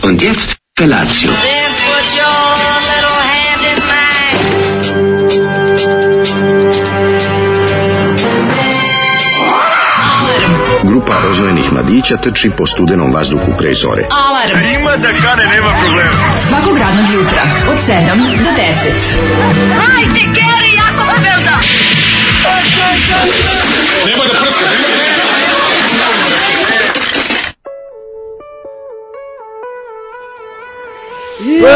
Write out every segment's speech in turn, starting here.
Und jetzt Felatio. Then put your little hand in mine. Grupa rozvojenih mladića trči po studenom vazduhu pre zore. Alarm. Ima da kane, nema problema. Svakog radnog jutra od 7 do 10. Hajde, Geri, jako se velda. Nema da prska, Ej,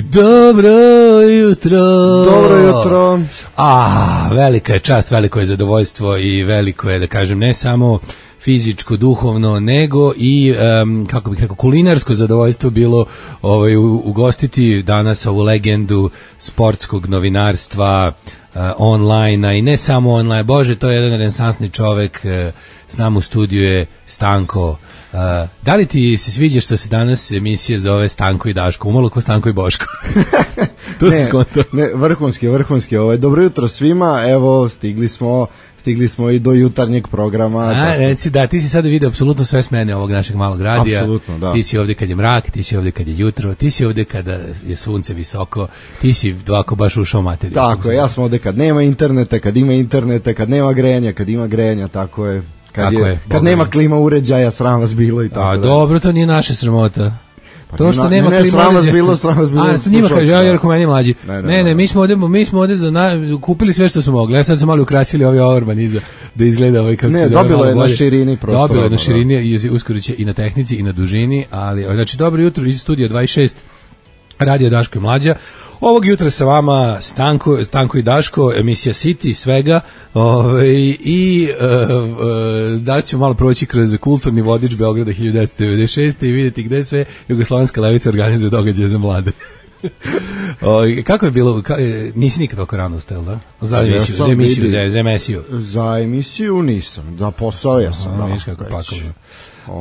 dobro jutro. Dobro jutro. Velika je čast, veliko je zadovoljstvo i veliko je, da kažem, ne samo fizičko, duhovno, nego i, kako bih rekao, kulinarsko zadovoljstvo bilo ugostiti danas ovu legendu sportskog novinarstva, online, i ne samo online. Bože, to je jedan renesansni čovek. S nama u studiju je Stanko. Da li ti se sviđa što se danas emisija zove Stanko i Daško? Umalo ko Stanko i Boško. To se skonto. Ne, vrhunski. Dobro jutro svima. Evo, stigli smo i do jutarnjeg programa. Reci, da, ti si sada vidio apsolutno sve smene ovog našeg malog radija. Apsolutno, da. Ti si ovdje kad je mrak, ti si ovdje kad je jutro, ti si ovdje kada je sunce visoko, ti si ovako baš ušao materiju. Tako je, ja sam ovdje kad nema interneta, kad ima interneta, kad nema grejanja, kad ima grejanja, tako je. Kad nema klima uređaja, sram vas bilo i tako. Dobro, to nije naša sramota. To što nema klima sram vas bilo. To njima kaže, ja rekao meni mlađi. Ne, mi smo ovdje kupili sve što smo mogli. Ja sad smo malo ukrasili ovaj orman iza, da izgleda ovaj kako se zove. Dobilo je na širini prostora. Dobilo je na širini i uskoro će i na tehnici i na dužini, ali znači dobro jutro iz studija 26 Radio Daško i Mlađa. Ovog jutra sa vama Stanko i Daško, emisija City, svega, i da ćemo malo proći kroz kulturni vodič Beograda 1996. i vidjeti gde sve Jugoslovenska levica organizuje događaje za mlade. Kako je bilo, nisi nikad toliko rano ustajel, da? Za emisiju. Za emisiju nisam, za posao ja sam. Viš kako pakovno.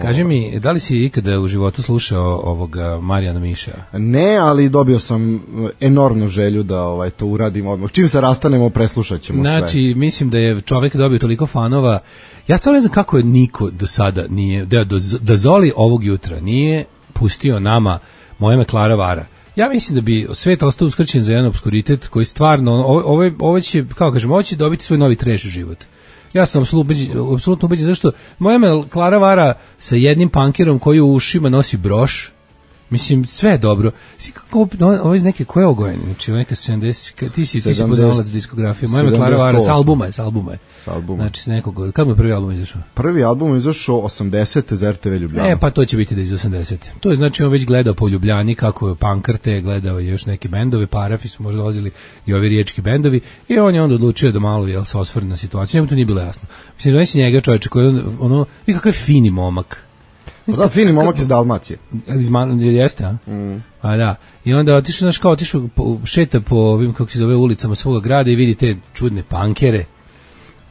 Kaži mi, da li si ikada u životu slušao ovoga Marijana Miša? Ne, ali dobio sam enormnu želju da to uradim odmah. Čim se rastanemo, preslušat ćemo sve. Znači, mislim da je čovjek dobio toliko fanova. Ja stvarno ne znam kako je niko do sada nije, da Zoli ovog jutra nije pustio nama Moje me Klara vara. Ja mislim da bi svet ostao uskrćen za jedan obskuritet koji stvarno, ovo će, kako kažem, ovo će dobiti svoj novi trash život. Ja sam apsolutno ubeđen, zašto Moja me Klara vara sa jednim pankerom koji u ušima nosi broš. Mislim, sve je dobro. Ovo iz neke koje ogojene, znači neka 70, ti si poznavalac diskografije. Moja me Klara vara, s albuma je. Znači, s nekog, kad mu je prvi album izašao? Prvi album je izašao 80. za RTV Ljubljana. Pa to će biti da iz 80. To je znači on već gledao po Ljubljani kako je pankarte, gledao je još neke bendove, Parafi su možda dolazili i ovi riječki bendovi, i on je onda odlučio da malo se osvrne na situaciju. Njemu to nije bilo jasno. Mislim, da si njega čovječe koji i kakav je fini momak. Da, fini momak iz Dalmacije. Jeste, a? A da. I onda otišao, šeta po ovim, kako se zove, ulicama svoga grada i vidi te čudne pankere.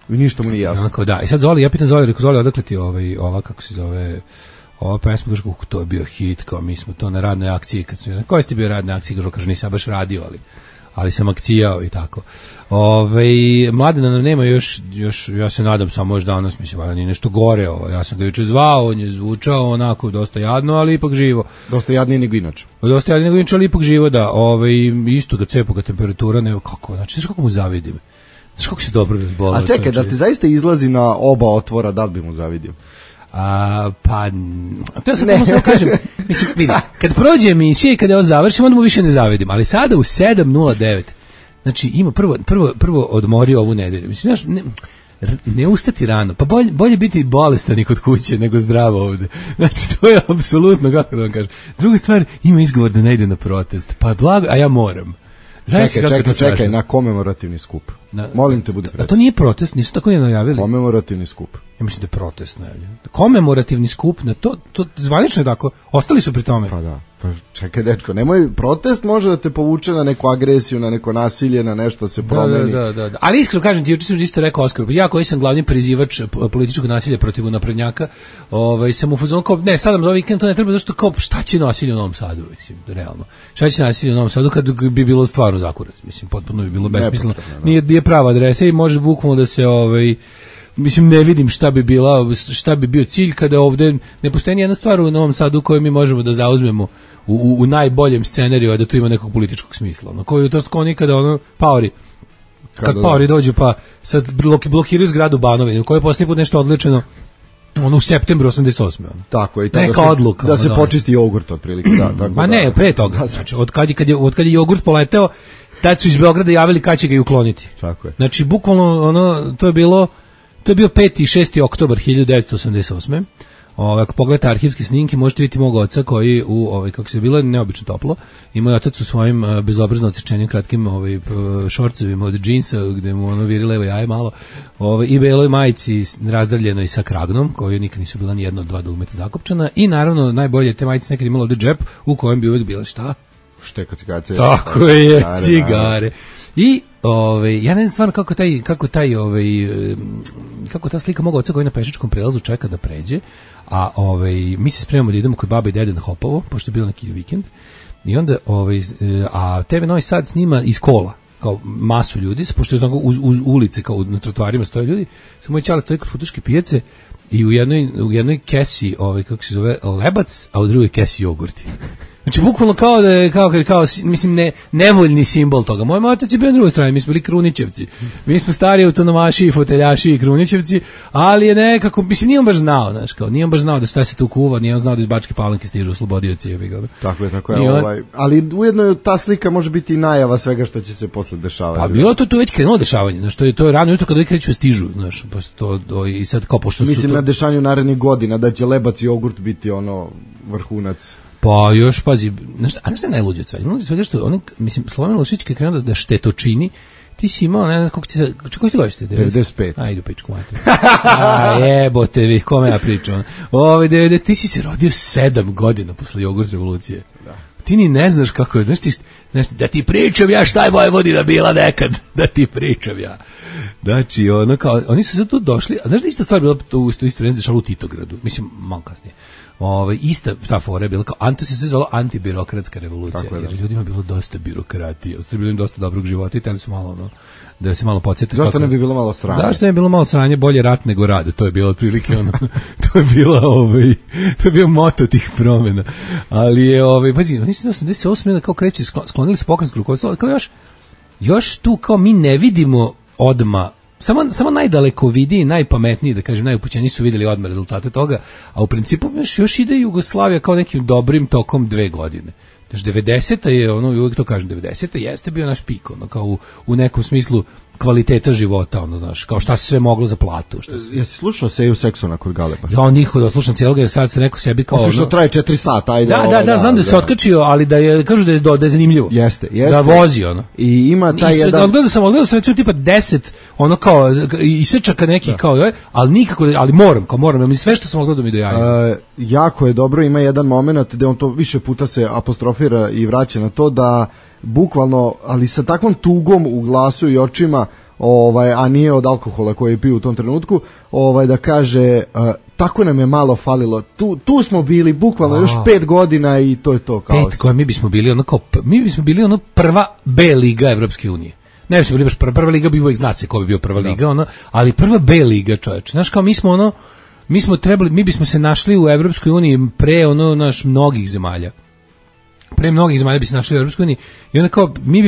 I ništa mu nije jasno. Onako, da. I sad Zoli, ja pitam Zoli, rekao Zoli, odakle ti ova, kako se zove, ova pesma, kaže, to je bio hit, kao mi smo to na radnoj akciji, koji ste bio radnoj akciji, kaže, nisam baš radio, ali sam akcijao i tako. Mladena nam nema još, ja se nadam samo možda danas, mislim, ali nije nešto gore, ja sam ga juče zvao, on je zvučao onako dosta jadno, ali ipak živo. Dosta jadnije nego inače. Dosta jadnije nego inače, ali ipak živo, da. Isto ga cepoga temperatura, ne, kako, znači, znaš kako mu zavidim? Znaš kako se dobro razbolao? A čekaj, da ti zaista izlazi na oba otvora, da li bi mu zavidio? Pa, to ja sad samo kažem, mislim, vidi, kad prođe emisija i kad je ovo završim, onda mu više ne zavidim, ali sada u 7:09, znači ima prvo odmori ovu nedelju, mislim, znaš, ne ustati rano, pa bolje biti bolestan i kod kuće nego zdravo ovde, znači to je apsolutno, kako da vam kažem. Druga stvar, ima izgovor da ne ide na protest, pa blago, a ja moram. Čekaj, na komemorativni skup. Molim te, budi precizan. A to nije protest, nisu tako nije najavili. Komemorativni skup. Ja mislim da je protest najavljen. Komemorativni skup, na to zvanično je tako, ostali su pri tome. Pa da. Pa čekaj, dečko, nemoj, protest može da te povuče na neku agresiju, na neko nasilje, na nešto se promeni. Da. Ali iskreno kažem ti, juče sam isto rekao Oskar, ja koji sam glavni prizivač političkog nasilja protiv naprednjaka, sam u fazonu kao, ne, sad nam za vikend to ne treba, zašto kao, šta će nasilje u Novom Sadu, mislim, realno. Šta će nasilje u Novom Sadu kad bi bilo stvarno zakurac, mislim, potpuno bi bilo besmisleno. Nije prava adresa i može bukvalno da se mislim ne vidim šta bi bio cilj kada ovde ne postoji ni jedna stvar u Novom Sadu koju mi možemo da zauzmemo u najboljem scenariju, a da to ima nekog političkog smisla. No, koji to kao nikada ono paori. Kad paori dođu pa sad blokiraju zgradu Banovine, u kojoj je posljednji put nešto odličeno ono u septembru 88. Ono. Tako je, i neka odluka. Da se počisti jogurt otprilike, da. Tako ma ne, pre toga. Znači, od kad je jogurt poleteo, tad su iz Beograda javili kad će ga i ukloniti. Tako je. Znači, bukvalno, ono, to je bio 5. i 6. oktobar 1988. Ako pogledate arhivske snimke, možete vidjeti mog oca koji kako se bilo neobično toplo. I moj otac u svojim bezobrazno odsečenim kratkim šorcevima od džinsa, gde mu ono viri levo jaje malo, i beloj majici razdravljenoj sa kragnom, koju nikad nisu bila ni jedno od dva dugmeta zakopčana. I naravno, najbolje te majice nekad imalo ovde džep u kojem bi uvijek bila šta? Šteka cigarce. Tako je, cigare. I ja ne znam stvarno kako ta slika mog oca koji na pešačkom prelazu čeka da pređe, a mi se spremamo da idemo kod baba i dede na Hopovo, pošto je bilo neki vikend. I onda a TV Novi Sad snima iz kola, kao masu ljudi, pošto je uz ulice, kao na trotoarima stoje ljudi. Samo moj ćale stoji kod futuške pijace i u jednoj kesi, kako se zove, lebac, a u drugoj kesi jogurti. Znači, bukvalno kao mislim, nevoljni simbol toga. Moj otac je bio na drugoj strani, mi smo bili Krunićevci. Mi smo stari autonomaši i foteljaši i Krunićevci, ali je nekako, mislim, nije on baš znao, znaš, kao, nije on baš znao da šta se tu kuva, nije on znao da iz Bačke Palanke stižu oslobodioci. Tako je. Ali ujedno ta slika može biti i najava svega što će se posle dešavati. Pa bilo to već krenulo dešavanje, znaš, to je rano jutro kada kreću stižu, znaš, i sad kao pošto mislim na dešanju narednih godina da će lebac i jogurt biti ono vrhunac. Pa još, pazi, a nešto je najluđe od svega? Najluđe od svega što, mislim, Slobodan Milošević kad je krenuo da štetočini, ti si imao, ne znam, koliko si godište? 95. Ajde, pičku mati. Jebote, vi, kome ja pričam? Ti si se rodio 7 godina posle jogurt revolucije. Da. Ti ni ne znaš kako je, znaš, da ti pričam ja šta je Vojvodina bila nekad, da ti pričam ja. Znači, oni su sad tu došli, a znaš da ista stvar bila u isto vreme dešala u Titogradu, mislim, malo kasnije. Ista ta fora je bila kao, to se zvalo antibirokratska revolucija, jer ljudima je bilo dosta birokratije, bilo im dosta dobrog života i teli su malo da se malo podsjeti. Zašto ne bi bilo malo sranje? Zašto ne bi bilo malo sranje, bolje rat nego rad, to je bilo otprilike to je bio moto tih promjena. Ali je, pazi, oni su 88. kao kreće, sklonili su pokrenjsko rukovodstvo, kao još tu kao mi ne vidimo odma. Samo najdalekovidiji, najpametniji, da kažem, najupućeniji su vidjeli odmah rezultate toga, a u principu još ide Jugoslavija kao nekim dobrim tokom 2 godine. Znači, 90. je, uvijek to kažem, 90. jeste bio naš pik, kao u nekom smislu kvaliteta života, znaš, kao šta se sve moglo za platu. Jesi slušao Seju Seksona kod Galeba? Ja nikad da slušam cijelog, jer sad se neko sebi kao... Osim što traje 4 sata, ajde. Da, znam da se otkačio, ali kažu da je zanimljivo. Jeste. Da vozi, I ima taj jedan... Odgledao sam recimo tipa 10, kao, isečaka nekih, kao, ali nikako, ali moram, mi sve što sam odgledao mi do jaja. Jako je dobro, ima jedan moment gde on to više puta se apostrofira i vraća na to da bukvalno, ali sa takvom tugom u glasu i očima, a nije od alkohola koji je pio u tom trenutku, da kaže, tako nam je malo falilo, tu smo bili bukvalno još 5 godina i to je to kao. 5 koja mi bismo bili prva B liga Evropske unije. Ne bismo bili baš prva liga, bi uvijek zna se ko bi bio prva liga, ali prva B liga, čoveče. Znaš, kao mi bismo se našli u Evropskoj uniji pre mnogih zemalja. Pre mnogih zemalja bi se našli u Evropskoj uniji i onda kao mi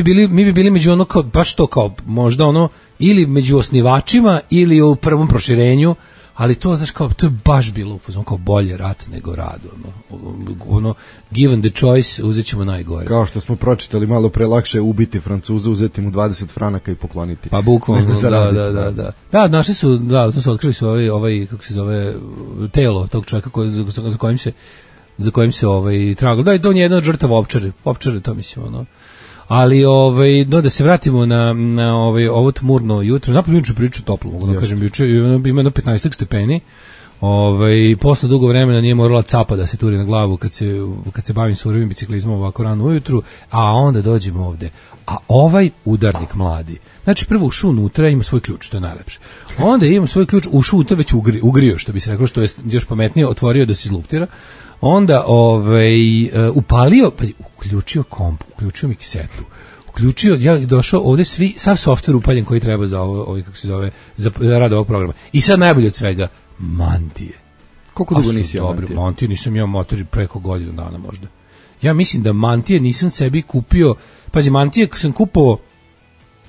bi bili među kao baš to kao možda ili među osnivačima ili u prvom proširenju, ali to znaš kao to je baš bilo kao bolje rat nego rad, given the choice uzećemo najgore. Kao što smo pročitali malo pre, lakše ubiti Francuza, uzeti mu 20 franaka i pokloniti. Pa bukvalno, da. Da, našli su, to su otkrili su kako se zove, telo tog čovjeka za kojim se tragalo. Da, i to on je jedna od žrtava ovčare, to mislim, Ali, da se vratimo na ovo tmurno jutro, napolju juče priču toplo, mogu da kažem, juče ima 15 stepeni, posle dugo vremena nije morala capa da se turi na glavu kad se bavim surovim biciklizmom ovako rano ujutru, a onda dođemo ovde. A ovaj udarnik mladi, znači prvo ušao unutra, ima svoj ključ, to je najlepše. Onda ima svoj ključ, ušao unutra već ugrio, što bi se rekao, što je još pametnije, otvorio da se izluftira. Onda upalio, uključio komp, uključio miksetu, uključio, ja došao ovde sav softver upaljen koji treba za ovo kako se zove, za rad ovog programa. I sad najbolje od svega, mantije. Koliko dugo nisi imao mantije? Mantije nisam imao motor preko godinu dana možda. Ja mislim da mantije nisam sebi kupio, pazi, mantije sam kupovao,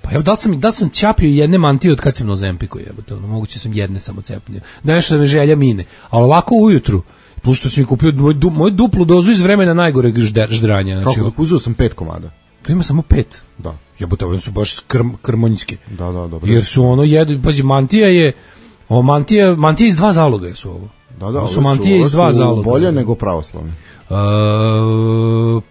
pa evo, da sam ćapio jedne mantije od kad sam na Ozempiku, jebote, moguće sam jedne samo cepnio. Da nešto da me želja mine, ali ovako ujutru, plus što sam mi kupio moju duplu dozu iz vremena najgoreg ždranja. Znači, kako, uzeo sam 5 komada. To ima samo 5. Da. Jebote, one su baš krmonjske. Da, dobro. Jer su pazi, mantija iz 2 zaloga su ovo. Da, su mantije iz 2 zaloga. Bolje nego pravoslavne.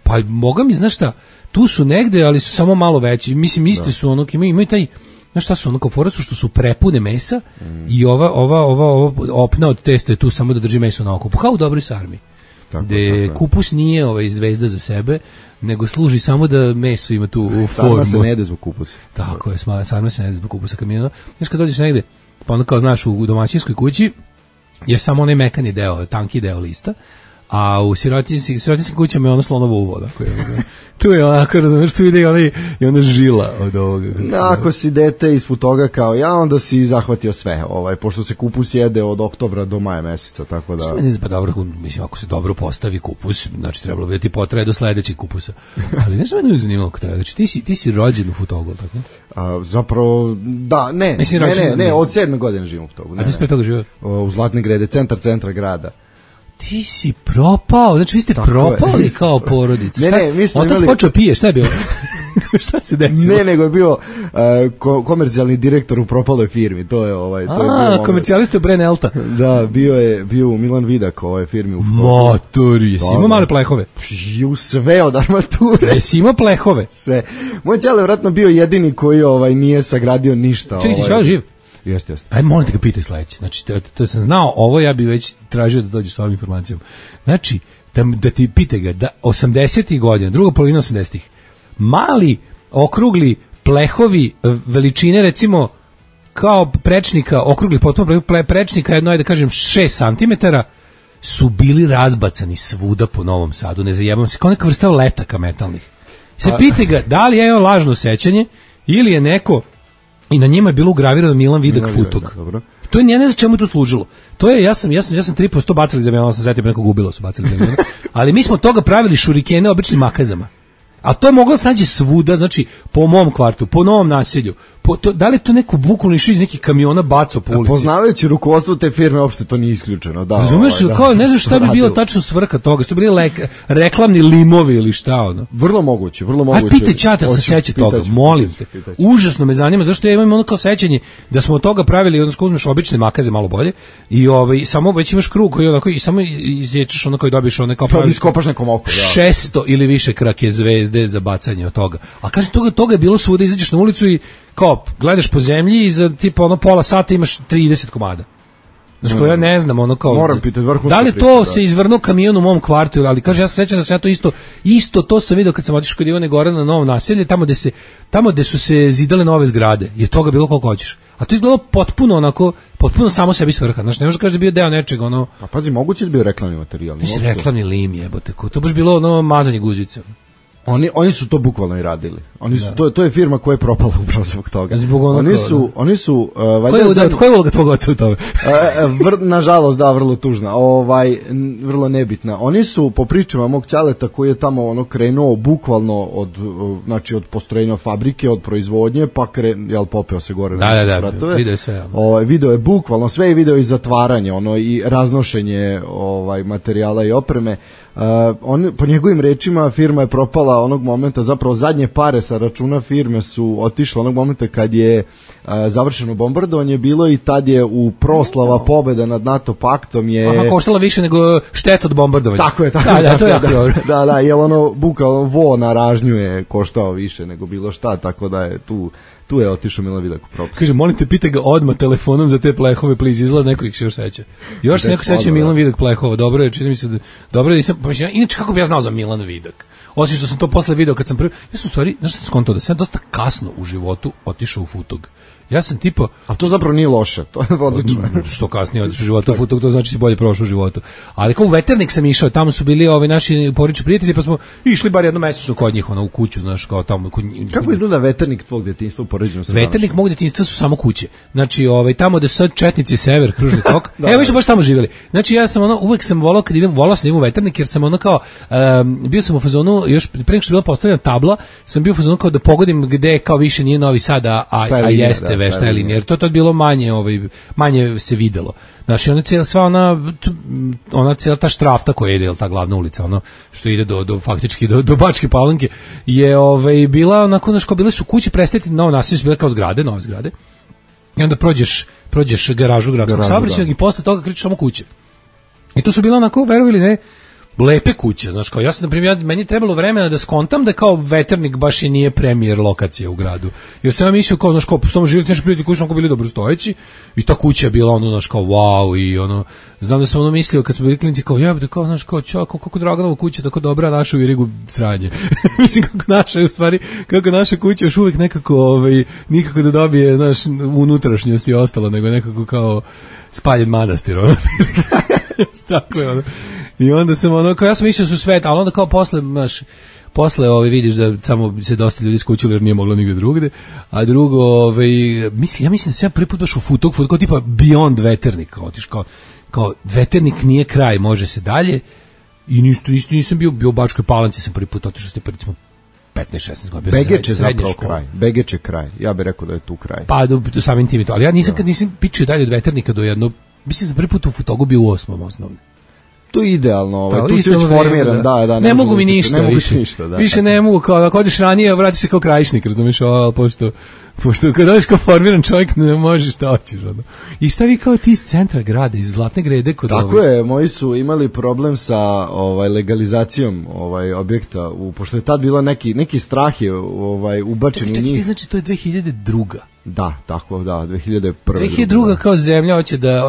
Pa moga mi, znaš šta, tu su negde, ali su samo malo veći. Mislim, iste su ono, imaju taj, znaš šta su ono, kao fora su što su prepune mesa i ova opna od testa je tu samo da drži meso na okupu, kao u dobroj sarmi. Gde kupus nije zvezda za sebe, nego služi samo da meso ima tu formu. Sarma se ne jede zbog kupusa. Tako je, sarma se ne jede zbog kupusa kamiona. Znaš, kad dođeš negde, pa onda kao znaš, u domaćinskoj kući je samo onaj mekani deo, tanki deo lista, a u sirotinskim kućama je ono slonovo uvo. Tu je onako, razumiješ, tu ide i ona žila od ovoga. Ako si dete ispod toga kao ja, onda si zahvatio sve, pošto se kupus jede od oktobra do maja meseca, tako da... Što meni pa dobro, mislim, ako se dobro postavi kupus, znači trebalo bi da ti potraje do sledećeg kupusa. Ali nešto me uvijek zanimalo kod toga, znači ti si rođen u Futogu, tako? Zapravo, da, ne, od 7. godine živim u Futogu. A ti si pre toga živio? U Zlatne Grede, centra grada. Ti si propao, znači vi ste propali kao porodica. Mi smo otac počeo pije, šta je bilo? Šta se desilo? Ne, nego je bio komercijalni direktor u propaloj firmi, to je komercijalista Bren Elta. Da, bio Milan Vidak u ovoj firmi. Motori, jesi imao male plehove? Sve od armature. Jesi imao plehove? Sve. Moj ćale je vratno bio jedini koji nije sagradio ništa. Čekaj, ti ćala živ? Jeste. Aj, molim te ga pitaj sledeće. Znači, da sam znao ovo, ja bi već tražio da dođeš sa ovom informacijom. Znači, da ti pitaj ga, da 80-ih godina, druga polovina 80-ih, mali, okrugli plehovi veličine, recimo, kao prečnika, okrugli potpuno prečnika, jedno, da kažem, 6 cm, su bili razbacani svuda po Novom Sadu, ne zajebam se, kao neka vrsta letaka metalnih. Sad pitaj ga, da li je ovo lažno sećanje, ili je neko i na njima je bilo ugravirano Milan Vidak Futog. To je, ja ne znam čemu to služilo. To je, ja sam 3% bacili za aviona, sam zetio, nekog ubilo su bacili za aviona, ali mi smo toga pravili šurikene običnim makazama. A to je moglo da nađe svuda, znači po mom kvartu, po Novom naselju. Da li je to neko bukvalno išao iz nekih kamiona bacao po ulici? Poznavajući rukovodstvo te firme, uopšte to nije isključeno. Da, razumeš, kao ne znam šta bi bilo tačno svrha toga, što bi bili reklamni limovi ili šta ono. Vrlo moguće. Aj, pitaj čata se seća toga, molim te. Užasno me zanima, zašto ja imam ono kao sećanje da smo od toga pravili, odnosno uzmeš obične makaze malo bolje i samo već imaš krug koji onako i samo izječeš ono koji dobiješ ono kao pravi. Iskopaš nekom oko, 600 ili više krake zvezde za bacanje od toga. A kaže toga je bilo svuda, izađeš na ulicu i kao gledaš po zemlji i za tipa pola sata imaš 30 komada. Znači, ja ne znam, moram pitati da li to se izvrnuo kamion u mom kvartu, ali kaže, ja se sećam da sam ja to isto to sam vidio kad sam otišao kod Ivane Gore na novo naselje, tamo gde su se zidale nove zgrade, je toga bilo koliko hoćeš. A to izgledalo potpuno samo sebi svrha. Znači, ne možeš kaži da bio deo nečega, Pa pazi, moguće da bio reklamni materijal. Reklamni lim, jebote, to baš bilo mazanje guzice. Oni su to bukvalno i radili. To je firma koja je propala upravo zbog toga. Oni su koja je uloga tvog oca u tome? Nažalost, da, vrlo tužna. Vrlo nebitna. Oni su po pričama mog ćaleta koji je tamo krenuo bukvalno od postrojenja fabrike, od proizvodnje, pa popeo se gore na spratove. Video je sve. Video je bukvalno sve i video i zatvaranje, i raznošenje materijala i opreme. Po njegovim rečima firma je propala onog momenta, zapravo zadnje pare sa računa firme su otišle onog momenta kad je završeno bombardovanje bilo i tad je u proslava pobjeda nad NATO paktom je... koštala više nego šteta od bombardovanja. Tako je. To je jako dobro. Da, jer bukvalno vo na ražnju je koštao više nego bilo šta, tako da je tu je otišao Milan Vidak u propast. Kaže, molim te, pitaj ga odmah telefonom za te plehove, please, izgleda neko ih se još seća. Još se neko seća Milan Vidak plehova, dobro je, čini mi se da... Dobro je, nisam... Inače, kako bi ja znao za Milan Vidak? Osim što sam to posle video kad sam prvi... Ja sam u stvari, znaš što sam skontao, da sam dosta kasno u životu otišao u Futog. Ja sam tipo... A to zapravo nije loše, to je odlično. Što kasnije odeš u životu u Futog, to znači si bolje prošao u životu. Ali kao u Veternik sam išao, tamo su bili naši porodični prijatelji, pa smo išli bar jednom mesečno kod njih, u kuću, znaš, kao tamo. Kako izgleda Veternik tvog djetinjstva u poređenju sa Veternik mog djetinjstva su samo kuće. Znači, tamo da su sad Četnici, Sever, Kružni tok. Evo mi smo baš tamo živjeli. Znači, ja sam uvek sam volao kad volao sam da idem u Veternik, jer sam kao bio sam u fazonu, još pre nego što je bila postavljena tabla, sam bio u fazonu kao da pogodim gde kao više nije Novi Sad, a jeste Vešta je linija, jer to tad bilo manje se videlo. Znači, ona cijela ta štrafta koja ide, ta glavna ulica, što ide faktički do Bačke Palanke, je bila onako, znaš, kao bile su kuće prestati, novo naselje su bile kao zgrade, nove zgrade, i onda prođeš garažu gradskog saobraćaja i posle toga krećeš samo kuće. I to su bila onako, verovali ne, lepe kuće, znaš, kao ja sam, na primjer, meni je trebalo vremena da skontam da kao Veternik baš i nije premijer lokacija u gradu, jer sam ja mislio kao, znaš, kao, postoji živjeti nešto prijatelji koji su onako bili dobrostojeći i ta kuća je bila znaš, kao, wow, i znam da sam mislio kad smo bili klinici, kao, jebate, kao, znaš, kao, kako Draganova kuća, tako dobra, naša u Irigu sranje. Mislim, kako naša kuća još uvijek nekako, nikako da dobije, znaš, unutrašnjost i ostalo, nego nekako kao spaljen manastir, tako je, I onda sam kao ja sam mislio su svet, ali onda kao posle vidiš da samo se dosta ljudi skućilo jer nije moglo nigde drugde, a drugo, ja mislim da sam ja prvi put došao u Futog, kao tipa beyond Veternik, kao Veternik nije kraj, može se dalje, i nisam bio u Bačkoj Palanci, sam prvi put otišao, recimo 15-16 godina. Begeć je zapravo kraj. Begeć je kraj. Ja bih rekao da je tu kraj. Pa do samim tim i to, ali ja nisam pičio dalje od Veternika do jedno, mislim da prvi put u Futogu bio u 8. osnovne. To je idealno, tu si već formiran, da. Ne mogu mi ništa više. Više ne mogu, kao ako odeš ranije, vratiš se kao Krajišnik, razumiješ, pošto kad odeš kao formiran čovjek ne možeš šta hoćeš. I šta vi kao ti iz centra grada, iz Zlatne Grede? Tako je, moji su imali problem sa legalizacijom objekta, pošto je tad bilo neki strah je ubačen u njih. Znači to je 2002. Da, tako, 2001. 2002. kao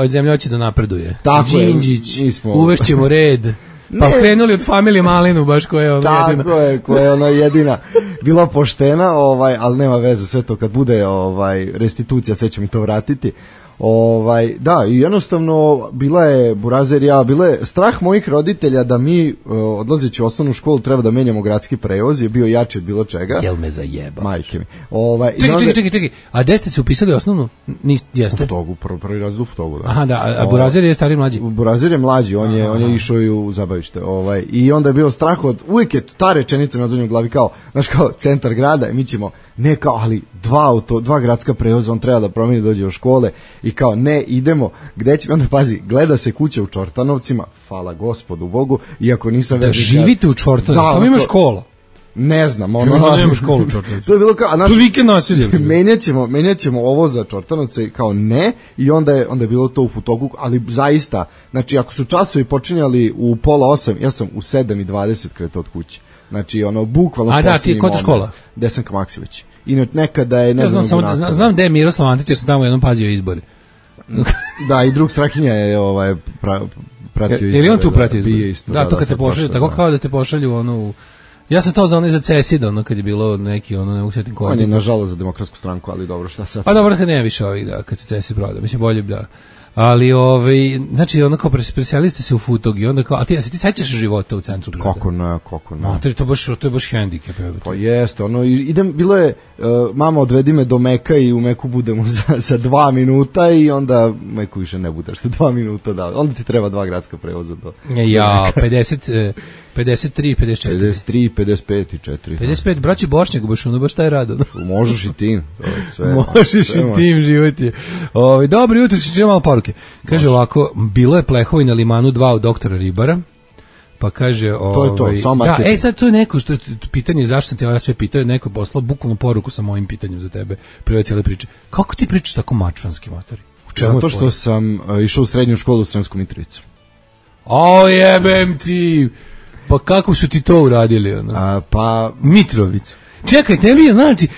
zemlja hoće da napreduje. Tako je, Đinđić, uvešćemo red. Pa krenuli od familije Malinu, baš koja je jedina. Tako je, koja je jedina bila poštena, ali nema veze, sve to kad bude restitucija, sve će mi to vratiti. Da, i jednostavno bila je burazerija, bila je strah mojih roditelja da mi odlazeći u osnovnu školu treba da menjamo gradski prevoz, je bio jači od bilo čega. Jel me zajeba? Majke mi. Čekaj. A gde ste se upisali osnovnu? Jeste? U Futogu, prvi raz u Futogu, da. Aha, da, a Burazer je stariji mlađi? Burazer je mlađi, on je išao i u zabavište. I onda je bio strah uvijek je ta rečenica na u glavi kao, znaš, kao centar grada, mi ćemo, ne kao, ali dva gradska prevoza, on treba da promeni, dođe u škole i kao, ne, idemo, gde će, onda pazi, gleda se kuća u Čortanovcima, hvala Gospodu Bogu, iako nisam da živite u Čortanovcima, tamo ima škola. Ne znam, nema školu u Čortanovcima. To je bilo kao, to je vikend nasilje. Menjat ćemo ovo za Čortanovce, kao ne, i onda je bilo to u Futogu, ali zaista, znači, ako su časovi počinjali u 7:30, ja sam u 7:20 kretao od kuće. Znači, bukvalno posljednji moment. A da, ti, kod škola? Desanka Maksivić. I nekada je, ne znam, znam gde je Miroslav Antić, jer sam tamo jednom pazio izbore. Da, i drug Strahinja je pratio izbore. Ili on tu pratio izbore? Da, to kad te pošalju, tako kao da te pošalju ja sam to za za CESID, kad je bilo neki, ne usjetim koji. On je nažalost za Demokratsku stranku, ali dobro, šta sad? Pa dobro, kad nema više ovih, da, kad se CESID proda, mislim, bolje bi da. Ali, znači, kao preselili ste se u Futog i onda kao, a ti sećaš života u centru grada? Kako ne. To je baš hendikep. Pa jeste, bilo je, mama odvedi me do Meka i u Meku budemo za 2 minuta i onda Meku više ne budeš za 2 minuta, da, onda ti treba 2 gradska prevoza do ja, 53, 54. 53, 55 i 4. 55, braći Bošnjak, baš taj rado. Možeš i tim. Možeš i tim, život je. Dobro jutro, ćemo malo poruke. Kaže ovako, bilo je plehovi na Limanu 2 od doktora Ribara, pa kaže... To je to, samo marketing. Sad to je neko, što pitanje zašto sam te ja sve pitao, neko je poslao bukvalno poruku sa mojim pitanjem za tebe, prije cijele priče. Kako ti pričaš tako mačvanski, matori? Zato što sam išao u srednju školu u Sremsku Mitrovicu. Jebem ti! Pa kako su ti to uradili? Mitrovicu. Čekaj, tebi je, znači,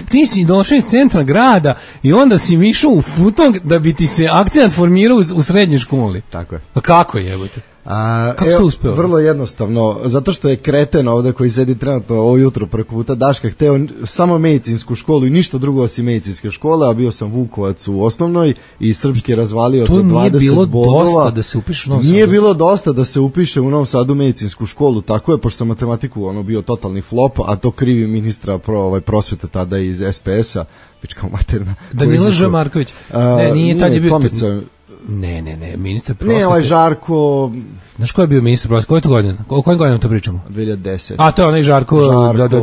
ti si došao iz centra grada i onda si išao u Futog da bi ti se akcent formirao u srednjoj školi. Tako je. Pa kako je, jebote? Kako ste uspeo? Vrlo jednostavno, zato što je kreten ovde koji sedi trenutno ovo jutro preko puta Daška hteo samo medicinsku školu i ništa drugo osim medicinske škole, a bio sam Vukovac u osnovnoj i srpski razvalio sa 20 bodova. To nije bilo dosta da se upiše u Novom Sadu? Nije bilo dosta da se upiše u Novom Sadu medicinsku školu, tako je, pošto sam matematiku bio totalni flop, a to krivi ministra prosvete tada iz SPS-a, pička materna. Danilo Ž. Marković. Ne, nije tad je bio... Tomica. Ne, ministar prosvete. Ne, ovaj Žarko... Znaš ko je bio ministar prosvete? Koje je to godine? O kojim godinama to pričamo? 2010. A to je onaj Žarko,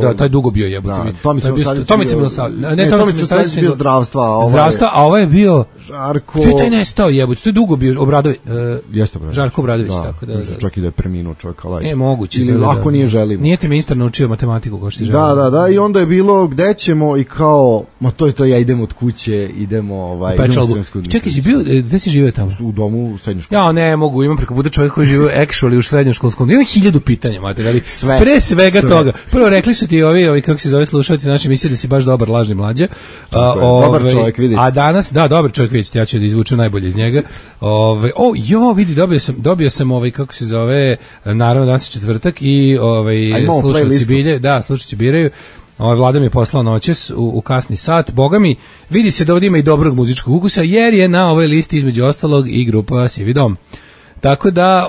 da, taj dugo bio jebote. Tomica Milosavljević. Ne, Tomica Milosavljević bio zdravstva, a ovaj je bio... Žarko... To je taj nestao jebote, to je dugo bio Obradović. Jeste Obradović. Žarko Obradović, tako da. Čak i da je preminuo čovjek, ali... Ne, moguće. Ili ako nije želimo. Nije ti ministar naučio matematiku kao što ti želimo. Da, i onda je bilo gde ćemo i kao, ma to je to, ja idem od kuće, idemo Čekaj, si bio, gde si živeo tamo? U domu u srednjoj školi. Ja ne mogu, imam preko puta čovjek koji živi actually u srednjoškolskom. Imam 1000 pitanja, materijali. Pre svega toga. Prvo rekli su ti ovi kako se zove slušalci naši misle da si baš dobar lažni mlađe. Dobar čovjek, vidiš. A danas, da, dobar čovjek, vidite, ja ću da izvučem najbolje iz njega. Vidi, dobio sam kako se zove, naravno danas je četvrtak i slušalci bilje, da, slušalci biraju. Vlada mi je poslao noćas u kasni sat. Boga mi, vidi se da ovdje ima i dobrog muzičkog ukusa, jer je na ovoj listi između ostalog i grupa Sivi dom. Tako da,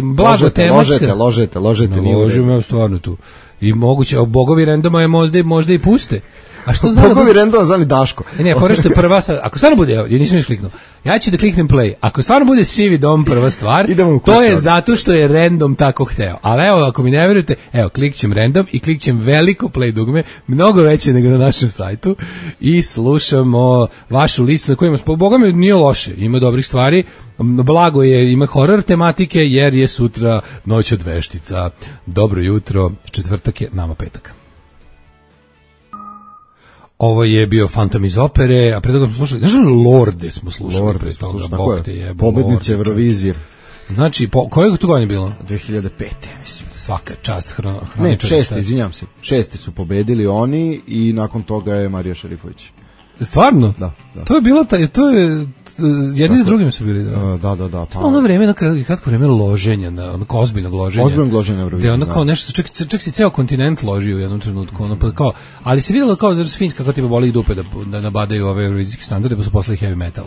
blago tematska. Ložete. Ložimo, stvarno tu. I moguće, bogovi randoma je možda i puste. A što zna bogovi randoma zvani Daško. Ne, fora što je prva sad, ako stvarno bude, nisam još kliknuo, ja ću da kliknem play. Ako stvarno bude Sivi dom prva stvar, to je zato što je random tako hteo. Ali evo, ako mi ne verujete, klikćem random i klikćem veliko play dugme, mnogo veće nego na našem sajtu i slušamo vašu listu na kojima, boga mi nije loše, ima dobrih stvari. Blago je, ima horor tematike jer je sutra noć od veštica. Dobro jutro, četvrtak je, nama petak. Ovo je bio Fantom iz opere, a pre toga smo slušali, znaš Lorde smo slušali pre toga, Bog te jebo. Pobednice Eurovizije. Znači, koje to godine bilo? 2005. mislim. Svaka čast hroničara. Ne, 6. izvinjam se. 6. su pobedili oni i nakon toga je Marija Šerifović. Stvarno? Da. To je bilo, jedni s drugim su bili. Da. Pa ono vreme, kratko vreme loženja, onako ozbiljnog loženja. Ozbiljnog loženja Eurovizije. Gde ono kao nešto, čak si ceo kontinent ložio u jednom trenutku. Ali se vidjelo kao za Finska kako tipa boli ih dupe da nabadaju ove eurovizijske standarde, pa su poslali heavy metal.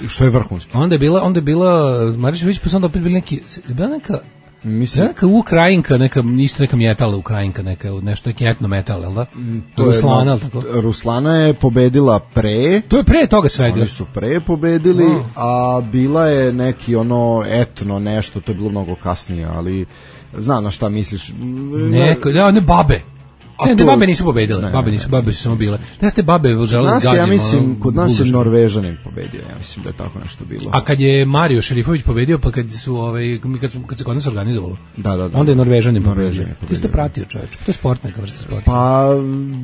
Što je vrhunski. Onda je bila Marija Šerifović, pa su onda opet bili neka Ukrajinka, neka mjetala Ukrajinka, nešto neki etno metal, jel da? Ruslana, ali tako? Ruslana je pobedila pre. To je pre toga sve. Oni su pre pobedili, a bila je neki etno nešto, to je bilo mnogo kasnije, ali znam na šta misliš. Ne babe. Ne, babe nisu pobedile, babe su samo bile. Da ste babe žele zgazimo. Ja mislim, kod nas je Norvežanin pobedio, ja mislim da je tako nešto bilo. A kad je Mario Šerifović pobedio, pa kad se kod nas organizovalo, da. Onda je Norvežanin pobedio. Ti ste pratio, čoveč, to je sport, neka vrsta sporta. Pa,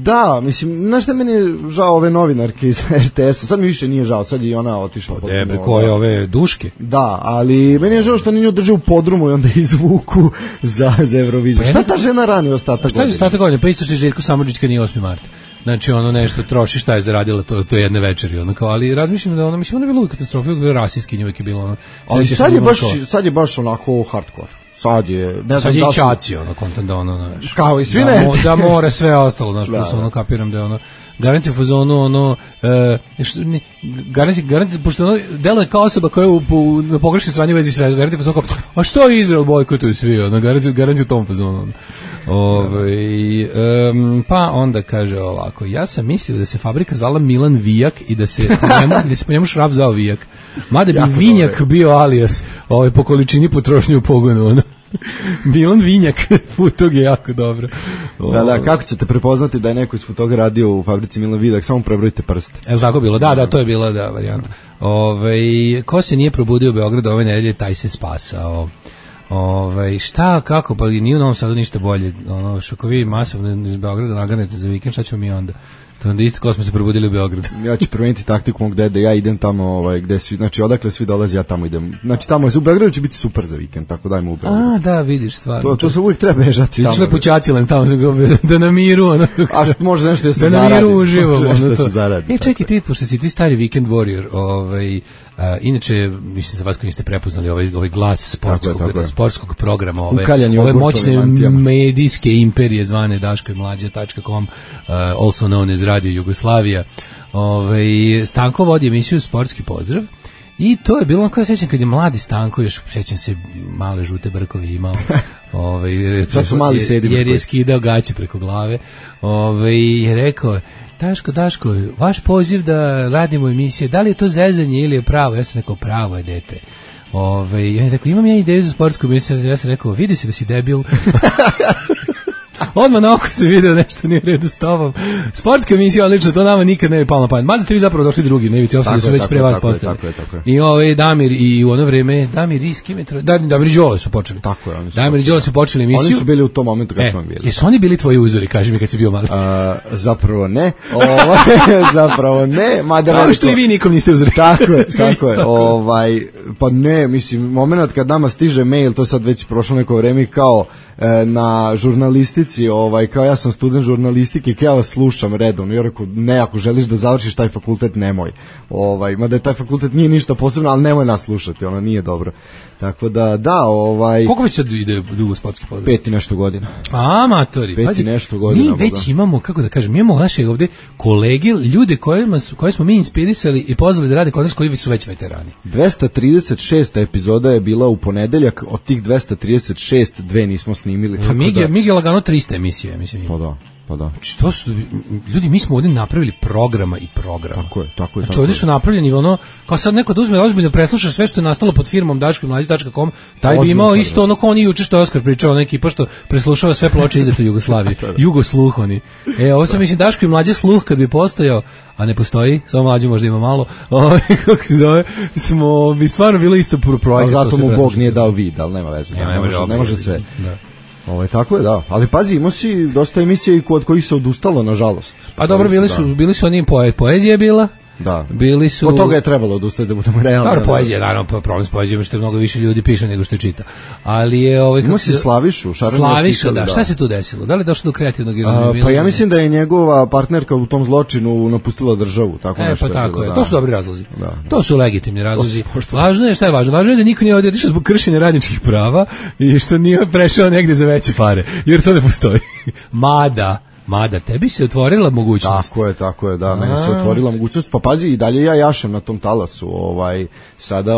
da, mislim, znaš šta meni je žao ove novinarke iz RTS-a, sad mi više nije žao, sad je i ona otišla. Koje ove duške? Da, ali meni je žao što nije drže u podrumu i onda izvuku za Euroviziju. Šta ta žena rani ostatak godine? Šta je ostatak godine? Pa isto što je Željko Samardžić kad nije 8. mart. Znači nešto troši šta je zaradila to jedne večeri ali razmišljam da ona je bila u katastrofi, uvijek je bila rasijski, uvijek je bilo ali sad je baš onako hardcore. Sad je i čaci kontent da kao i svi ne da mora sve ostalo, znaš, plus kapiram da garanti u fazonu garanti pošto deluje kao osoba koja je na pogrešnoj strani u vezi svega, garanti u fazonu kao, a što je Izrael bojkotuju svi, garanti u tom fazonu. Pa onda kaže ovako, ja sam mislio da se fabrika zvala Milan Vijak i da se po njemu Šraf zvao Vijak, mada bi Vinjak bio alias po količini potrošnje u pogonu. Milan Vinjak, tog je jako dobro. Da, kako ćete prepoznati da je neko iz toga radio u fabrici Milan Vijak, samo prebrojite prste. Jel tako bilo? Da, to je bila varijanta. Ko se nije probudio u Beogradu ove nedelje, taj se spasao. Šta, kako, pa nije u Novom Sadu ništa bolje. Ako vi masovno iz Beograda naganete za vikend, šta ćemo mi onda? To onda isto kao smo se probudili u Beogradu. Ja ću promijeniti taktiku mog dede, ja idem tamo gde svi, znači odakle svi dolaze, ja tamo idem. Znači tamo u Beogradu će biti super za vikend, tako dajmo u Beogradu. A, da, vidiš stvarno. To se uvijek treba bežati tamo. Ti ću lepućacilem tamo da na miru, ono. A može nešto da se zaradi. Da na miru uživo, Može ono to. se zaradi. Čekaj ti, pošto si ti stari weekend warrior, inače, mislim za vas koji niste prepoznali ovaj glas sportskog programa, ove moćne medijske imperije zvane Daško i Mlađa.com, also known as Radio Jugoslavija. Stanko vodi emisiju Sportski pozdrav i to je bilo ono koje sećam kad je mladi Stanko, još sećam se male žute brkovi imao, jer je skidao gaće preko glave, je rekao: Daško, vaš poziv da radimo emisije, da li je to zezanje ili je pravo? Ja sam rekao, pravo je, dete. Ja rekao, imam ja ideju za sportsku emisiju, ja sam rekao, vidi se da si debil. Odmah na oko se video nešto nije u redu s tobom. Sportska emisija, odlično, to nama nikad ne bi palo na pamet. Mada ste vi zapravo došli drugi, nevici, ostali su već pre vas postavili. I Damir i u ono vreme, Damir i Skimetro, Damir i Đole su počeli. Tako je, Damir i Đole su počeli emisiju. Oni su bili u tom momentu kad smo bili. Jesu oni bili tvoji uzori, kaži mi kad si bio mali? Zapravo ne. Zapravo ne. Kao što i vi nikom niste uzori. Tako je. Pa ne, mislim, moment kad nama stiže mail, to sad već prošlo neko vreme, kao na žurnalistici, kao ja sam student žurnalistike, kao ja vas slušam redovno. Ja rekao, ne, ako želiš da završiš taj fakultet, nemoj. Mada je taj fakultet nije ništa posebno, ali nemoj nas slušati, ono nije dobro. Tako da, koliko već sad ide dugo sportski pozdrav? 5 i nešto godina. Amatori. 5 i nešto godina. Mi već imamo, kako da kažem, mi imamo naše ovde kolege, ljude koje smo mi inspirisali i pozvali da rade kod nas, koji su već veterani. 236. epizoda je bila u ponedeljak, od tih 236 2 nismo snimili. Mi je lagano 300 emisije, mislim. Pa da. Znači, to su, ljudi, mi smo ovdje napravili programa i programa. Tako je. Znači, ovdje su napravljeni ono, kao sad neko da uzme ozbiljno presluša sve što je nastalo pod firmom daškomlađa.com, taj bi imao isto ono kao oni juče što je Oskar pričao, ona ekipa što preslušava sve ploče izdate u Jugoslaviji. Jugosluh oni. Ovo sam mislim Daško i Mlađa sluh kad bi postojao, a ne postoji, samo Mlađe možda ima malo, kako se zove, bi stvarno bilo isto projekt. Zato mu Bog nije dao vid, ali nema veze. Ne može sve. Tako je, da. Ali pazi, imao si dosta emisija i kod kojih se odustalo, nažalost. Pa dobro, bili su oni poezija je bila. Da. Bili su... Od toga je trebalo odustati da budemo realni. Dobro, poezija, naravno, problem s poezijom što je mnogo više ljudi piše nego što je čita. Ali je Imao si Slavišu, Slaviša, da. Šta se tu desilo? Da li je došlo do kreativnog Pa ja mislim da je njegova partnerka u tom zločinu napustila državu, tako nešto. Pa tako je. To su dobri razlozi. To su legitimni razlozi. Važno je, šta je važno? Važno je da niko nije ovdje otišao zbog kršenja radničkih prava i što nije prešao negde za veće pare, jer to ne postoji. Mada, tebi se otvorila mogućnost. Tako je, da, meni se otvorila mogućnost, pa pazi, i dalje ja jašem na tom talasu, sada,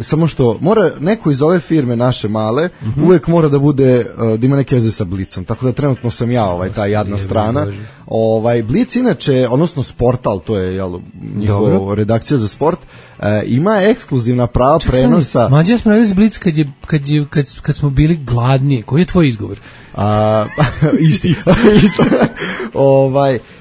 samo što mora, neko iz ove firme naše male, uvek mora da bude, da ima neke veze sa Blicom, tako da trenutno sam ja, ta jadna strana. Blic inače, odnosno Sportal, to je, njihova redakcija za sport, ima ekskluzivna prava prenosa. Mađe, smo radili Blic kad smo bili gladni, koji je tvoj izgovor? Isto.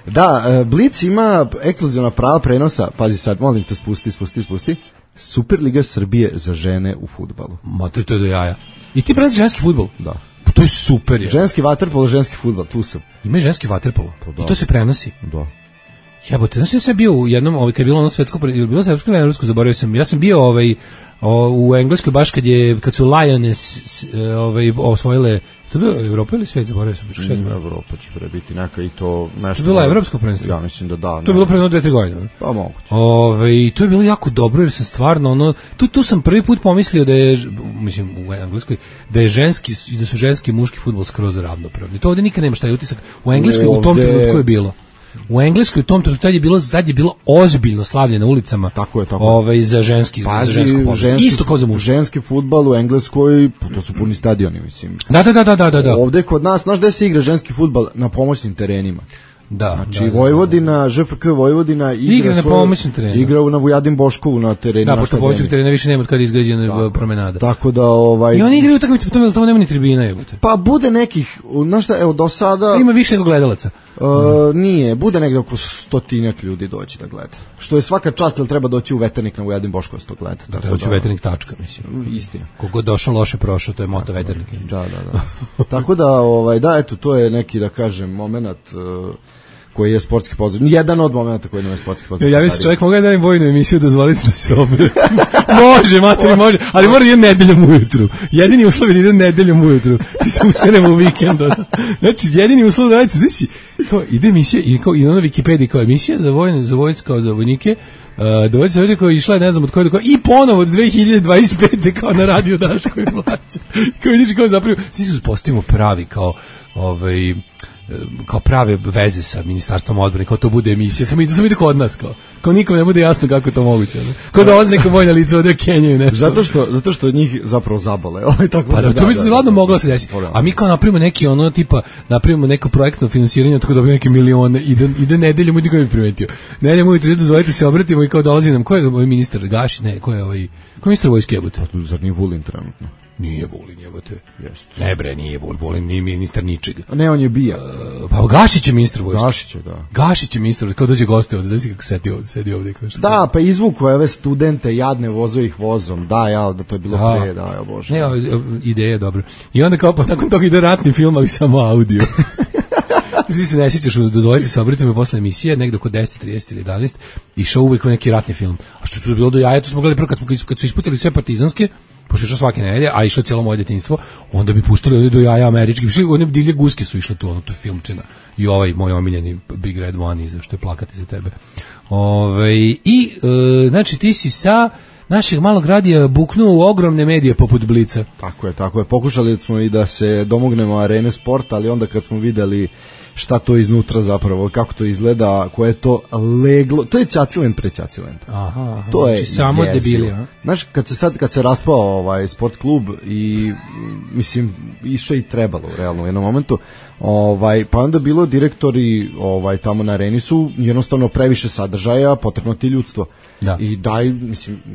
Da, Blic ima ekskluzivna prava prenosa, pazi sad, molim te, spusti. Superliga Srbije za žene u fudbalu. To je do jaja. I ti prenosiš ženski fudbal? Da. To je super. Ženski vaterpolo, ženski fudbal, tu sam. Ima i ženski vaterpolo. I to se prenosi. Da. Jebote, znaš, ja sam bio u jednom, kad je bilo ono svetsko, ili bilo svetsko ili evropsko, zaboravio sam. Ja sam bio u Engleskoj baš kad su Lioness osvojile, to je bilo Evropa ili svet, zaboravio sam. Evropa će prebiti neka i to nešto. To je bilo evropsko prvenstvo? Ja mislim da da. To je bilo pre 2-3 godine. Pa moguće. I to je bilo jako dobro jer sam stvarno, tu sam prvi put pomislio da je, mislim u Engleskoj, da je da su ženski i muški fudbal skroz ravnopravni. To ovdje nikad nema šta je utisak. U Engleskoj u tom trenutku je bilo. U Engleskoj u tom trenutku tad je bilo ozbiljno slavlje na ulicama. Tako je. Za ženski, za žensko pozdrav. Isto kao za muški. Ženski fudbal u Engleskoj, to su puni stadioni, mislim. Da. Ovde kod nas, znaš gde se igra ženski fudbal? Na pomoćnim terenima. Da. Znači Vojvodina, ŽFK Vojvodina igra na pomoćnom terenu. Igra na Vujadin Boškovu na terenu. Da, pošto pomoćnog terena više nema od kada je izgrađena promenada. Tako da I oni igraju utakmice, tamo nema ni tribina, jebote. Pa bude nekih, znaš šta, evo do sada ima više nego gledalaca. Nije, bude negde oko 100 ljudi doći da gleda. Što je svaka čast, jer treba doći u Veternik na Vujadin Boškova to gleda. Da, treba doći u Veternik tačka, mislim. Istina. Kogo došao loše prošao, to je moto Veternika. Da. Tako da, eto, to je neki, da kažem, moment koji je sportski pozdrav. Jedan od momenta koji je sportski pozdrav. Ja mislim čovjek mogu da im vojnu emisiju dozvoliti da se obrati. Može, materi, može, ali mora da ide nedeljom ujutru. Jedini uslov je da ide nedeljom ujutru. Ti se usenemo u vikend. Znači, jedini uslov da radite, znači, kao ide emisija i na Wikipediji kao emisija za vojsku, kao za vojnike, dovoljno se koja je išla, ne znam od koje, i ponovo od 2025. kao na radio Daško i Mlađa. Kao vidiš, kao zapravo, svi su uspostavimo pravi, kao prave veze sa ministarstvom odbrane, kao to bude emisija, samo ide kod nas, kao nikom ne bude jasno kako je to moguće. Ne? Kao da dolazi neka vojna lica ovdje Kenjaju nešto. Zato što njih zapravo zabole. Tako pa da, to bi se ladno moglo se desiti. A mi kao napravimo neki napravimo neko projektno finansiranje, tako da dobijemo neke milione, ide nedeljom, niko ne bi primetio. Nedeljom ujutro, dozvolite se obratimo i kao dolazi nam, ko je ovaj ministar Gašić, ne, ko je ministar vojske jebote? Zar nije Vulin trenutno? Nije Vulin, jebote. Ne bre, nije Vulin, nije ministar ničega. Ne, on je bija. Pa Gašić je ministar vojske. Gašić je ministar, kao dođe goste ovde, znači kako sedi ovde. Da, pa izvuku ove studente jadne, vozo ih vozom. Da, to je bilo pre, ja bože. Ne, ideja je dobra. I onda kao, pa nakon toga ide ratni film, ali samo audio. Ti se ne sjećaš, dozvolite se, obratimo posle emisije, negde oko 10:30 ili 11, išao uvek neki ratni film. A što je to bilo do jaja, to smo gledali prvo kad su ispucali sve partizanske, pošto je išao svake nedelje, a išlo cijelo moje detinjstvo, onda bi pustili ovdje do jaja američki, one divlje guske su išle tu, to je filmčina. I ovaj moj omiljeni Big Red One iza, što je plakati za tebe. Znači ti si sa našeg malog radija buknuo u ogromne medije poput Blica. Tako je. Pokušali smo i da se domognemo Arene sporta, ali onda kad smo videli šta to iznutra zapravo, kako to izgleda, koje je to leglo, to je Ćacilent pre Ćacilenta. Aha, to je samo debilija. Znaš, kad se raspao sport klub i mislim išao i trebalo realno u jednom momentu, pa onda bilo direktori tamo na Areni su jednostavno previše sadržaja, potrebno ti ljudstvo. Da. I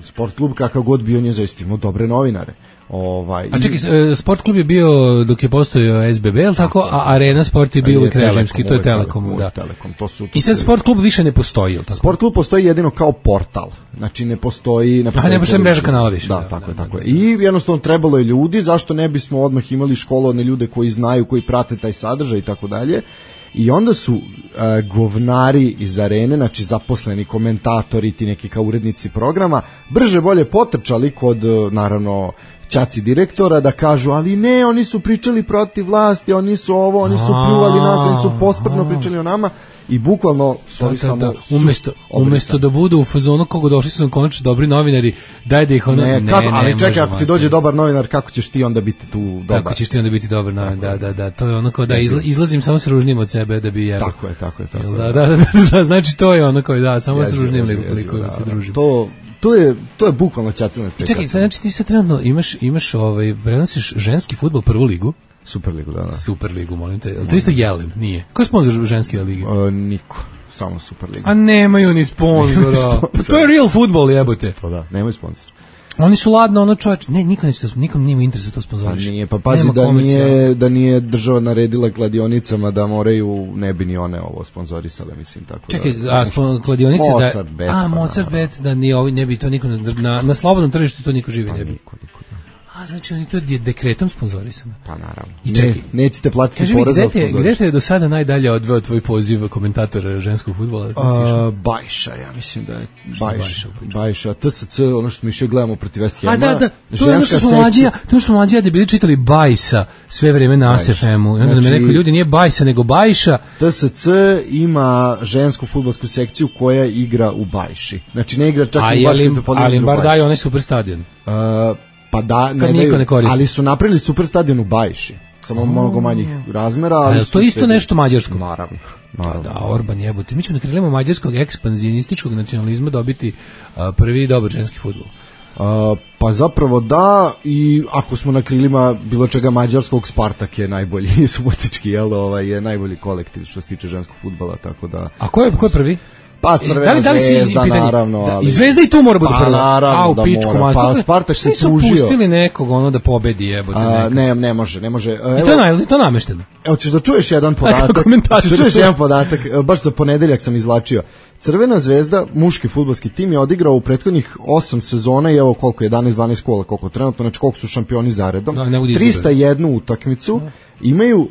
sport klub kakav god bio, on je zaista imao dobre novinare. A čekaj, sport klub je bio dok je postojao SBB, je li tako? A Arena sport je bio uvijek režimski, to je Telekom. Da. I sad sport klub više ne postoji, je li tako? Sport klub postoji jedino kao portal, znači ne postoji... ne postoji mreža kanala više. Da, tako je. I jednostavno trebalo je ljudi, zašto ne bismo odmah imali školovane ljude koji znaju, koji prate taj sadržaj i tako dalje. I onda su govnari iz Arene, znači zaposleni komentatori, ti neki kao urednici programa, brže bolje potrčali kod, naravno, ćaci direktora da kažu, ali ne, oni su pričali protiv vlasti, oni su ovo, oni su pljuvali nas, oni su posprdno pričali o nama i bukvalno umesto da budu u fazonu kako došli su nam konačno dobri novinari, daj da ih ono ali čekaj, ako ti dođe dobar novinar, kako ćeš ti onda biti tu dobar? Kako ćeš ti onda biti dobar novinar? Da, to je ono kao da izlazim samo s ružnim od sebe da bi jebao. Tako je. Da, znači to je ono kao da, samo s ružnim nego koliko se družim. To je bukvalno Ćacilent. Čekaj, znači ti sad trenutno imaš prenosiš ženski fudbal prvu ligu. Superligu, da. Superligu, molim te. To isto Jelen, nije. Ko je sponzor ženske lige? Niko, samo Superliga. A nemaju ni sponzora. To je real football, jebote. Pa da, nemaju sponzor. Oni su ladno, ono čovječ, nikom nije interes da to sponzoriš. Nije, pa pazi da nije država naredila kladionicama da moraju, ne bi ni one ovo sponzorisale, mislim, tako. Čekaj, kladionice Mozart Bet, da ne bi to niko, na slobodnom tržištu to niko živi ne bi. Niko. A znači oni to dekretom sponzorisano. Pa naravno. Nećete platiti porez za sponzorisanje. Gde te je do sada najdalje odveo tvoj poziv komentatora ženskog fudbala? Bajša, ja mislim da je Bajša, TSC, ono što mi še gledamo protiv West Hama. Da, to je ono što smo mlađija da bili čitali Bajsa sve vreme na ASFM-u. I onda nam je rekao, ljudi, nije Bajsa, nego Bajša. TSC ima žensku fudbalsku sekciju koja igra u Bajši. Znači ne igra čak u Baškom Topolinu. Ali im bar daju onaj super stadion. Pa da, ne ali su napravili super stadion u Bajši, samo mnogo manjih razmera. Ali to isto nešto mađarsko? Naravno. Da, Orban jebote. Mi ćemo na krilima mađarskog ekspanzionističkog nacionalizma dobiti prvi dobar ženski fudbal. Pa zapravo da, i ako smo na krilima bilo čega mađarskog, Spartak je najbolji subotički, je najbolji kolektiv što se tiče ženskog fudbala, tako da. A ko je prvi? Pa Crvena Zvezda, naravno. I Zvezda i tu mora biti prva. Naravno da mora. Pa Spartak se tužio. Nisu pustili nekog da pobedi, jebote. Ne može. I to namešteno. Evo, ćeš da čuješ jedan podatak. Baš za ponedeljak sam izvlačio. Crvena Zvezda, muški fudbalski tim, je odigrao u prethodnih 8 sezona i evo koliko, 11-12 kola, koliko trenutno, znači koliko su šampioni zaredom. 301 utakmicu, imaju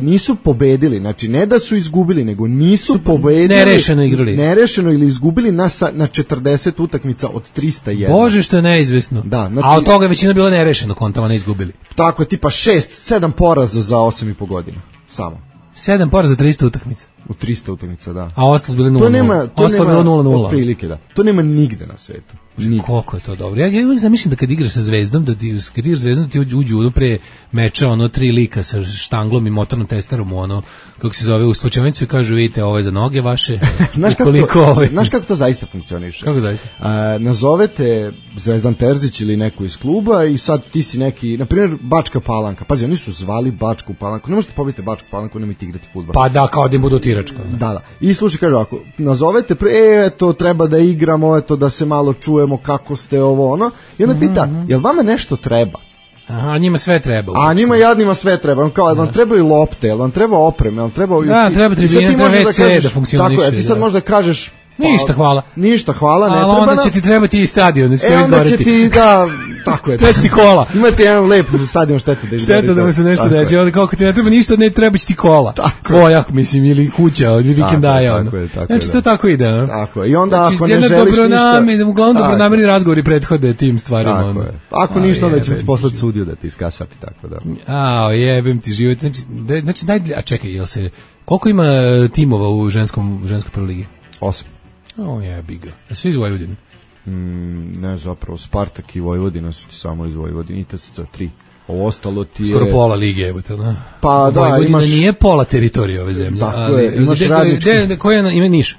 nisu pobedili, znači ne da su izgubili, nego nisu pobedili, nerešeno igrali. Nerešeno ili izgubili na 40 utakmica od 301. Bože, što je neizvesno. Da, znači, a od toga većina bilo nerešeno, kontama ne izgubili. Tako je, tipa 6-7 poraza za 8,5 godina. Samo. 7 poraza za 300 utakmica. U 300 utakmica, da. A ostalo bilo 0-0. To nema, ostalo bilo 0-0. Otprilike, da. To nema nigde na svetu. Koliko je to dobro. Ja uvijek zamišljam da kad igraš sa Zvezdom, kad igraš Zvezdom ti uđu pre meča 3 lika sa štanglom i motornom testerom kako se zove, u slučajnicu i kažu vidite ovo je za noge vaše. Znaš kako to zaista funkcioniše? Kako zaista? Nazovete Zvezdan Terzić ili neko iz kluba i sad ti si neki, na primjer Bačka Palanka. Pazi, oni su zvali Bačku Palanku. Ne možete pobiti Bačku Palanku, nemojte igrati fudbal. Pa da, kao da im budu tiračka. Da. I slušaj, kažu ako nazovete eto treba da igramo, eto da se malo čujemo kako ste ovo i onda pita, jel vama nešto treba? Aha, njima sve treba. A njima jadnima sve treba. Kao, jel vam trebaju lopte, jel vam treba opreme, jel treba... Da, treba tribina, treba WC da funkcioniše. Tako je, ti sad možda kažeš... Ništa hvala. Ništa hvala, ne treba. Ali onda će ti trebati i stadion. Onda će ti, da, tako je. Treba će ti kola. Imate jedan lep stadion, šteta da izgori. Šteta da mu se nešto deći. Onda kako ti ne treba ništa, ne treba će ti kola. Tvoja, mislim, ili kuća, ili vikendaja. Tako je. Znači to tako ide. Tako je. I onda ako ne želiš ništa... Uglavnom dobronamerni razgovori prethode tim stvarima. Tako je. Ako ništa, onda ćemo ti poslati sudiju da ti iskasapi, tako da. Jebem ti život. Znači, a čekaj, jel se... Koliko ima timova u ženskoj prvoj ligi? 8. Jebi ga. A svi iz Vojvodine? Ne, zapravo Spartak i Vojvodina su ti samo iz Vojvodine, i TSC 3. Ovo ostalo ti je... Skoro pola lige, jebote, da? Pa da, Vojvodina nije pola teritorije ove zemlje. Tako je, imaš Radnički... Koja ima Niš?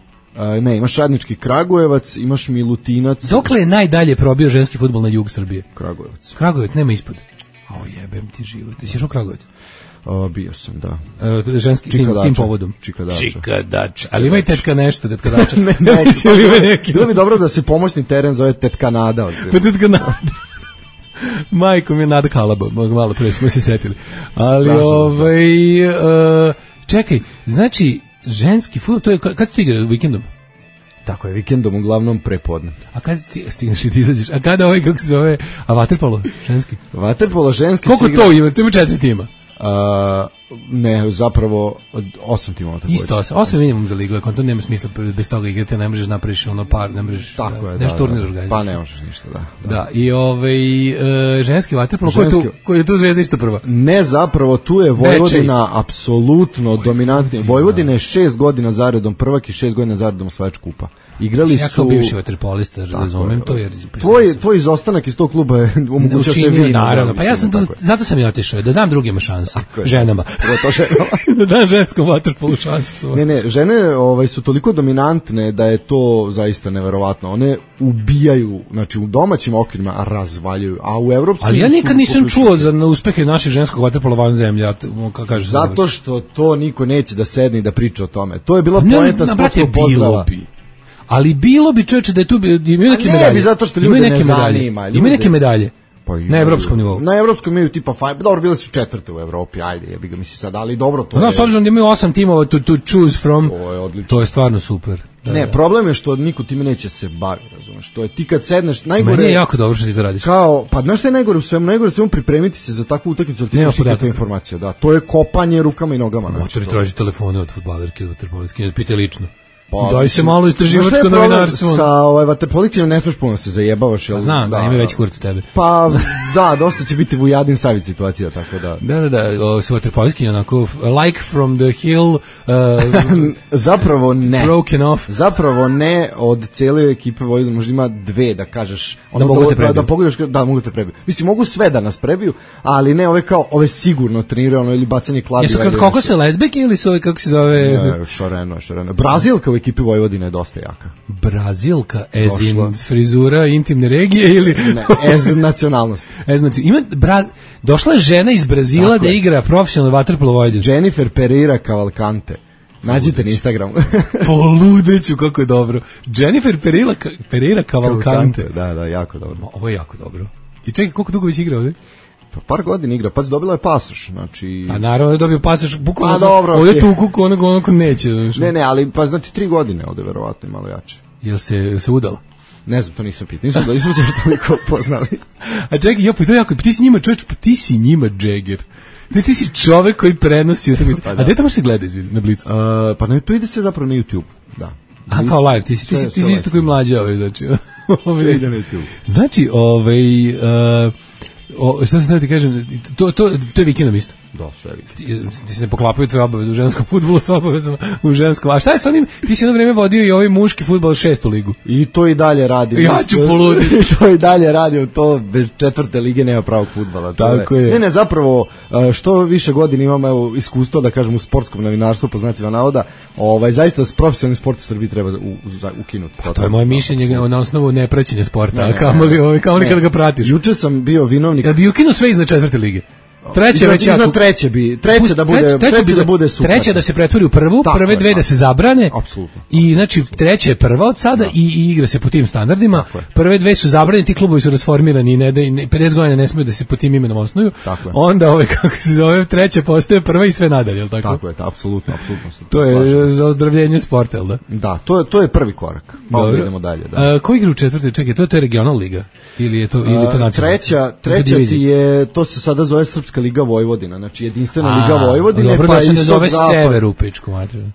Ne, imaš Radnički Kragujevac, imaš Milutinac... Dokle je najdalje probio ženski fudbal na jug Srbije? Kragujevac, nema ispod. Jebem ti život. Ti si išao u Kragujevac? Bio sam, da. Ženski tim povodom. Čikadača. Ali ima i tetka nešto, tetka dača. Ne. Bilo bi dobro da se pomoćni teren zove Tetka Nada. Pa Tetka Nada. Majko mi je Nada Kalaba, malo pre smo se setili. Ali čekaj, znači ženski fudbal, to je kad se to igra vikendom? Tako je, vikendom uglavnom prepodne. A kad stigneš i ti izađeš? A kada kako se zove? A vaterpolo ženski? Vaterpolo ženski. Koliko to ima? To ima 4 tima. Ne, zapravo 8 timova. Isto 8 minimum za ligu, to nema smisla bez toga igrati, ne možeš napraviš par, ne možeš nešto turnir organizirati. Pa ne možeš ništa, da. I ženski vaterpolo, ko je tu Zvezda isto prva? Ne, zapravo tu je Vojvodina apsolutno dominantna. Vojvodina je 6 godina zaredom prvak i 6 godina zaredom osvajač kupa. Igrali su... Ja kao bivši vaterpolista razumem to, jer... Tvoj izostanak iz tog kluba je omogućio se vino. Naravno, pa ja sam zato sam i otišao, da dam drugima šansu, ženama. Da dam ženskom vaterpolu šansu. Ne, žene su toliko dominantne da je to zaista neverovatno. One ubijaju, znači u domaćim okvirima razvaljuju, a u evropskom... Ali ja nikad nisam čuo za uspehe naših ženskog vaterpola van zemlje, zato što to niko neće da sedne i da priča o tome. To je bila poenta sportskog pozdrava. Ali bilo bi, čoveče, da je tu imaju neke medalje. Ne bi, zato što ljude ne zanima. Imaju neke medalje. Na evropskom nivou. Na evropskom imaju tipa dobro, bile su 4. u Evropi, ajde, jebi ga, misli sad, ali dobro to. S obzirom da imaju 8 timova to choose from, to je odlično. To je stvarno super. Ne, problem je što niko time neće se baviti, razumeš? To je ti kad sedneš, najgore... Meni je jako dobro što ti to radiš. Pa znaš šta je najgore u svemu? Najgore svemu pripremiti se za takvu utakmicu, ali ti imaš ikakve informacije, da. To je kopanje rukama i nogama. Motori traži telefone od fudbalerke, od vaterpolitke, pite lično. Daj se malo istraživačko novinarstvo. Sa vaterpolicijom ne smeš puno se zajebavaš. Znam, da ima veći kurac tebe. Pa da, dosta će biti Vujadin Savić situacija, tako da. Da, su vaterpolijski onako, like from the hill. Zapravo ne. Broken off. Zapravo ne, od cijele ekipe Vojvodine možda ima 2 da kažeš. Da mogu te prebiju. Da pogledaš, da mogu te prebiju. Mislim, mogu sve da nas prebiju, ali ne, ove sigurno treniraju, ili bacanje kladiva. Jesu kratkokose lezbeke ili su ove, kako se zove? Ne, šareno. Brazilka u ekipi Vojvodine je dosta jaka. Brazilka, as in frizura intimne regije ili... Ne, as nacionalnost. Znači, došla je žena iz Brazila da igra profesionalno vaterpolo Vojvodinu. Jennifer Pereira Cavalcante. Nađite na Instagramu. Poludeću, kako je dobro. Jennifer Pereira Cavalcante. Da, jako dobro. Ovo je jako dobro. I čekaj, koliko dugo već igra ovdje? Par godina igra, pa dobila je pasoš, znači... A naravno je dobio pasoš, bukvalno ovdje tuku onog neće. Ne, ali pa znači 3 godine ovdje verovatno i malo jače. Jel se udala? Ne znam, to nisam pitao, nismo se još toliko poznali. A čekaj, to je jako, ti si njima čovječ, ti si njima Jagger. Ti si čovek koji prenosi utakmicu. A gde to može se gleda na Blicu? Pa ne, to ide sve zapravo na YouTube, da. A kao live, ti si isto koji mlađa znači. Sve ide na YouTube. Znači, šta sam da ti kažem, to je vikendom isto. Da, sve vikendom. Ti se ne poklapaju tvoje obaveze u ženskom fudbalu s obavezama u ženskom. A šta je sa onim, ti si jedno vreme vodio i ovaj muški fudbal 6. ligu. I to i dalje radi. Ja ću poluditi. I to i dalje radi, to bez 4. lige nema pravog fudbala. Tako je. Ne, zapravo, što više godina imamo iskustva, da kažem, u sportskom novinarstvu, po znacima navoda, zaista profesionalni sport u Srbiji treba ukinuti. To je moje mišljenje na osnovu nepraćenja sporta, kao li kada ga pratiš. Juče sam bio vinovnik. Ja bi ukinuo sve iznad 4. lige. Treće već jako. Treće da bude super. Treće da se pretvori u prvu, prve dve da se zabrane. Apsolutno. I znači treće je prva od sada i igra se po tim standardima. Prve dve su zabranjene, ti klubovi su rasformirani i 50 godina ne smeju da se po tim imenom osnuju. Onda kako se zove, treće postaje prva i sve nadalje, je l' tako? Tako je, apsolutno. To je za ozdravljenje sporta, jel da? Da, to je prvi korak. Malo idemo dalje, da. Ko igra u četvrtoj? Čekaj, to je regionalna liga ili je to nacionalna? Treća ti je, to se sada zove Srpska liga Vojvodina, znači jedinstvena liga Vojvodine. Dobro, pa da se ne i zove Sever u pičku materiju.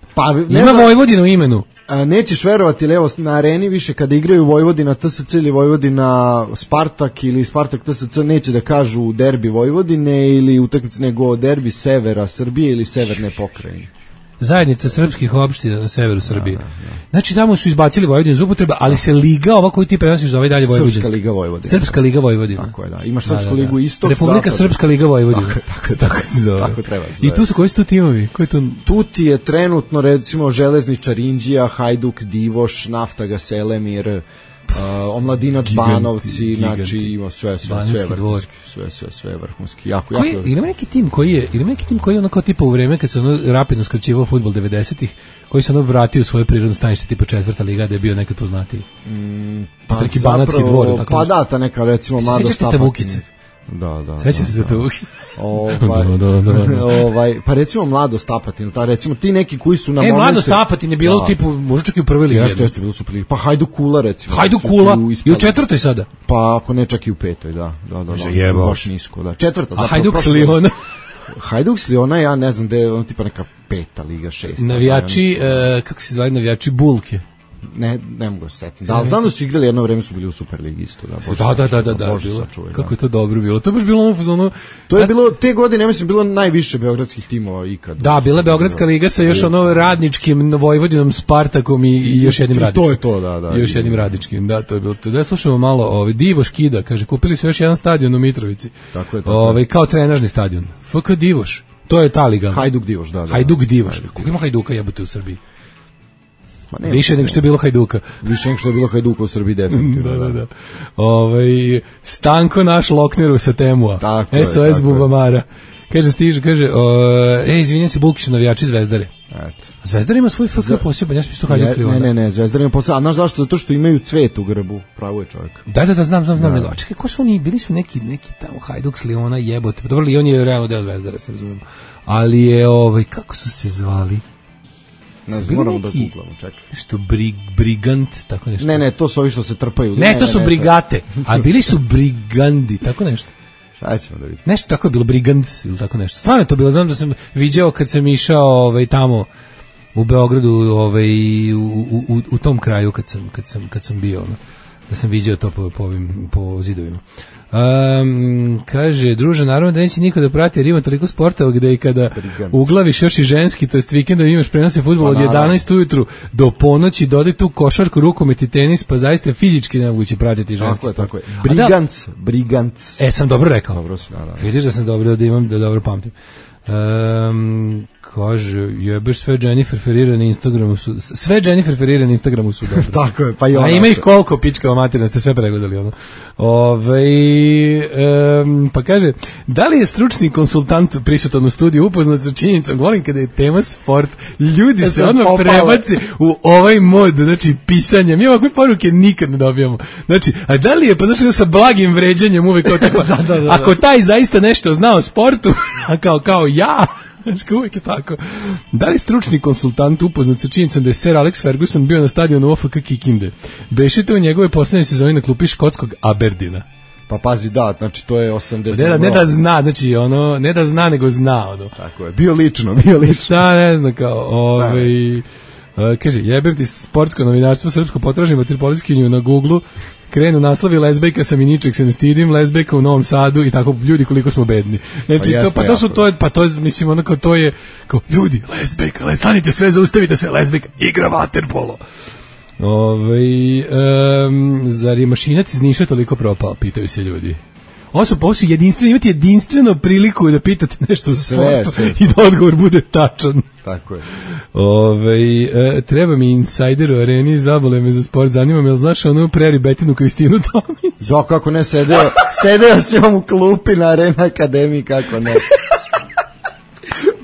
Ima Vojvodina u imenu. Nećeš verovati, evo na areni više kada igraju Vojvodina TSC ili Vojvodina Spartak ili Spartak TSC neće da kažu derbi Vojvodine ili utakmice, nego derbi severa Srbije ili severne pokrajine. Zajednica srpskih opština na severu Srbije. Znači tamo su izbacili Vojvodinu iz upotrebe, ali se liga ova koju ti prenosiš zove dalje Vojvodinska. Srpska liga Vojvodina. Tako je, da. Imaš Srpsku ligu Istok, Republika Srpska liga Vojvodina. Tako se zove. Tako treba se zove. I tu su koji su tu timovi? Tu ti je trenutno recimo Železničar Inđija, Hajduk Divoš, Naftaga Selemir, Omladinac Banovci, znači ima sve vrhunski, jako. Ili neki tim koji je ono kao tipa u vreme kad se ono rapidno skraćivao fudbal 90-ih, koji se ono vratio u svoje prirodno stanište tipa 4. liga da je bio nekad poznatiji. Neki Banatski dvor, tako. Pa da, ta neka recimo Mlado Štapatin. Da. Sećaš se te Vukice? Pa recimo Mlado Stapatin, recimo ti neki koji su na momentu. Mlado Stapatin je bilo tipu, možda čak i u prvoj ligi. Jeste, bilo su prvi. Pa Hajduk Kula recimo. Hajduk Kula i u 4. sada. Pa ako ne čak i u 5. da. Baš nisko, da. 4. A Hajduk s Liona? Hajduk s Liona, ja ne znam da je on tipa neka 5. liga, 6. Navijači, kako se zove, navijači Bulke. Ne mogu se setiti. Da, znam da su igrali jedno vreme, su bili u Superligi isto. Da. Kako je to dobro bilo. To baš bilo ono... To je bilo, te godine, ja mislim, bilo najviše beogradskih timova ikad. Da, bila je Beogradska liga sa još ono radničkim Vojvodinom, Spartakom i još jednim radničkim. To je to, da. I još jednim radničkim, da, to je bilo to. Da, slušamo malo, Divoš Kida, kaže, kupili su još jedan stadion u Mitrovici. Tako je. Kao trenažni stadion. FK Divoš, to je ta liga. Hajduk Divoš, da. Hajduk Divoš. Koliko ima Hajduka jebote u Srbiji? Više nego što je bilo Hajduka. Više nego što je bilo Hajduka u Srbiji, definitivno. Da. Stanko naš Lokneru sa Temua. SOS Bubamara. Kaže, izvinjam se, Bulki su navijači Zvezdare. Zvezdar ima svoj FK poseban, ja sam isto Hajduk Liona. Ne, Zvezdar ima poseban. A znaš zašto? Zato što imaju cvet u grbu, pravo je čovjek. Da, znam. A čekaj, ko su oni? Bili su neki tamo Hajduk s Liona, jebote. Dobro, Lion je realno deo Zvezdara, se razumemo. Ali je, kako su se zvali? Moramo da googlamo, čekaj. Što brigant, tako nešto. Ne, to su ovi što se trpaju. Ne, to su brigate, a bili su brigandi, tako nešto. Šta ćemo da vidimo? Nešto tako je bilo, brigants ili tako nešto. Stvarno je to bilo, znam da sam viđao kad sam išao tamo u Beogradu, u tom kraju kad sam bio, da sam viđao to po zidovima. Kaže, druže, naravno da neće niko da prati, jer ima toliko sportova gde i kada uglaviš još i ženski, to jest vikendom imaš prenose fudbala od 11 ujutru do ponoći, dodaj tu košarku, rukomet i tenis, pa zaista fizički nemoguće pratiti ženski sport. Tako je. Brigants. Sam dobro rekao. Dobro su, naravno. Vidiš da sam dobro, da dobro pamtim. Kaže, jebeš sve Jennifer Ferreira na Instagramu su, sve Jennifer Ferreira na Instagramu su dobro. Tako je, pa i ona. A ima ih koliko, pičkava materina, ste sve pregledali ono. Pa kaže, da li je stručni konsultant prisutan u studiju upoznat sa činjenicom, volim kada je tema sport, ljudi se odmah prebaci u ovaj mod, znači pisanja, mi ovakve poruke nikad ne dobijamo. Znači, a da li je, pa znači sa blagim vređanjem uvek kao tako, ako taj zaista nešto zna o sportu, a kao ja, znači uvijek je tako. Da li stručni konsultant upoznat sa činjenicom da je Sir Alex Ferguson bio na stadionu OFK Kikinde? Bešite u njegove poslednje sezoni na klupi škotskog Aberdeena. Pa pazi, da, znači to je 80. Ne da zna, znači ono, ne da zna, nego zna ono. Tako je, bio lično. Šta, ne znam, kao, kaže, jebem ti sportsko novinarstvo srpsko, potražim vaterpolistkinju na Google-u, krenu naslovi lezbejka sam i ničeg se ne stidim, lezbejka u Novom Sadu i tako, ljudi koliko smo bedni. Znači, to je, mislim, ono kao to je, kao, ljudi, lezbejka, stanite sve, zaustavite sve, lezbejka, igra vaterpolo. Zar je Mašinac iz Niša toliko propao, pitaju se ljudi. Ovo su jedinstveno, imate jedinstveno priliku da pitate nešto za sportu i da odgovor bude tačan. Tako je. Treba mi insider u areni, zabole me za sport, zanima me, jel znaš onu preri Betinu Kristinu Tomić? Zo, kako ne, sedeo si on u klupi na Arena Akademiji, kako ne.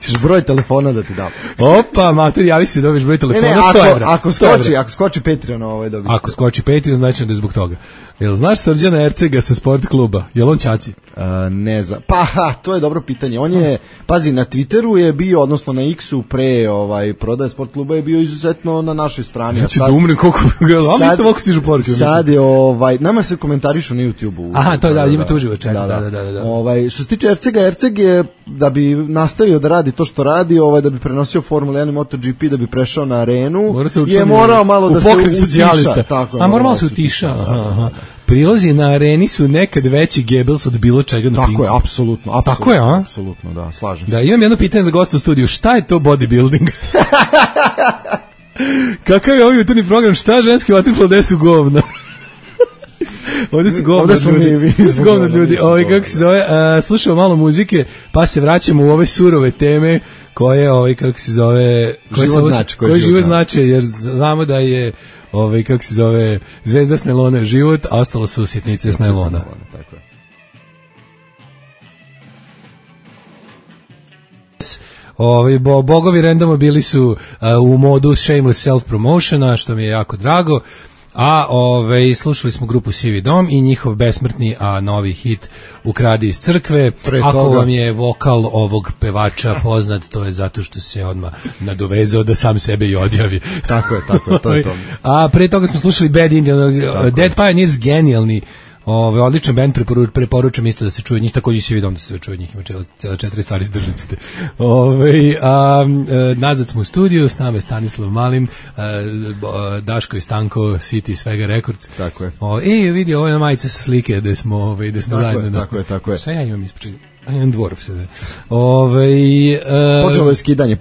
Ćeš broj telefona da ti dam. Opa, mater, javi se, dobiš broj telefona, 100 evra. Ako skoči Patreon, dobiš. Ako skoči Patreon, znači da je zbog toga. Jel znaš Srđana Ercega sa sport kluba? Jel on ćaci? Ne znam. Pa, to je dobro pitanje. On je, pazi, na Twitteru je bio, odnosno na X-u pre prodaje sport kluba je bio izuzetno na našoj strani. Znači da umre koliko, ali isto ovako stižu poruke. Sad je, nama se komentarišu na YouTube-u. Aha, to je, da, imate uživo često, da. Što se tiče Erceg je, da bi nastavio da radi to što radi, da bi prenosio Formula 1 i MotoGP, da bi prešao na arenu, je morao malo da se utiša. A morao se utiša, aha. Prilozi na areni su nekad veći Goebbels od bilo čega na Pinku. Tako je, apsolutno. Tako je, a? Apsolutno, da, slažem se. Da, imam jedno pitanje za gosta u studiju. Šta je to bodybuilding? Kakav je ovaj jutarnji program? Šta ženski vaterpolo, gde su govna? Ovdje su govna ljudi. Kako se zove? Slušamo malo muzike, pa se vraćamo u ove surove teme koje, kako se zove... Koje život znače, jer znamo da je... kako se zove, zvezda s nailona život, a ostalo su sitnice s nailona. Tako je. Bogovi randoma bili su u modu shameless self-promotiona, što mi je jako drago, a slušali smo grupu Sivi dom i njihov besmrtni, a novi hit Ukradi iz crkve. Ako vam je vokal ovog pevača poznat, to je zato što se odmah nadovezao da sam sebe i odjavi. Tako je, to je to. A pre toga smo slušali Bad Indian, Dead Pioneers, genijalni, odličan band, preporučam isto da se čuje njih, također si vidim da se čuje njih, ima cijela 4 stvari izdržite. Nazad smo u studiju, s nama je Stanislav Malim, Daško i Stanko, City Svega Records. Tako je. Vidi, ovo je majica sa slike gde smo zajedno. Tako je. Šta ja imam ispred? Jedan dvorov se da. Počelo je skidanje.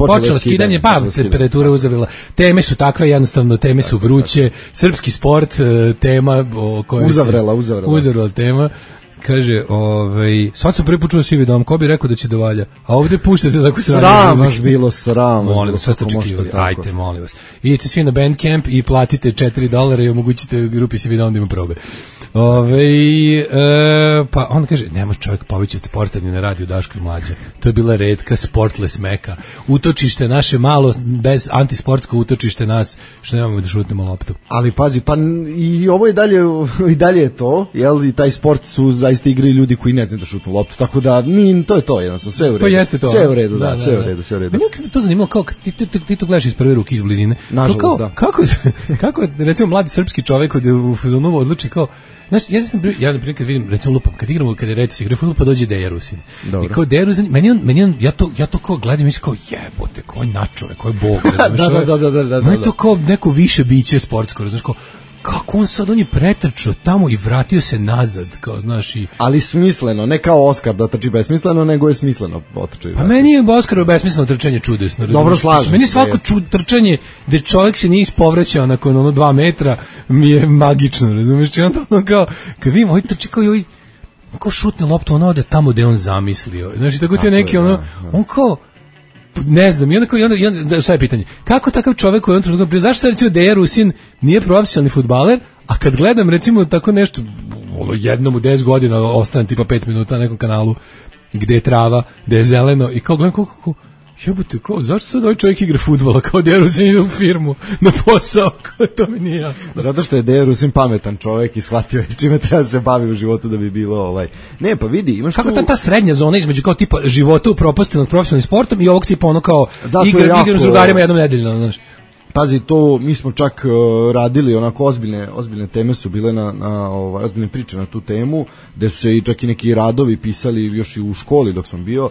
Pa temperatura uzavila. Teme su takve, jednostavno teme su vruće. Srpski sport, tema o kojoj uzavrela tema. Kaže, sad sam prvi put čuo Sivi dom, ko bi rekao da će da valja? A ovdje puštate tako sram vas bilo. Molim vas, sve ste očekivali. Ajte, molim vas. Idite svi na Bandcamp i platite $4 i omogućite grupi Sivi dom da ima probe. Pa on kaže, nema čovjek poveći od sporta ni na radiju Daško i Mlađa. To je bila retka sportless meka. Utočište naše malo, bez antisportsko utočište nas, što nemamo da šutnemo loptu. Ali pazi, pa i ovo i dalje je to, jel, i taj sport su zaista igraju ljudi koji ne znaju da šutnu loptu, tako da to je to, jednostavno, sve u redu. To jeste to. Sve u redu, da, sve u redu. Meni je to zanimalo, kao ti to gledaš iz prve ruke, iz blizine. Nažalost, da. Kako, recimo, mladi srpski čovjek u fazonu odluči kao, znaš, ja na primjer kad vidim, recimo lupam, kad je Retis igra fudbal, pa dođe Deja Rusin. I kao Deja Rusin, ja to kao gledam, mislim kao jebote, ko je načove, ko je bog. Da. Meni to kao neko više biće sportsko, znaš, kao, kako on je pretrčao tamo i vratio se nazad, kao, znaš, i... Ali smisleno, ne kao Oskar da trči besmisleno, nego je smisleno otrčao. Pa meni je Oskarovo besmisleno trčanje čudesno. Dobro, slažem. Meni svako trčanje gde čovjek se nije ispovraćao nakon 2 metra mi je magično, razumiješ? I onda kao, kad vidim, ovaj trči kao i ovaj, kao šutne loptu, ono ode tamo gde on zamislio. Znaš, i tako ti je neki, on kao, ne znam, i onda šta je pitanje? Kako takav čovjek u jednom trenutku, zašto sad recimo Deja Rusin nije profesionalni fudbaler, a kad gledam recimo tako nešto, jednom u 10 godina ostane tipa 5 minuta na nekom kanalu gde je trava, gde je zeleno i kao gledam kako jebote, zašto sad ovaj čovjek igra fudbala, kao Deja Rusin ide u firmu na posao, kao to mi nije jasno. Zato što je Deja Rusin pametan čovjek i shvatio čime treba se bavi u životu da bi bilo Ne, pa vidi, imaš kako ta srednja zona između kao tipa života upropaštenog profesionalnim sportom i ovog tipa ono kao igra s drugarima jednom nedeljno, znaš. Pazi, to mi smo čak radili onako ozbiljne teme su bile ozbiljne priče na tu temu, gde su se i čak i neki radovi pisali još i u školi dok sam bio,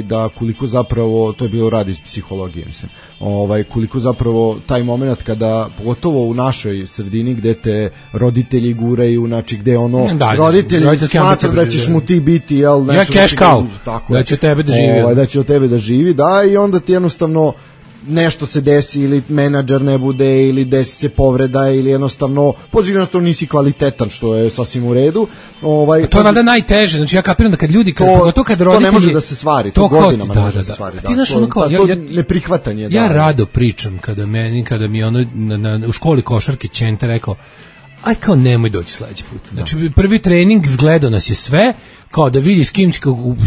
da koliko zapravo, to je bilo rad iz psihologije, mislim, koliko zapravo taj moment kada, pogotovo u našoj sredini gde te roditelji guraju, znači gde roditelji smatra da ćeš mu ti biti, jel, ja cash cow, da će tebe da živi, da će od tebe da živi, da, i onda ti jednostavno nešto se desi ili menadžer ne bude ili desi se povreda ili jednostavno nisi kvalitetan, što je sasvim u redu. To je nada najteže, znači ja kapiram da kad ljudi kad roditelji, to ne može da se stvari, to godinama ne može da se stvari. Ti znaš ono kao neprihvatanje. Ja rado pričam kada mi ono u školi košarke Ćenta rekao aj kao nemoj doći sledeći put. Znači prvi trening gledao nas je sve, kao da vidi s kim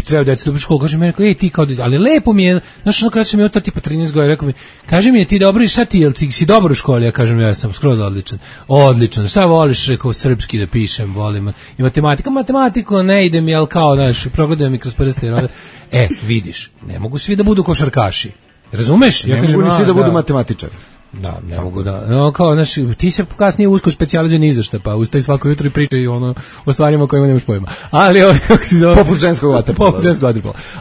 treba da se u školu, kaže mi, rekao, ej ti kao, ali lepo mi je, znaš ono kada sam imao to tipa 13 godina, rekao mi, kaže mi je ti dobro i šta ti, jel ti si dobar u školi, ja kažem ja sam skroz odličan, šta voliš, rekao srpski da pišem, volim, i matematiku ne ide mi, jel kao, znaš, progledaju mi kroz prste, vidiš, ne mogu svi da budu košarkaši, razumeš? Ne mogu ni svi da budu matematičari. Da, ne mogu da. No, kao, znaš, ti se kasnije usko specijalizuje ni za šta, pa ustaj svako jutro i pričaj o stvarima kojima nemaš pojma. Ali kako se zove? Poput ženskog vaterpola.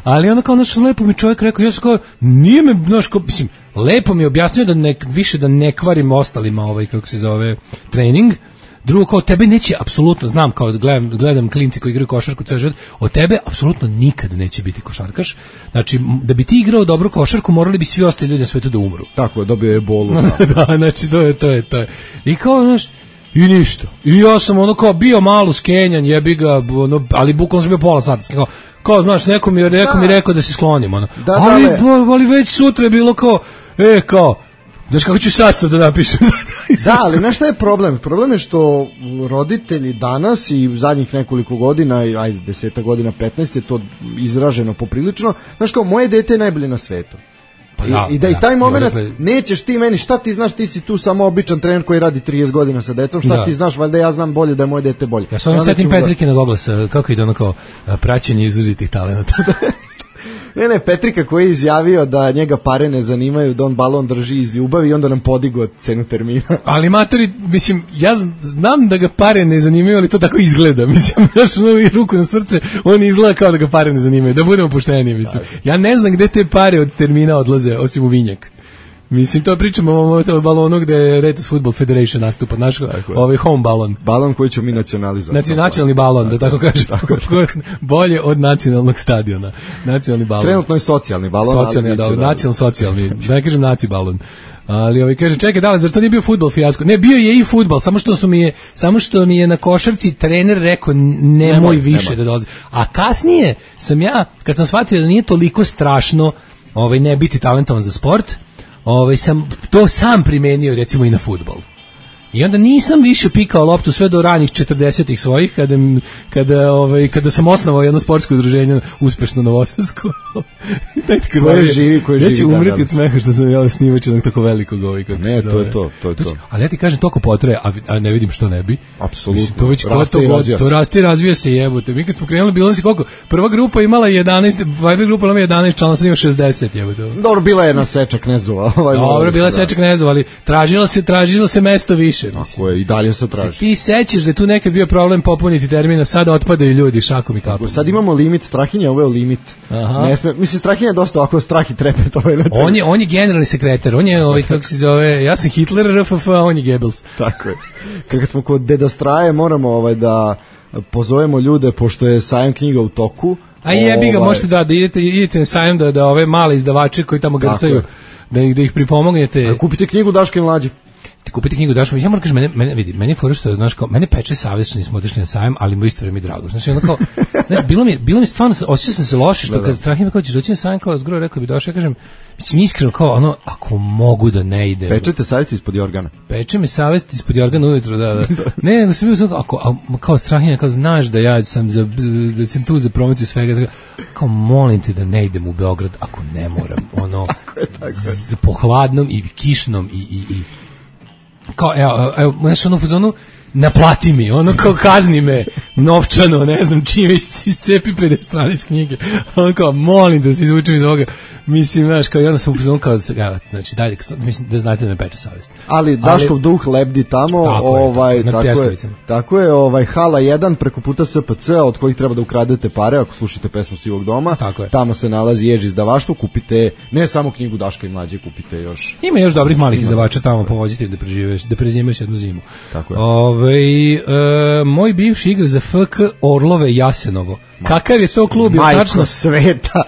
Ali onda kao, znaš, lepo mi čovjek rekao, ja sam kao, nije me, znaš, mislim, lepo mi je objasnio da više da ne kvarim ostalima kako se zove, trening. Drugo, kao tebe neće apsolutno, znam, kao gledam klinci koji igraju košarku ceo život, od tebe apsolutno nikad neće biti košarkaš. Znači, da bi ti igrao dobru košarku, morali bi svi ostali ljudi na svetu da umru. Tako je, dobio je bolu. Da, znači, to je. I kao, znaš, i ništa. I ja sam kao bio malo skenjan, jebi ga, ali bukvalno sam bio pola sata. Kao, znaš, neko mi rekao da se sklonim, ali već sutra je bilo kao, znaš kako ću sastav da napišem. Da, ali znaš šta je problem? Problem je što roditelji danas i zadnjih nekoliko godina, ajde 10 godina, 15 je to izraženo poprilično, znaš kao, moje dete je najbolje na svetu. I taj moment nećeš ti meni, šta ti znaš, ti si tu samo običan trener koji radi 30 godina sa decom, šta ti znaš, valjda ja znam bolje da je moje dete bolje. Ja sam setim Petrikina oglasa, kako ide ono kao praćenje izrazitih talenata. Ne, Petrika koji je izjavio da njega pare ne zanimaju, da on balon drži iz ljubavi i onda nam podigao cenu termina. Ali matori, mislim, ja znam da ga pare ne zanimaju, ali to tako izgleda. Mislim, znaš, i ruku na srce, on izgleda kao da ga pare ne zanimaju, da budemo pošteni, mislim. Ja ne znam gde te pare od termina odlaze, osim u vinjak. Mislim, to pričamo o balonu gde je Retos Football Federation nastupa, naš home balon. Balon koji ćemo mi nacionalizovati. Nacionalni balon, da tako kažem. Bolje od nacionalnog stadiona. Nacionalni balon. Trenutno je socijalni balon. Nacionalno-socijalni, da ne kažem naci balon. Ali kaže, čekaj, da li, zar to nije bio fudbal fijasko? Ne, bio je i fudbal, samo što mi je na košarci trener rekao nemoj više da dolazi. A kasnije sam ja, kad sam shvatio da nije toliko strašno ne biti talentovan za sport, sam to sam primenio recimo i na fudbal. I onda nisam više pikao loptu sve do ranih 40-ih svojih kada sam osnovao jedno sportsko udruženje uspešno novosadsko. Koje živi. Ja ću umreti od smeha što sam jel snimač jednog tako velikog Ne, to je to. Ali ja ti kažem, toliko potraje, a ne vidim što ne bi. Apsolutno. To već to raste i razvija se, jebote. Mi kad smo krenuli bilo si koliko? Prva grupa imala 11, Viber grupa imala 11 člana, sad ima 60, jebote. Dobro, bila je jedna Seča Knezova. Dobro, bila je Seča Knezova, ali tražilo se mesto više. Tako je, i dalje se traži. Ti sećaš da je tu nekad bio problem popuniti termina, sada otpadaju ljudi šakom i kapom. Sad imamo limit, Strahinja uveo limit. Mislim, Strahinja je dosta ovako strah i trepet. On je generalni sekretar, on je kako se zove, ja sam Hitler, RFF, a on je Goebbels. Tako je. Kad smo kod Deda Straje, moramo da pozovemo ljude, pošto je sajam knjiga u toku. A jebi ga, možete da idete na sajam da ove male izdavače koji tamo grcaju, da ih pripomognete. Kupite knjigu Daška i Mlađe. Ti kupite knjigu Daško, ja moram kažem, meni je fora što, znaš, kao, mene peče savjest što nismo otišli na sajam, ali mu isto vreme drago. Znači, ono kao, znaš, bilo mi stvarno, osjećao sam se loše, što kad Strahim kao ćeš doći na sajam, kao razgovor, rekao bi došao, ja kažem, mislim, iskreno, kao, ako mogu da ne idem. Pečete savjest ispod jorgana. Peče me savjest ispod jorgana ujutro, da. Ne, nego sam bio, kao Strahim, kao, znaš da ja sam tu za promociju svega, kao, molim te da ne idem u Beograd, ako ne moram, po hladnom i kišnom i kao, evo, znaš, ono u fazonu, naplati mi, ono kao kazni me, novčano, ne znam čime, iscepi 50 strana iz knjige. On kao, molim da se izvučem iz ovoga. Mislim, znaš, kao, i onda sam upoznan kao, znači, dalje, mislim da znate da me peče savjest. Ali Daškov duh lebdi tamo, tako je, hala 1 preko puta SPC, od kojih treba da ukradete pare, ako slušate pesmu Sivog doma. Tamo se nalazi Jež izdavaštvo, kupite ne samo knjigu Daška i Mlađe, kupite još. Ima još dobrih malih izdavača tamo, povozite da prezimeš jednu zimu. Tako je. Moj bivši igra za FK Orlove Jasenovo. Kakav je to klub? Majko sveta.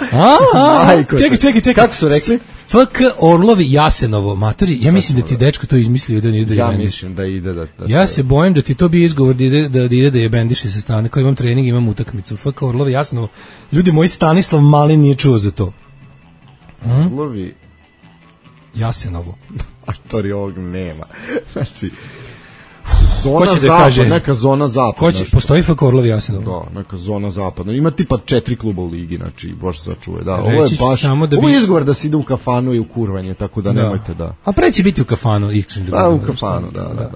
Čekaj. Kako su rekli? FK Orlovi Jasenovo, matori, ja mislim da ti dečko to izmislio da nije da ja mislim da ide da ja se bojim da ti to bi izgovor da je bendiše sa strane, kao imam trening, imam utakmicu. FK Orlovi Jasenovo. Ljudi moji, Stanislav Mali nije čuo za to. Orlovi Jasenovo. A to ovog nema. Znači zona zapad, neka zona zapad. Postoji FK Orlovi Jasenovo? Da, neka zona zapadna. Ima tipa 4 kluba u ligi, znači, bože sačuje. Da, ovo je baš, ovo je izgovor da se ide u kafanu i u kurvanje, tako da nemojte da. A pre će biti u kafanu, iskren. Da, u kafanu, da.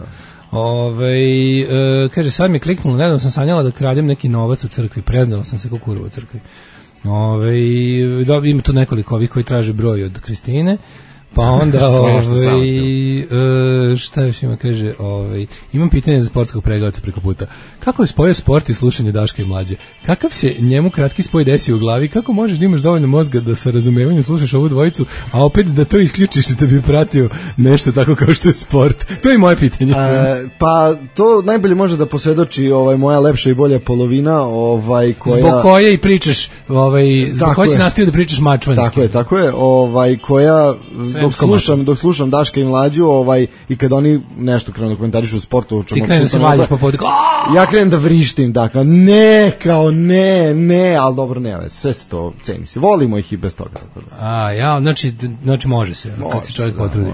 Kaže, sad mi je kliknulo, nedavno sam sanjala da kradem neki novac u crkvi, preznala sam se kao kurva u crkvi. Ima tu nekoliko ovih koji traže broj od Kristine. Pa onda, šta još ima, kaže, imam pitanje za sportskog pregledavca preko puta. Kako je spojio sport i slušanje Daška i Mlađe? Kakav se njemu kratki spoj desi u glavi? Kako možeš da imaš dovoljno mozga da sa razumevanjem slušaš ovu dvojicu, a opet da to isključiš da bi pratio nešto tako kao što je sport? To je moje pitanje. Pa to najbolje može da posvedoči moja lepša i bolja polovina, koja... Zbog koje i pričaš, zbog koje si nastavio da pričaš mačvanski. Tako je, koja... Dok slušam Daška i Mlađu, i kad oni nešto krenu da komentarišu u sportu, ti kreneš da se valjaš po podu, ja krenem da vrištim, dakle, ne, ali dobro, ne, sve se to ceni se, volimo ih i bez toga. Znači može se, kad se čovjek potrudi.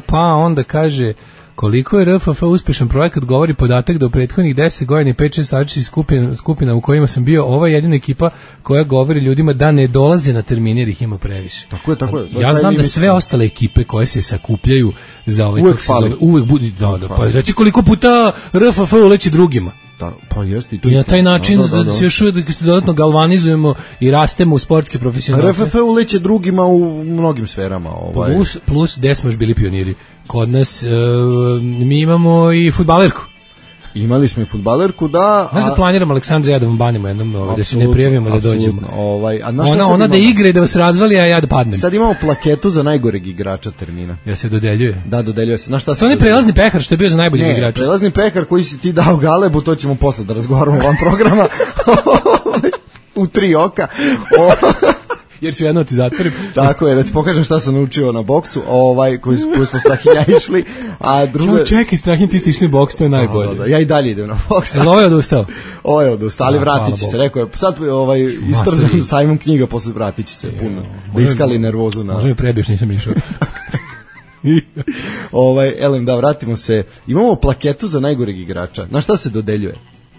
Pa onda kaže, koliko je RFF uspešan projekat, govori podatak da u prethodnih 10 godina i 5-6 različitih skupina u kojima sam bio, ova jedina ekipa koja govori ljudima da ne dolaze na termine jer ih ima previše. Tako je. Ja znam da sve ostale ekipe koje se sakupljaju za uvek budi, pa reći koliko puta RFF uleće drugima. Pa jeste, i na taj način se još uvijek se dodatno galvanizujemo i rastemo u sportske profesionalce. RFF uleće drugima u mnogim sferama. Plus gde smo još bili pioniri. Kod nas mi imamo i fudbalerku. Imali smo i fudbalerku, da. Znaš da planiramo Aleksandra, ja da vam banimo jednom, da se ne prijavimo da dođemo. Ona da igra i da vas razvali, a ja da padnem. Sad imamo plaketu za najgoreg igrača termina. Ja se dodeljuje? Da, dodeljuje se. To je prelazni pehar što je bio za najboljeg igrača. Ne, prelazni pehar koji si ti dao Galebu, to ćemo posle da razgovaramo van programa. U 3 oka. Jer ću jedno ti zatvorim. Tako je, da ti pokažem šta sam naučio na boksu, koji smo Strahinja išli, a drugo... Čekaj, Strahinja, ti ste išli boks, to je najbolje. Ja i dalje idem na boks. Ovo je odustao? Ovo je odustao, ali vratit će se, rekao je, sad istrzam sajmom knjiga, posle vratit će se puno, da iskali nervozu na... Možda mi prebiješ, nisam išao. Elem, da, vratimo se. Imamo plaketu za najgoreg igrača. Na šta se dodeljuje?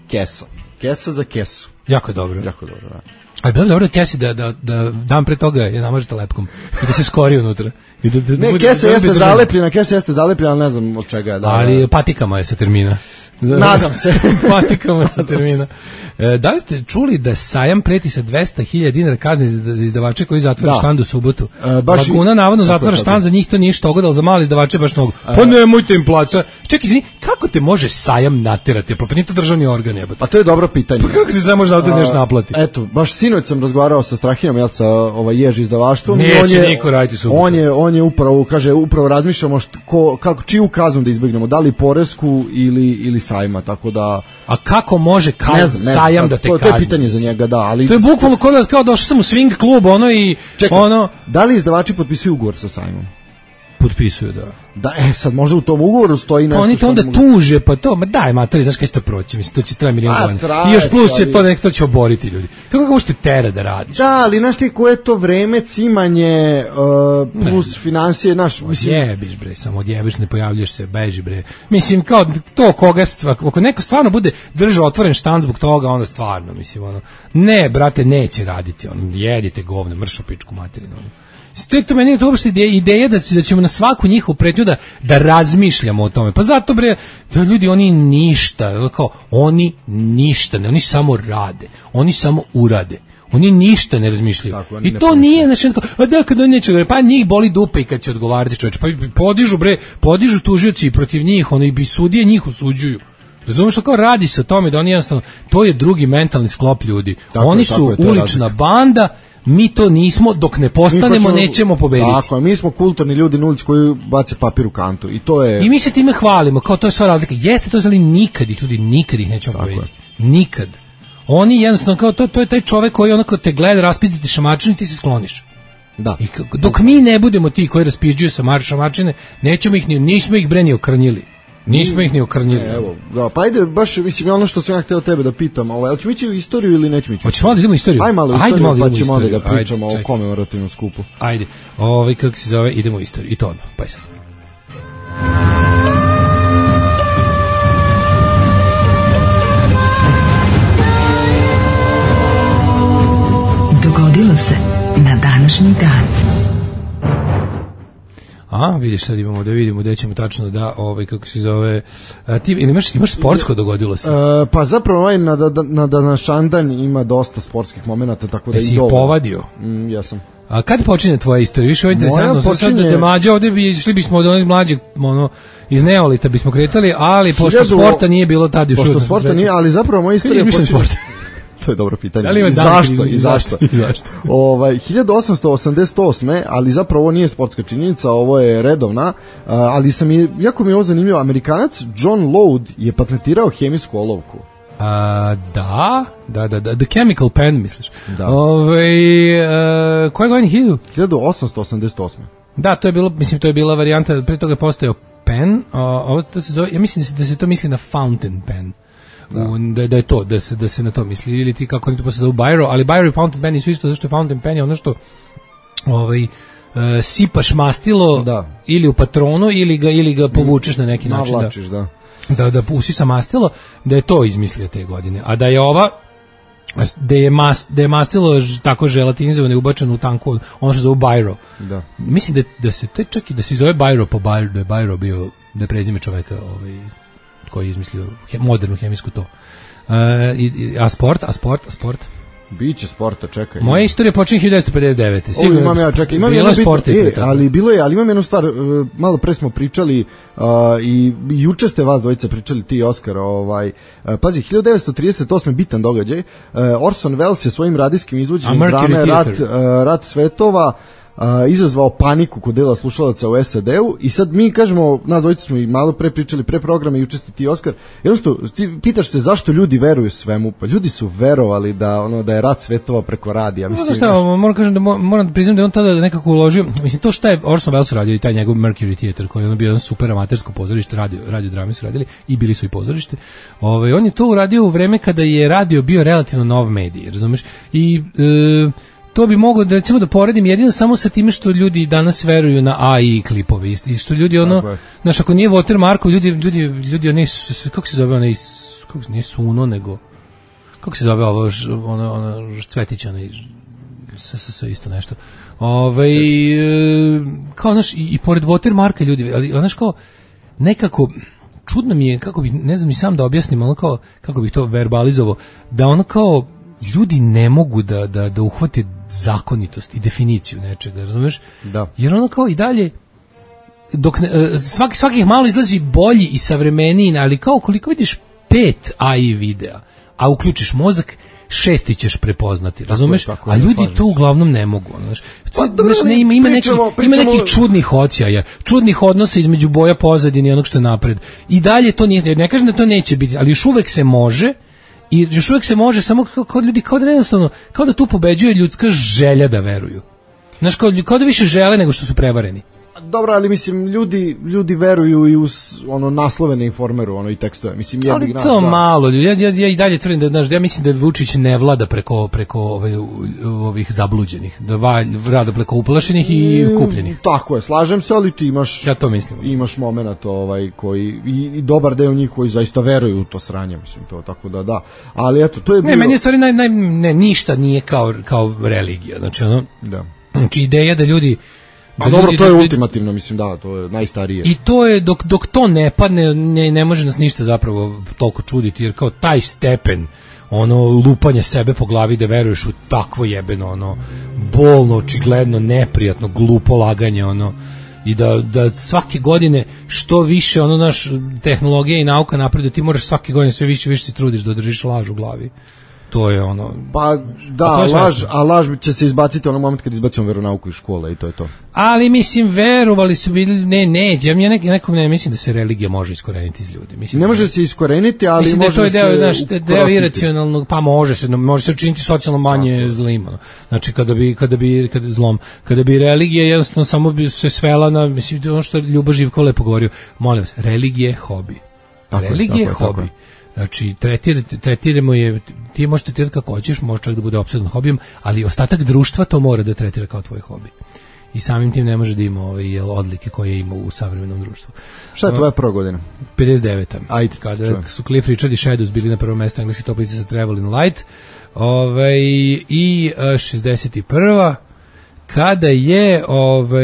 Kesa. Kesa za kesu. Jako dobro. Jako dobro, da. A je bilo dobro Kesi da dan pre toga je namažete lepkom i da se skori unutra. Ne, Kesa jeste zalepljena, ali ne znam od čega je. Ali patikama je sa termina. Nadam se. Patikama sa termina. Da li ste čuli da sajam preti sa 200.000 dinara kazne za izdavače koji zatvore štand u subotu? Laguna navodno zatvara štand, za njih to nije što godalo, za mali izdavače baš mnogo. Pa nemojte im plaća. Čekaj, kako te može sajam naterati? Pa nije to državni organ, jebote. Pa to je dobro pitanje. Pa kako ti samo možda ovdje nešto naplati? Eto, baš sinoć sam razgovarao sa Strahinjom, sa Jež izdavaštvom. Neće niko raditi subotu. On je upravo razmišljamo čiju kaznu da izbjegnemo, da li poresku ili sajma, tako da... A kako može sajam da te kazni? To je pitanje za njega, da, ali... To je bukvalno kao došao sam u swing klub, Čekaj, da li izdavači potpisuju ugovor sa sajmom? Potpisuju, da. Da, sad možda u tom ugovoru stoji nešto... Oni to onda tuže, pa to, daj matori, znaš kada će to proći, mislim, to će traje milijon godina. I još plus će to će oboriti ljudi. Kako možete tera da radiš? Da, ali znaš ti koje je to vreme, cimanje, plus financije, mislim... Jebiš bre, samo odjebiš, ne pojavljaš se, beži bre. Mislim, kao to ako neko stvarno bude držao otvoren štand zbog toga, onda stvarno, mislim, ne, brate, neće raditi, jedite govne, mršu pičku materinu, To meni je to uopšte ideja da ćemo na svaku njihovu pretnju da razmišljamo o tome. Pa zato bre, da ljudi oni ništa, kao oni ništa, ne, oni samo rade, oni samo urade. Oni ništa ne razmišljaju. Tako, i to nije, znači, kad oni neće, pa njih boli dupe i kad će odgovarati čoveče, pa podižu tužioci protiv njih, oni bi sudije njih osuđuju. Razumiješ, kao radi se o tome da oni jednostavno, to je drugi mentalni sklop ljudi. Tako oni su ulična banda, mi to nismo, dok ne postanemo nećemo pobediti. Tako, mi smo kulturni ljudi na ulici koji bace papir u kantu i to je... I mi se time hvalimo, kao to je sva razlika. Jeste to, ali nikad ih nećemo pobediti. Nikad. Oni jednostavno, kao to je taj čovek koji onako te gleda, raspizditi šamačinu i ti se skloniš. Da. I dok mi ne budemo ti koji raspižđuju šamačine, nismo ih bre ni okrnjili. Nismo ih ni okrnjili. Evo, da, pa ajde, baš, mislim, ono što sam ja hteo tebe da pitam, hoćemo ići u istoriju ili nećemo ići? Hoćemo da idemo u istoriju? Ajde malo u istoriju, pa ćemo onda da pričamo o komemorativnom skupu. Ajde, kako se zove, idemo u istoriju, i to odmah, pa je sad. Dogodilo se na današnji dan. Vidiš, sad imamo da vidimo gde ćemo tačno da, kako se zove, ti imaš sportsko dogodilo se? Pa zapravo na današnji dan ima dosta sportskih momenata, tako da i dobro. Jesi povadio? Ja sam. A kad počinje tvoja istorija? Više ovo je interesantno, sad da mlađe ovde išli bismo od onih mlađeg, iz Neolita bismo kretali, ali pošto sporta nije bilo tad još. Pošto sporta nije, ali zapravo moja istorija počinje... To je dobro pitanje. I zašto? 1888. ali zapravo ovo nije sportska činjenica, ovo je redovna, ali jako mi je ovo zanimljivo, Amerikanac John Loud je patentirao hemijsku olovku. Da, The Chemical Pen, misliš? Da. Koje godine? 1888. Da, to je bila varijanta, prije toga je postojao pen, ovo to se zove, ja mislim da se to misli na fountain pen. Da je to, da se na to misli, ili ti kako oni to posle zovu biro, ali biro i fountain pen su isto, zašto je fountain pen je ono što sipaš mastilo ili u patronu ili ga povučeš na neki način. Navlačiš, da usisa mastilo, da je to izmislio te godine, a da je da je mastilo tako želatinizovano i ubačeno u tanku, ono što zove biro. Da. Mislim da se čak i da se zove biro po biro, da je biro bio, da je prezime čoveka koji je izmislio modernu hemijsku to. A sport? Biće sporta, čekaj. Moja istorija počinje 1959. Sigurno. Imam ja, čekaj. Bilo je sporta. Ali imam jednu stvar, malo pre smo pričali i juče ste vas dvojica pričali, ti i Oskar, pazi, 1938. bitan događaj, Orson Welles je svojim radijskim izvođenjem drame Rat svetova izazvao paniku kod dela slušalaca u SAD-u i sad mi kažemo, nas dvojica smo i malo pre pričali pre programa i juče ste ti Oskar, jednostavno ti pitaš se zašto ljudi veruju svemu, pa ljudi su verovali da je Rat svetova preko radija. Moram da priznam da je on tada nekako uložio, mislim to šta je Orson Welles radio i taj njegov Mercury Theater koji je bio jedan super amatersko pozorište, radio drame su radili i bili su i pozorište, on je to uradio u vreme kada je radio bio relativno nov medij, razumeš, i to bi mogao recimo da poredim jedino samo sa time što ljudi danas veruju na AI klipove i što ljudi znaš, ako nije watermarkov, ljudi oni, kako se zove onaj, nije Suno, nego kako se zove ovo, ono Cvetić, onaj sa isto nešto, kao znaš, i pored watermarka ljudi, ali znaš kao nekako čudno mi je, kako bih, ne znam ni sam da objasnim, ono kao, kako bih to verbalizovao, da ono kao ljudi ne mogu da uhvate zakonitost i definiciju nečega, razumeš? Da. Jer ono kao i dalje, dok svakih malo izlazi bolji i savremeniji, ali kao koliko vidiš 5 AI videa, a uključiš mozak, 6 ćeš prepoznati, razumeš? Tako, a ljudi to uglavnom ne mogu, znaš. Ima nekih čudnih odsjaja, čudnih odnosa između boja pozadine i onog što je napred. I dalje to nije, ne kažem da to neće biti, ali još uvek se može. I još uvijek se može, samo kao ljudi, kao da jednostavno, kao da tu pobeđuje ljudska želja da veruju. Znaš, kao da više žele nego što su prevareni. Dobro, ali mislim, ljudi veruju i uz naslove na Informeru, i tekstove. Mislim, ali to malo ljudi, ja i dalje tvrdim da, ja mislim da Vučić ne vlada preko ovih zabluđenih, da vlada preko uplašenih i kupljenih. Tako je, slažem se, ali ti imaš, ja to mislim, imaš moment koji, i dobar deo njih koji zaista veruju u to sranje, mislim, to, tako da, ali eto, to je bilo... Ne, meni je stvari, ništa nije kao religija, znači Da. Znači ideja da ljudi A dobro, to je ultimativno, mislim, da, to je najstarije. I to je, dok to ne padne, ne može nas ništa zapravo toliko čuditi, jer kao taj stepen ono lupanje sebe po glavi da veruješ u takvo jebeno, ono bolno, očigledno, neprijatno, glupo laganje, ono, i da svake godine što više ono naš tehnologija i nauka napreduje, ti moraš svake godine sve više se trudiš da održiš laž u glavi. To je ono. Pa da, laž će se izbaciti onog momenta kad izbacimo veronauku iz škole i to je to. Ali mislim verovali su bili ja nekom ne mislim da se religija može iskoreniti iz ljudi. Mislim ne može se iskoreniti, ali mislim može da to je deo iracionalnog, pa može se učiniti socijalno manje zlim. Znači kada bi religija jednostavno samo bi se svela na, mislim, ono što Ljubo Živkov lepo govorio, molim vas, religija je hobi. Religija je hobi. Znači, tretiramo je, ti možeš tretirati kako hoćeš, može čak da bude opsedan hobijom, ali ostatak društva to mora da tretira kao tvoj hobi. I samim tim ne može da ima odlike koje ima u savremenom društvu. Šta je tvoja prva godina? 59. Ajde, kada su Cliff Richard i Shadows bili na prvom mestu engleski toplice sa Traveling Light. I 61. Kada je ovo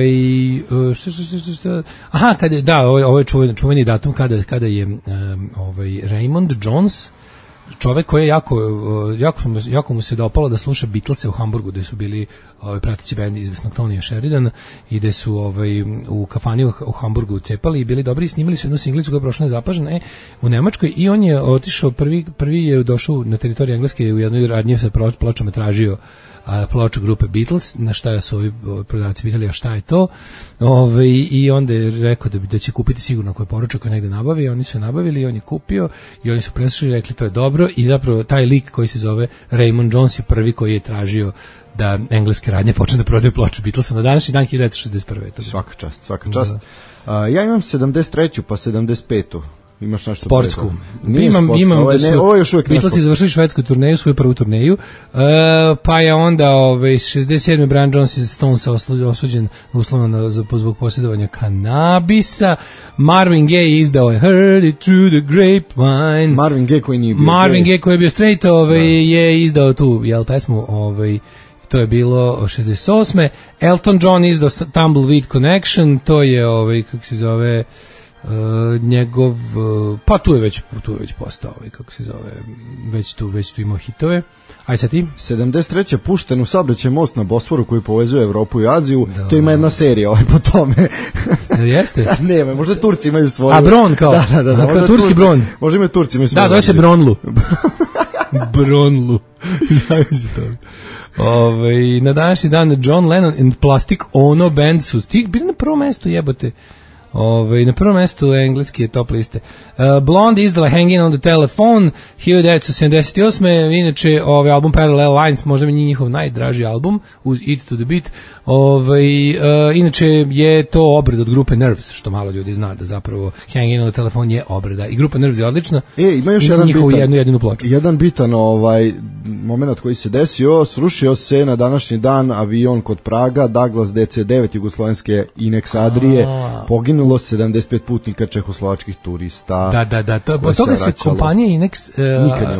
je čuveni datum kada je Raymond Jones, čovek koji je jako mu se dopalo da sluša Beatlese u Hamburgu, gde su bili prateći bend izvesnog Tonija Sheridana i gde su u kafani u Hamburgu cepali i bili dobri i snimali su jednu singlicu koja je prošla nezapažena u Nemačkoj i on je otišao prvi je došao na teritoriju Engleske u jednoj radnji sa pločama tražio ploču grupe Beatles, na šta su ovi prodavci pitali, a šta je to, i onda je rekao da će kupiti sigurno ako je poručak koji negde nabavi, oni su nabavili i on je kupio i oni su preslušali i rekli to je dobro i zapravo taj lik koji se zove Raymond Jones je prvi koji je tražio da engleske radnje počne da prodaju ploču Beatlesa na današnji dan 1961. Svaka čast. Ja imam 73. pa 75. Imaš nešto sportsku. Imam ovo je još uvijek Beatlesi završili švedsku turneju, svoju prvu turneju, pa je onda 67. Brian Jones iz Stonesa osuđen uslovno zbog posjedovanja kanabisa. Marvin Gaye izdao je Heard It Through the Grapevine. Marvin Gaye koji nije bio Marvin Gaye koji je bio straight, je izdao tu pesmu, to je bilo 68. Elton John izdao Tumbleweed Connection, to je kako se zove njegov, pa tu je već postao, kako se zove, već tu imao hitove. Aj sad ti? 73. pušten u saobraćaj most na Bosforu koji povezuje Evropu i Aziju. Da. To ima jedna serija po tome. Jeste? Ne, možda Turci imaju svoju. A Bron kao? Da. Kao turski Bron. Možda imaju Turci imaju svoju. Da, zove se Bronlu. Bronlu. Zavisi to. Na današnji dan John Lennon and Plastic Ono Band su bili na prvom mestu, jebote. Na prvom mestu engleski je top liste. Blonde izdala Hanging on the Telephone 1978. Inače, album Parallel Lines, možda mi njihov najdraži album, uz Eat to the Beat. Inače je to obrada od grupe Nerves, što malo ljudi zna da zapravo Hanging on the Telephone je obrada. I grupa Nerves je odlična. Ima još jedinu ploču. Jedan bitan moment koji se desio, srušio se na današnji dan avion kod Praga, Douglas DC-9 jugoslovenske Inex Adrije, poginulo 75 putnika čehoslovačkih turista. Da. Od toga se kompanija Inex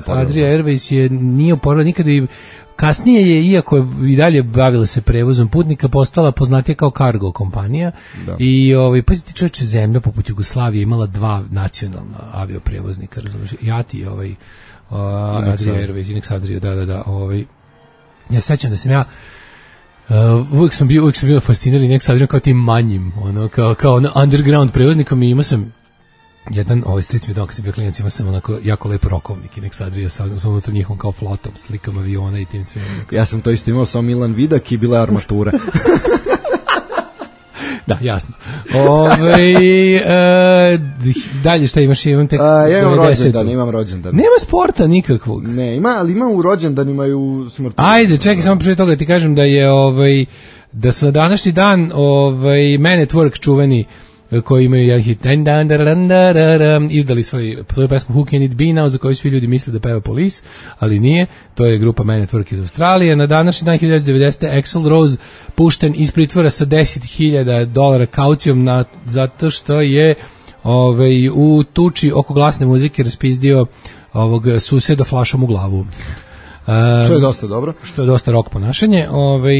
Adria Airways nije oporavila nikada i kasnije je, iako je i dalje bavila se prevozom putnika, postala poznatija kao cargo kompanija. Da. I pazite čovječe, zemlja poput Jugoslavije imala dva nacionalna avioprevoznika, razumiješ, JAT i Adria Airways, Inex Adria, da. Ja sećam da sam ja uvijek sam bio fasciniran Inex Adriom kao tim manjim, kao underground prevoznikom i imao sam jedan, stric mi dok sam bio klinac, imao sam onako jako lep rokovnik Inex Adria sa unutar njihovom kao flotom, slikama aviona i tim svim. Ja sam to isto imao sa Milan Vidak i bila armatura. Da, jasno. Dalje šta imaš? Imam tek ja imam rođendan. Nema sporta nikakvog. Ne, ali ima u rođendanima i u smrti. Ajde, čekaj, samo prije toga ti kažem da je da su na današnji dan Man at Work čuveni koji imaju jedan hit izdali svoju pesmu Who Can It Be Now, za koju svi ljudi misle da peva Police, ali nije, to je grupa Man at Work iz Australije. Na današnji dan 1990. Axl Rose pušten iz pritvora sa $10,000 kaucijom zato što je u tuči oko glasne muzike raspizdio ovog suseda flašom u glavu. Što je dosta dobro. Što je dosta rock ponašanje.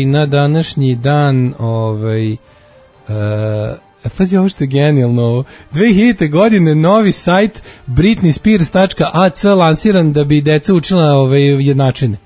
Na današnji dan pazi ovo što je genijalno. 2000. godine novi sajt britneyspears.ac lansiran da bi deca učila jednačine.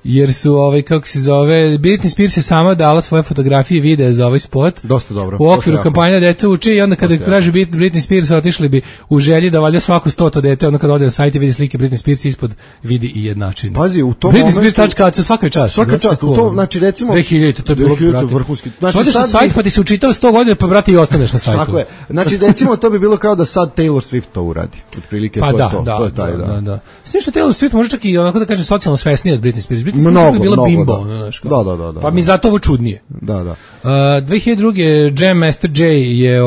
Jer su kako se zove, Britney Spears je sama dala svoje fotografije i videe za ovaj spot. Dosta dobro. U okviru kampanja deca uče i onda kada traži Britney Spears otišli bi u želji da valjda svako 100 dete, onda kada ode na sajt i vidi slike Britney Spears ispod vidi i jednačine. Pazi, u tom momentu Britneyspears.ac svaka čast. Svaka čast, u tom, znači recimo 2000, to je bilo vrhunski. Znači odeš na sajt pa ti se učitao 100 godina pa brate i ostaneš na sajtu. Tako je. Znači recimo to bi bilo kao da sad Taylor Swift to uradi. Otprilike pa to je to. To je taj, da. Sve što Taylor Swift može čak i onako da kaže socijalno svesnije od Britney Spears. Mnogo, bila bimbo, da. Pa mi zato ovo čudnije. Da. 2002. Jam Master Jay je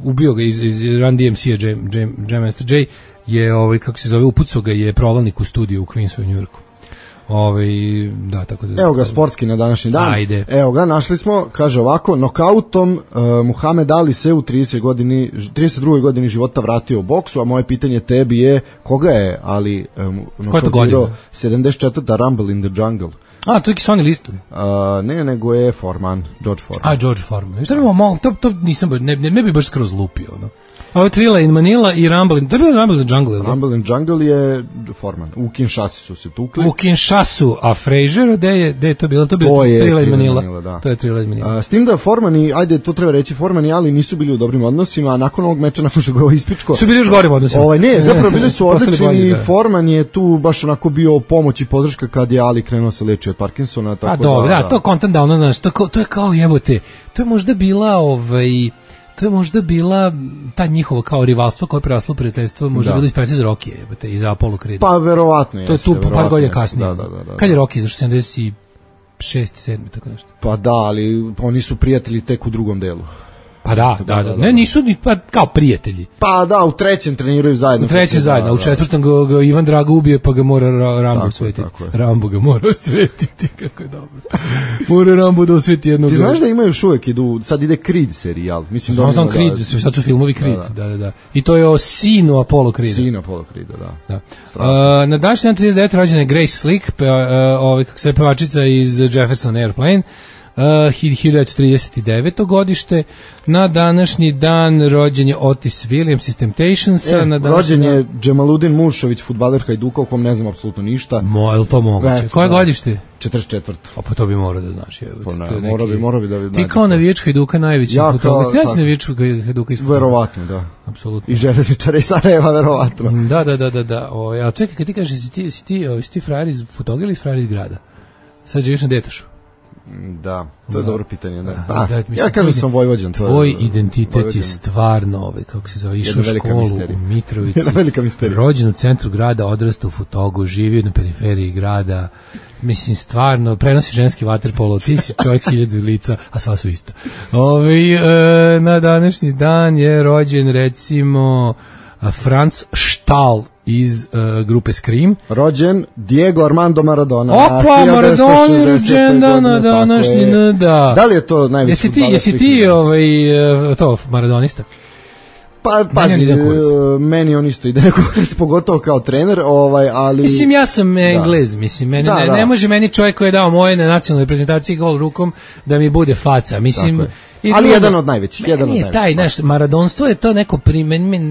ubio ga iz Run DMC-a. Jam Master Jay je kako se zove, upucao ga je provalnik u studiju u Queensu u Njujorku. Da, tako da. Evo ga sportski na današnji dan. Ajde. Evo ga, našli smo, kaže ovako, nokautom Muhammed Ali se u 32. godini života vratio u boksu, a moje pitanje tebi je koga je Ali nokautirao 74. Rumble in the Jungle. To je Sony listu. Ne, nego je George Foreman. George Foreman. To nisam, ne bi baš skroz lupio, no. Ovo Thrilla in Manila i Rumble in... To je bio Rumble in the Jungle, ili? Rumble in the Jungle je Foreman. U Kinshasi su se tukli. U Kinshasu, a Frazier, gde je to bilo? To je Thrilla in Manila. Da. To je Thrilla in Manila. S tim da Foreman i, ajde, to treba reći, Foreman i Ali nisu bili u dobrim odnosima, a nakon ovog meča, nakon što ga ispičko... Su bili još gorim odnosima. Ne, zapravo bili su odlični i Foreman je tu baš onako bio pomoć i podrška kad je Ali krenuo se leči od Parkinsona. Tako dobro, to content down, znaš, to je kao jebote, to je možda bila to je možda bila ta njihova kao rivalstvo koje je preraslo u prijateljstvo, možda bilo ispresi iz Rokije, jebote, iz Apollo Creed. Pa verovatno je. To je tu par godina kasnije. Da. Kad je Rocky izašao 76. 7. tako nešto. Pa da, ali oni su prijatelji tek u drugom delu. Pa da. Ne, nisu ni kao prijatelji. Pa da, u trećem treniraju zajedno. U trećem zajedno, u četvrtom ga Ivan Drago ubije, pa ga mora Rambo osvetiti. Rambo ga mora osvetiti, kako je dobro. Mora Rambo da osveti jednog. Ti znaš da imaju još uvijek, sad ide Creed serijal. Znam Creed, sad su filmovi Creed, da. I to je o sinu Apollo Creeda. Sinu Apollo Creeda, da. Na današnji dan 39. rođena je Grace Slick, kako se pevačica iz Jefferson Airplane. 1939. godište. Na današnji dan rođen je Otis Williams iz Temptationsa. Rođen je Džemaluddin Mušović, fudbaler Hajduka, o kom ne znam apsolutno ništa. Je li to moguće? Koje godište? 44. Pa to bi morao da znaš. Morao bi da... Ti kao navijač Hajduka najveći futbolist. Ti neći navijač Hajduka iz futbola? Verovatno, da. Apsolutno. I železničara i Sarajeva, verovatno. Da. Ali čekaj, kad ti kažeš, si ti frajer iz Futoga ili frajer iz grada? Sad živiš na Detošu. Da, to je dobro pitanje. Ja kažem sam Vojvođan. Tvoj identitet je stvarno, kako se zove, išao u školu u Mitrovici, rođen u centru grada, odrastao u Futogu, živio na periferiji grada, mislim, stvarno, prenosi ženski vaterpolo, ti si čovjek 1000 lica, a sva su ista. Na današnji dan je rođen, recimo, Franz Stahl iz grupe Scream. Rođen Diego Armando Maradona. Opa, Maradona rođendan na današnji, da. Da li je to najveći futbaler? Jesi ti to maradonista? Pa, pazi, meni on isto ide kurac, pogotovo kao trener, ali... Mislim, ja sam Englez, mislim, ne može meni čovjek koji je dao moje na nacionalnoj reprezentaciji gol rukom da mi bude faca, mislim... Ali jedan od najvećih. Nije taj, znaš, maradonstvo je to neko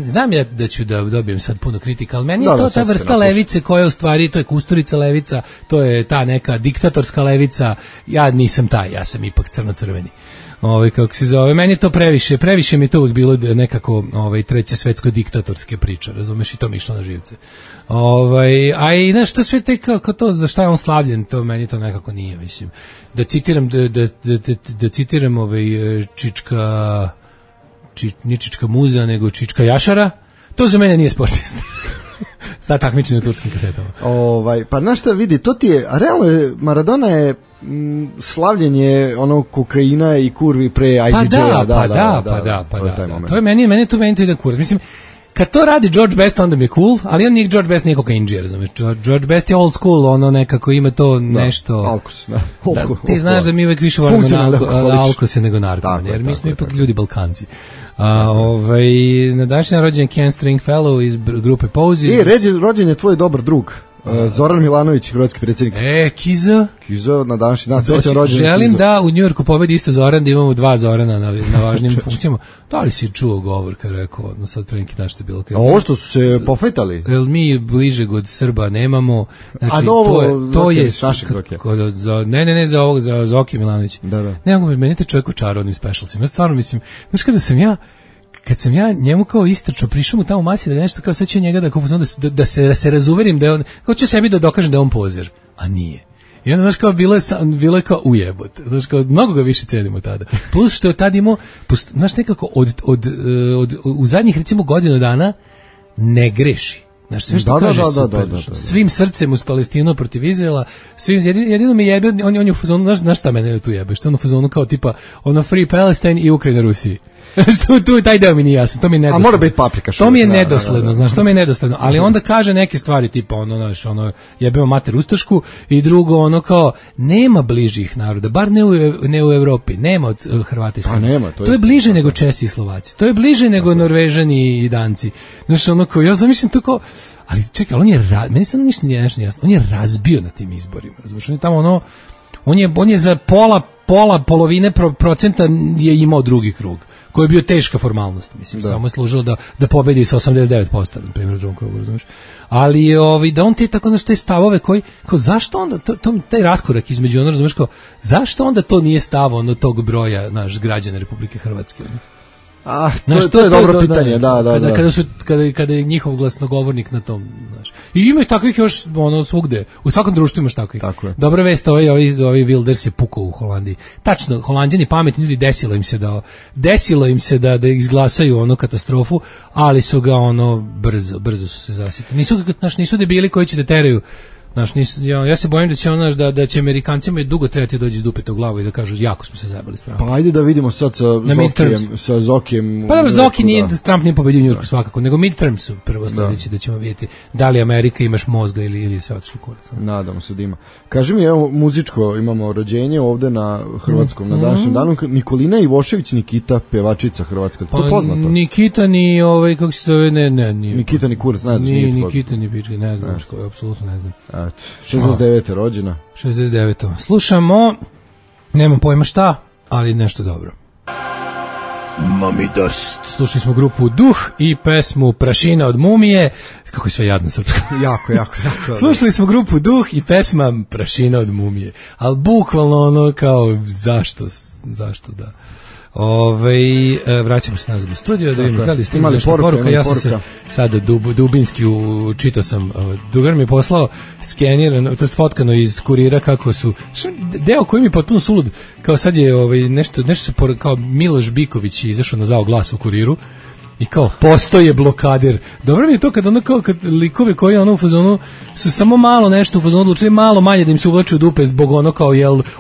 znam ja da ću da dobijem sad puno kritika, ali meni je to ta vrsta levice koja u stvari, to je Kusturica levica, to je ta neka diktatorska levica, ja nisam taj, ja sam ipak crno-crveni. Kako se zove, meni je to previše mi je to uvijek bilo nekako treće svetsko diktatorske priče, razumeš, i to mi išlo na živce. A i znaš, to sve te kao to, za šta je on slavljen, to meni to nekako nije, mislim. Da citiram nije Čička muza, nego Čička jašara, to za mene nije sportista. Sad takmičenje na turskim kasetama. Pa znaš šta vidi, to ti je, realno je, Maradona je slavljenje onog kokaina i kurvi pre IDJ-a. To je meni to ide kurac. Mislim, kad to radi George Best, onda mi je cool, ali on nije George Best, nije kokainđija, razumiješ. George Best je old school, ono nekako ima to nešto... Alkos, da. Ti znaš da mi uvek više volimo alkose nego narkomane, jer mi smo ipak ljudi Balkanci. Na današnji rođen Ken Stringfellow iz grupe Posey. Rođen je tvoj dobar drug. Zoran Milanović, hrvatski predsjednik. Kiza. Kiza na današnji dan. Želim da u Njujorku pobedi isto Zoran, da imamo 2 Zorana na važnim funkcijama. Da li si čuo govor kad rekao, no sad pre neki dan što je bilo? Ovo što su se pofajtali? Jel mi bližeg od Srba nemamo. Znači, a novo, to je Sašeg Zoke. Ne, za Zoki Milanović. Da. Ne mogu, meni te čovjek u čarodnim specialsima. Ja stvarno mislim, znaš kad sam ja njemu kao istrčao, prišao mu tamo u masi da nešto kao sad ću njega da se razuverim da je on, kao ću sebi da dokažem da je on pozer, a nije. I onda, znaš, kao bilo je kao ujebot. Znaš, kao mnogo ga više cenimo tada. Plus što je tad imao, znaš, nekako u zadnjih recimo godinu dana ne greši. Znaš, sve što kaže super. Svim srcem uz Palestinu protiv Izraela, jedino mi jebe, on je u fazonu, znaš šta mene tu jebe, što je u fazonu kao tipa, ono Free Palestine i Ukrajina Rusiji. tu taj deo mi nije jasan, to mi je nedosledno. A mora biti paprika. To mi je nedosledno, znaš, to mi je nedosledno, ali onda kaže neke stvari tipa ono jebemo mater ustašku i drugo ono kao nema bližih naroda, bar ne u Evropi, nema od Hrvata i Srba. Nema, to je bliže nego Česi i Slovaci. To je bliže nego Norvežani i Danci. Znaš, ono kao ja zamišljam to kao, ali čekaj, on je meni sad ništa nije nešto jasno. On je razbio na tim izborima. Razumiješ, on je tamo on je za polovine procenta je imao drugi krug, koji je bio teška formalnost, mislim, samo je služilo da pobedi sa 89%, na primjer, u drugom krugu, razumiješ. Ali da on tako, znaš, te stavove koji, kao zašto onda, taj raskorak između ono, razumiješ, kao, zašto onda to nije stavo ono tog broja, naš, građana Republike Hrvatske, ono? To je dobro pitanje, da. Kada je njihov glasnogovornik na tom, znaš. I imaš takvih još svugde, u svakom društvu imaš takvih. Tako je. Dobra vest, ovaj Wilders je pukao u Holandiji. Tačno, Holanđani pametni ljudi, desilo im se da izglasaju katastrofu, ali su ga brzo su se zasitili. Nisu debili koji će da teraju. Znaš, ja se bojim da će da će Amerikancima dugo trebati doći iz dupeta u glavu i da kažu jako smo se zajebali strano. Pa ajde da vidimo sad sa Zokijem. Pa dobro, Zoki nije, Trump nije pobedio u Njujorku svakako, nego midterm su prvo sledeći da ćemo vidjeti da li Amerika imaš mozga ili sve otišlo kurac. Nadamo se da ima. Kaži mi, evo, muzičko imamo rođenje ovde na hrvatskom, na današnjem danu. Nikolina Ivošević Nikita, pevačica hrvatska, to poznato? Nikita ni, kako se zove, ne. Nikita ni kurac, ne znam. Ni Nikita ni pička, ne znam, apsolutno ne znam. 69. rođena. 69. Slušamo, nemam pojma šta, ali nešto dobro. Mami Dust. Slušali smo grupu Duh i pesmu Prašina od mumije. Kako je sve jadno srpsko. Jako. Slušali smo grupu Duh i pesma Prašina od mumije. Ali bukvalno kao zašto da. Vraćamo se nazad u studio da vidimo da li ste imali nešto poruka. Ja sam se sada dubinski čitao sam, drugar mi je poslao skenirano, to je fotkano iz kurira kako su deo koji mi je potpuno sulud, kao sad je nešto se kao Miloš Biković izašao na Zao glas u kuriru i kao postoje blokader. Dobro mi je to kad likove koji u fazonu su samo malo nešto u fazonu odlučili malo manje da im se uvlači u dupe zbog kao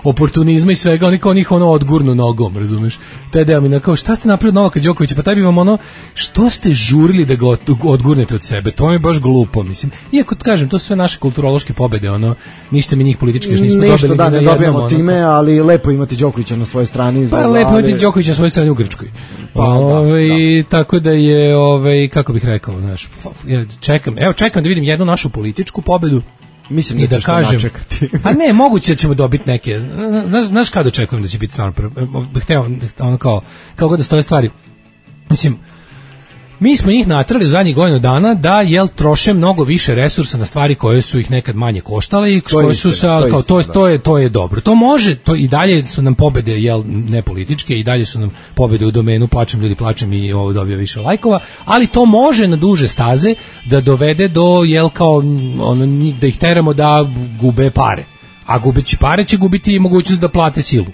oportunizma i svega, oni kao njih odgurnu nogom, razumeš? Taj deo mi kao šta ste napravili od Novaka Đokovića, pa taj bi vam što ste žurili da ga odgurnete od sebe, to mi je baš glupo, mislim. Iako kažem, to su sve naše kulturološke pobede, ništa mi njih politički još nismo dobili. Ništa da ne dobijamo time, ali lepo imati Đokovića na svojoj strani. Pa lepo imati Đokovića na svojoj strani u Grčkoj. Tako da je, kako bih rekao, znaš, čekam da vidim jednu našu političku pobedu. Mislim da kažem, načekati. A ne, moguće da ćemo dobiti neke, znaš kada očekujem da će biti stvarno prvo, hteo, kao god da stoje stvari, mislim, mi smo njih natrali u zadnjih godinu dana da troše mnogo više resursa na stvari koje su ih nekad manje koštale i koje su to je dobro. To može, to i dalje su nam pobede ne političke, i dalje su nam pobede u domenu plačem i ovo dobija više lajkova, ali to može na duže staze da dovede do da ih teramo da gube pare. A gubeći pare će gubiti i mogućnost da plate silu.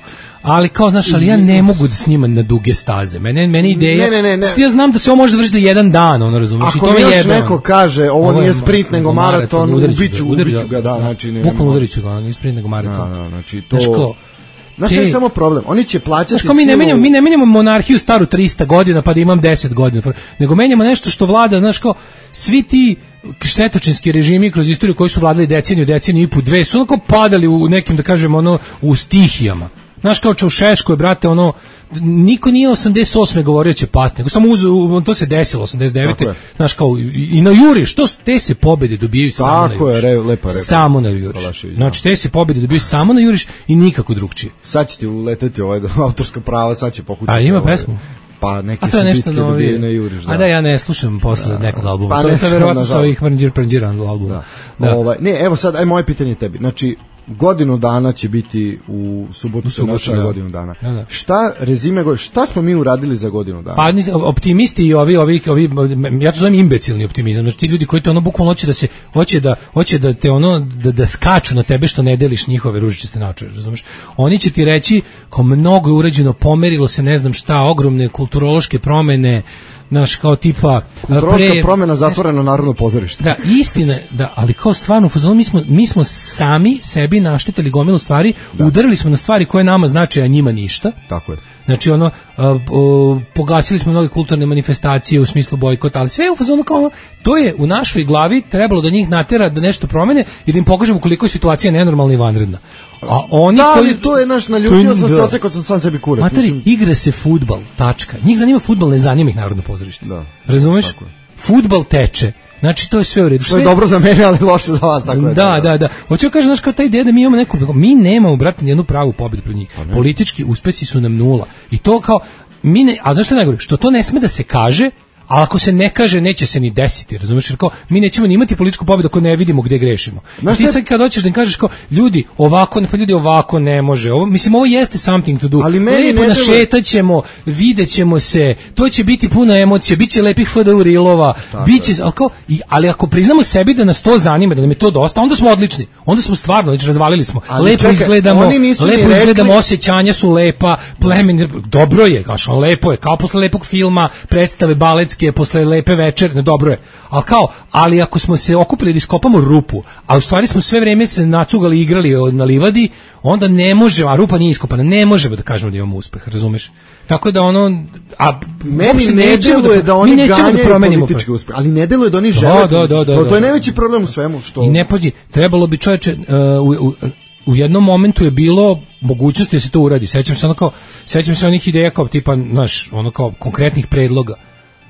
Ali kao, znaš, ali ja ne mogu da snimam na duge staze. Meni ideja... Ne. Ja znam da se ovo može vršiti do jedan dan, razumiješ? Ako mi još neko kaže, ovo nije sprint nego maraton, ubiću ga, da, znači... Bukvalno udariću ga, nije sprint nego maraton. Da, znači to... Znaš, je samo problem, oni će plaćati silu... Mi ne menjamo monarhiju staru 300 godina pa da imam 10 godina, nego menjamo nešto što vlada, znaš, kao, svi ti štetočinski režimi kroz istoriju koji su vladali deceniju i po dve su padali u nekim, da kažem, u stihijama. Znaš, kao Čaušesku je, brate, ono, niko nije 88. govorio će pasti, nego samo to se desilo 89. Znaš, kao, i na juriš, te se pobede dobijaju samo na juriš. Tako je, lepa repa. Samo na juriš. Znači, te se pobede dobijaju samo na juriš i nikako drugčije. Sad će ti uleteti autorska prava, sad će pokušati. A ima pesmu? Pa neke su bitke dobije na juriš. A da, ja ne slušam posle nekog albuma. Pa to je verovatno sa ovih Pranđiran albuma. Ne, evo sad, aj moje pitanje tebi. Znači, godinu dana će biti u subotu se naša godinu dana. Da. Šta rezime, šta smo mi uradili za godinu dana? Pa optimisti i ovi ja to zovem imbecilni optimizam. Znači ti ljudi koji to ono bukvalno hoće da te ono da skaču na tebe što ne deliš njihove ružičaste naočare, razumeš? Oni će ti reći kao mnogo je urađeno, pomerilo se ne znam šta, ogromne kulturološke promene, naš kao tipa kulturološka promjena, zatvoreno Narodno pozorište. Da, istina, da, ali kao stvarno mi smo sami sebi naštetili gomilu stvari, udarili smo na stvari koje nama znače, a njima ništa. Tako je. Znači ono pogasili smo mnoge kulturne manifestacije u smislu bojkota, ali sve je u fazonu kao ono, to je u našoj glavi trebalo da njih natera da nešto promene i da im pokažemo koliko je situacija nenormalna i vanredna. A oni ali to je naš naljutio sam se ocekao sam sam sebi kurac. Materi, igra se fudbal, tačka. Njih zanima fudbal, ne zanima ih Narodno pozorište. Da. Razumeš? Fudbal teče. Znači to je sve u redu. To je dobro za mene, ali loše za vas, tako je. Da. Hoću kažem, znaš, kao ta ideja da mi imamo mi nemamo, brate, nijednu pravu pobedu pred njih. Politički uspesi su nam nula. I to kao a znaš što najgore? Što to ne sme da se kaže, a ako se ne kaže, neće se ni desiti, razumiješ? Jer kao, mi nećemo ni imati političku pobedu ako ne vidimo gde grešimo. Ti sad kad hoćeš da im kažeš kao, ljudi, ovako ne može. Ovo jeste something to do. Lepo našetat ćemo, vidjet ćemo se, to će biti puno emocija, bit će lepih FDU rilova, ali ako priznamo sebi da nas to zanima, da nam je to dosta, onda smo odlični. Onda smo stvarno, znači razvalili smo. Lepo izgledamo, osjećanja su lepa, plemen, dobro je, kao lepo je, kao posle lepog filma, predstave baletske, posle lepe večerne, dobro je. Ali ako smo se okupili da iskopamo rupu, a u stvari smo sve vreme se nacugali i igrali na livadi, onda ne možemo, a rupa nije iskopana, ne možemo da kažemo da imamo uspeh, razumeš? Tako da ono, meni ne deluje da oni ganjaju politički uspeh, ali ne deluje da oni žele. To je najveći problem u svemu. Što... I ne pođi, trebalo bi čoveče, u jednom momentu je bilo mogućnosti da se to uradi. Sećam se onih ideja kao tipa, znaš, ono kao konkretnih predloga.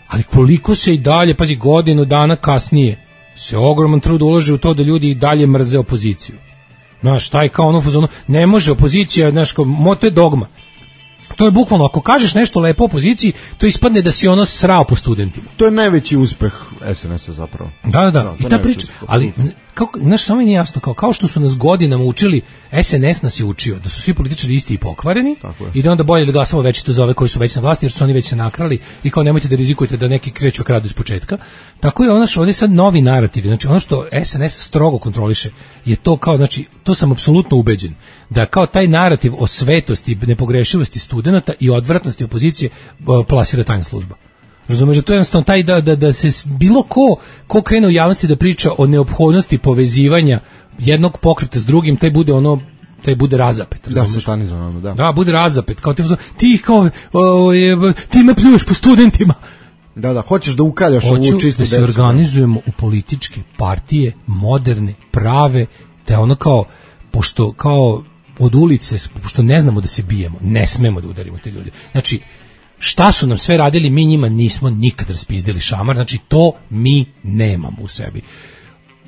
Ali koliko se i dalje, pazi, godinu dana kasnije se ogroman trud ulaže u to da ljudi i dalje mrze opoziciju. Znaš, taj kao ono fazonu, ne može opozicija, znaš, to je dogma. To je bukvalno, ako kažeš nešto lepo opoziciji, to ispadne da si ono srao po studentima. To je najveći uspeh SNS-a zapravo. Da. I ta priča, ali znaš, samo mi nije jasno, kao što su nas godinama učili, SNS nas je učio da su svi političari isti i pokvareni i da onda bolje da glasamo večito za ove koji su već na vlasti jer su oni već se nakrali i kao nemojte da rizikujete da neki kreću kradu iz početka. Tako je ono što ovdje sad novi narativ, znači ono što SNS strogo kontroliše je to kao, znači to sam apsolutno ubeđen, da kao taj narativ o svetosti, nepogrešivosti studenata i odvratnosti opozicije plasira tajna služba. Razumeš, da to je jednostavno taj da se bilo ko krene u javnosti da priča o neophodnosti povezivanja jednog pokreta s drugim, taj bude razapet. Da, satanizovano, da. Da, bude razapet. Kao ti me pljuješ po studentima. Da, hoćeš da ukaljaš ovu čistu decu. Da se organizujemo u političke partije, moderne, prave, da ono kao, pošto kao od ulice, pošto ne znamo da se bijemo, ne smemo da udarimo te ljude. Znači, šta su nam sve radili, mi njima nismo nikad raspizdili šamar, znači to mi nemamo u sebi.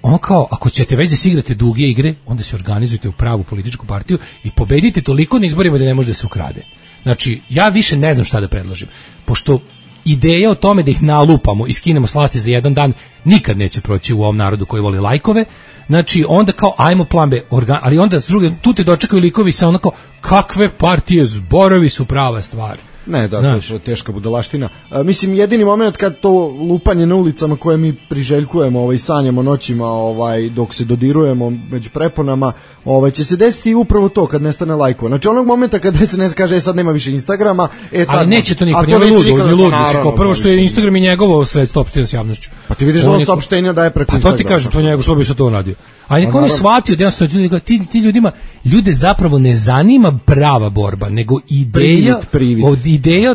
Ono kao, ako ćete već da se igrate duge igre, onda se organizujete u pravu političku partiju i pobedite toliko na izborima da ne može da se ukrade. Znači, ja više ne znam šta da predložim, pošto ideja o tome da ih nalupamo i skinemo s vlasti za jedan dan nikad neće proći u ovom narodu koji voli lajkove. Znači, onda kao, ajmo plan B, ali onda s druge, tu te dočekaju likovi sa onako, kakve partije, zborovi su prava stvar. Ne, da, to je teška budalaština. Mislim, jedini moment kad to lupanje na ulicama koje mi priželjkujemo, sanjamo noćima, dok se dodirujemo među preponama, će se desiti upravo to kad nestane lajkova. Znači, onog momenta kad SNS kaže, sad nema više Instagrama, ali neće to niko, nije lud, kao prvo što je Instagram i njegovo sredstvo opštenja s javnošću. Pa ti vidiš da on saopštenja daje preko Instagrama. Pa to ti kažem, to njegov, što bi se to radio. A niko ne shvatio da jednostavno ti ljudima, ljude zapravo ne zanima prava borba, nego ideja,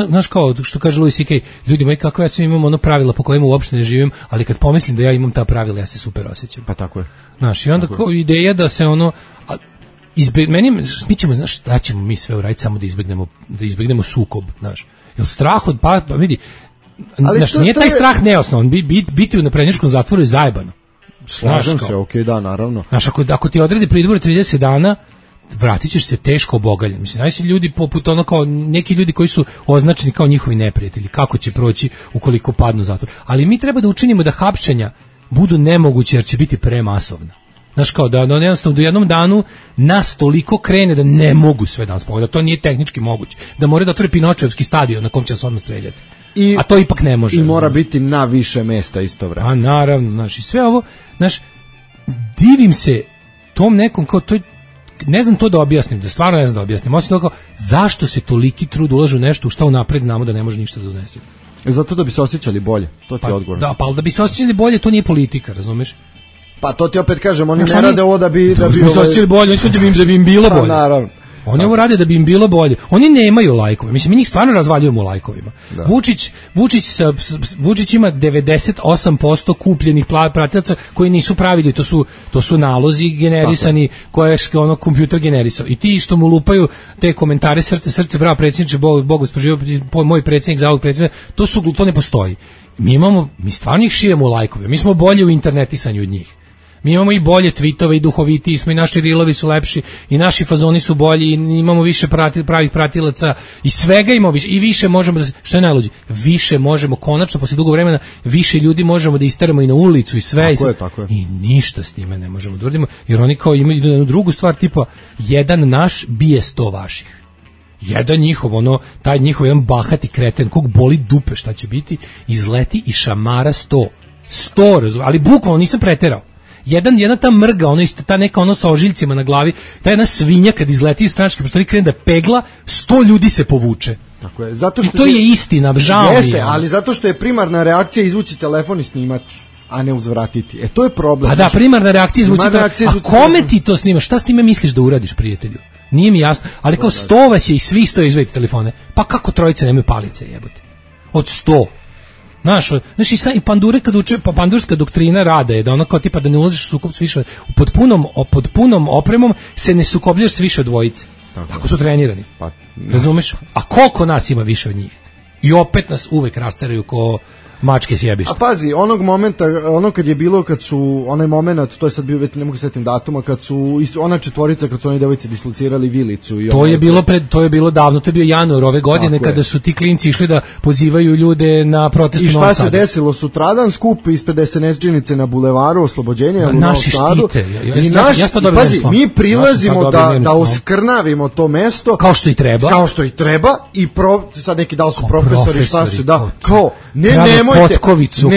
znaš kao, što kaže Louis C.K., ljudi moji, kako ja sve imam pravila po kojima uopšte ne živim, ali kad pomislim da ja imam ta pravila, ja se super osjećam. Pa tako je. Znaš, i onda kao ideja da se mi ćemo, znaš, šta ćemo mi sve uraditi samo da izbegnemo sukob, znaš. Jel strah od pa vidi, znaš, nije taj strah neosnovan, biti u naprednjačkom zatvoru je zajebano. Slažem se, okej, da, naravno. Znaš, ako ti odredi pritvor 30 dana, vratit ćeš se teško obogaljen. Mislim, znaš, ljudi poput ono kao neki ljudi koji su označeni kao njihovi neprijatelji, kako će proći ukoliko padnu u zatvor. Ali mi treba da učinimo da hapšenja budu nemoguće jer će biti premasovna. Znaš, kao da jednostavno do jednom danu nas toliko krene da ne mogu sve danas pogledati, da to nije tehnički moguće, da mora da otvore Pinočevski stadion na kom će se odmah streljati. A to ipak ne može. I mora biti na više mesta isto vreme. A naravno, znaš, i sve ovo, znaš, divim se tom nekom, kao to, ne znam to da objasnim, da stvarno ne znam da objasnim, osim toga, zašto se toliki trud ulaže u nešto u šta unapred znamo da ne može ništa da donese. Zato da bi se osjećali bolje, to ti je odgovor. Da, pa da bi se osjećali bolje, to nije politika, razumeš? Pa to ti opet kažem, oni ne rade ovo da bi se osjećali bolje, oni su da bi im bilo bolje. Naravno. Oni ovo rade da bi im bilo bolje. Oni nemaju lajkove. Mislim, mi njih stvarno razvaljujemo u lajkovima. Da. Vučić ima 98% kupljenih pratilaca koji nisu pravili. To su nalozi generisani koje je ono kompjuter generisao. I ti isto mu lupaju te komentare srce, bravo predsjedniče, Bog vas poživio, moj predsjednik, za ovog predsjednika. To ne postoji. Mi stvarno ih širemo u lajkove. Mi smo bolji u internetisanju od njih. Mi imamo i bolje tweetove i duhovitiji smo i naši rilovi su lepši i naši fazoni su bolji i imamo više pravih pratilaca i svega imamo više i više možemo, što je najluđe, više možemo konačno posle dugo vremena više ljudi možemo da isteramo i na ulicu i sve tako je. I ništa s time ne možemo da uradimo jer oni kao imaju jednu drugu stvar tipa jedan naš bije 100 vaših. Jedan njihov, taj njihov jedan bahati kreten, kog boli dupe šta će biti, izleti i šamara 100, ali bukvalno nisam preterao. Jedna ta mrga, ta neka sa ožiljcima na glavi, ta jedna svinja kad izleti iz stranačke prostorije krene da pegla, 100 ljudi se povuče. Tako je. Zato što to je istina, žao mi je. Jeste, ali zato što je primarna reakcija izvući telefon i snimati, a ne uzvratiti. To je problem. Pa da, primarna reakcija izvući telefon. A kome ti to snimaš? Šta s time misliš da uradiš, prijatelju? Nije mi jasno. Ali kao 100 vas je i svi 100 izvedite telefone. Pa kako trojice nemaju palice, jebote? Od 100. Znaš, i pandure kad uče, pa pandurska doktrina rada je da ono kao tipa da ne ulaziš u sukob s više, pod punom opremom se ne sukobljaš s više dvojice. Ako su trenirani. Razumeš? A koliko nas ima više od njih? I opet nas uvek rasteraju ko mačke s jebišta. A pazi, onog momenta, kad je bilo, kad su, onaj moment, to je sad bio, ne mogu se setim datuma, kad su, ona četvorica, kad su oni devojci dislocirali vilicu. I to je bilo davno, to je bio januar ove godine, kada su ti klinci išli da pozivaju ljude na protest u Novom Sadu. I šta se desilo? Sutradan skup ispred SNS-đinice na bulevaru Oslobođenja u Novom Sadu. Naši štite. Pazi, mi prilazimo da oskrnavimo to mesto. Kao što i treba. I sad neki da li su profesori, šta su, da, kao, ne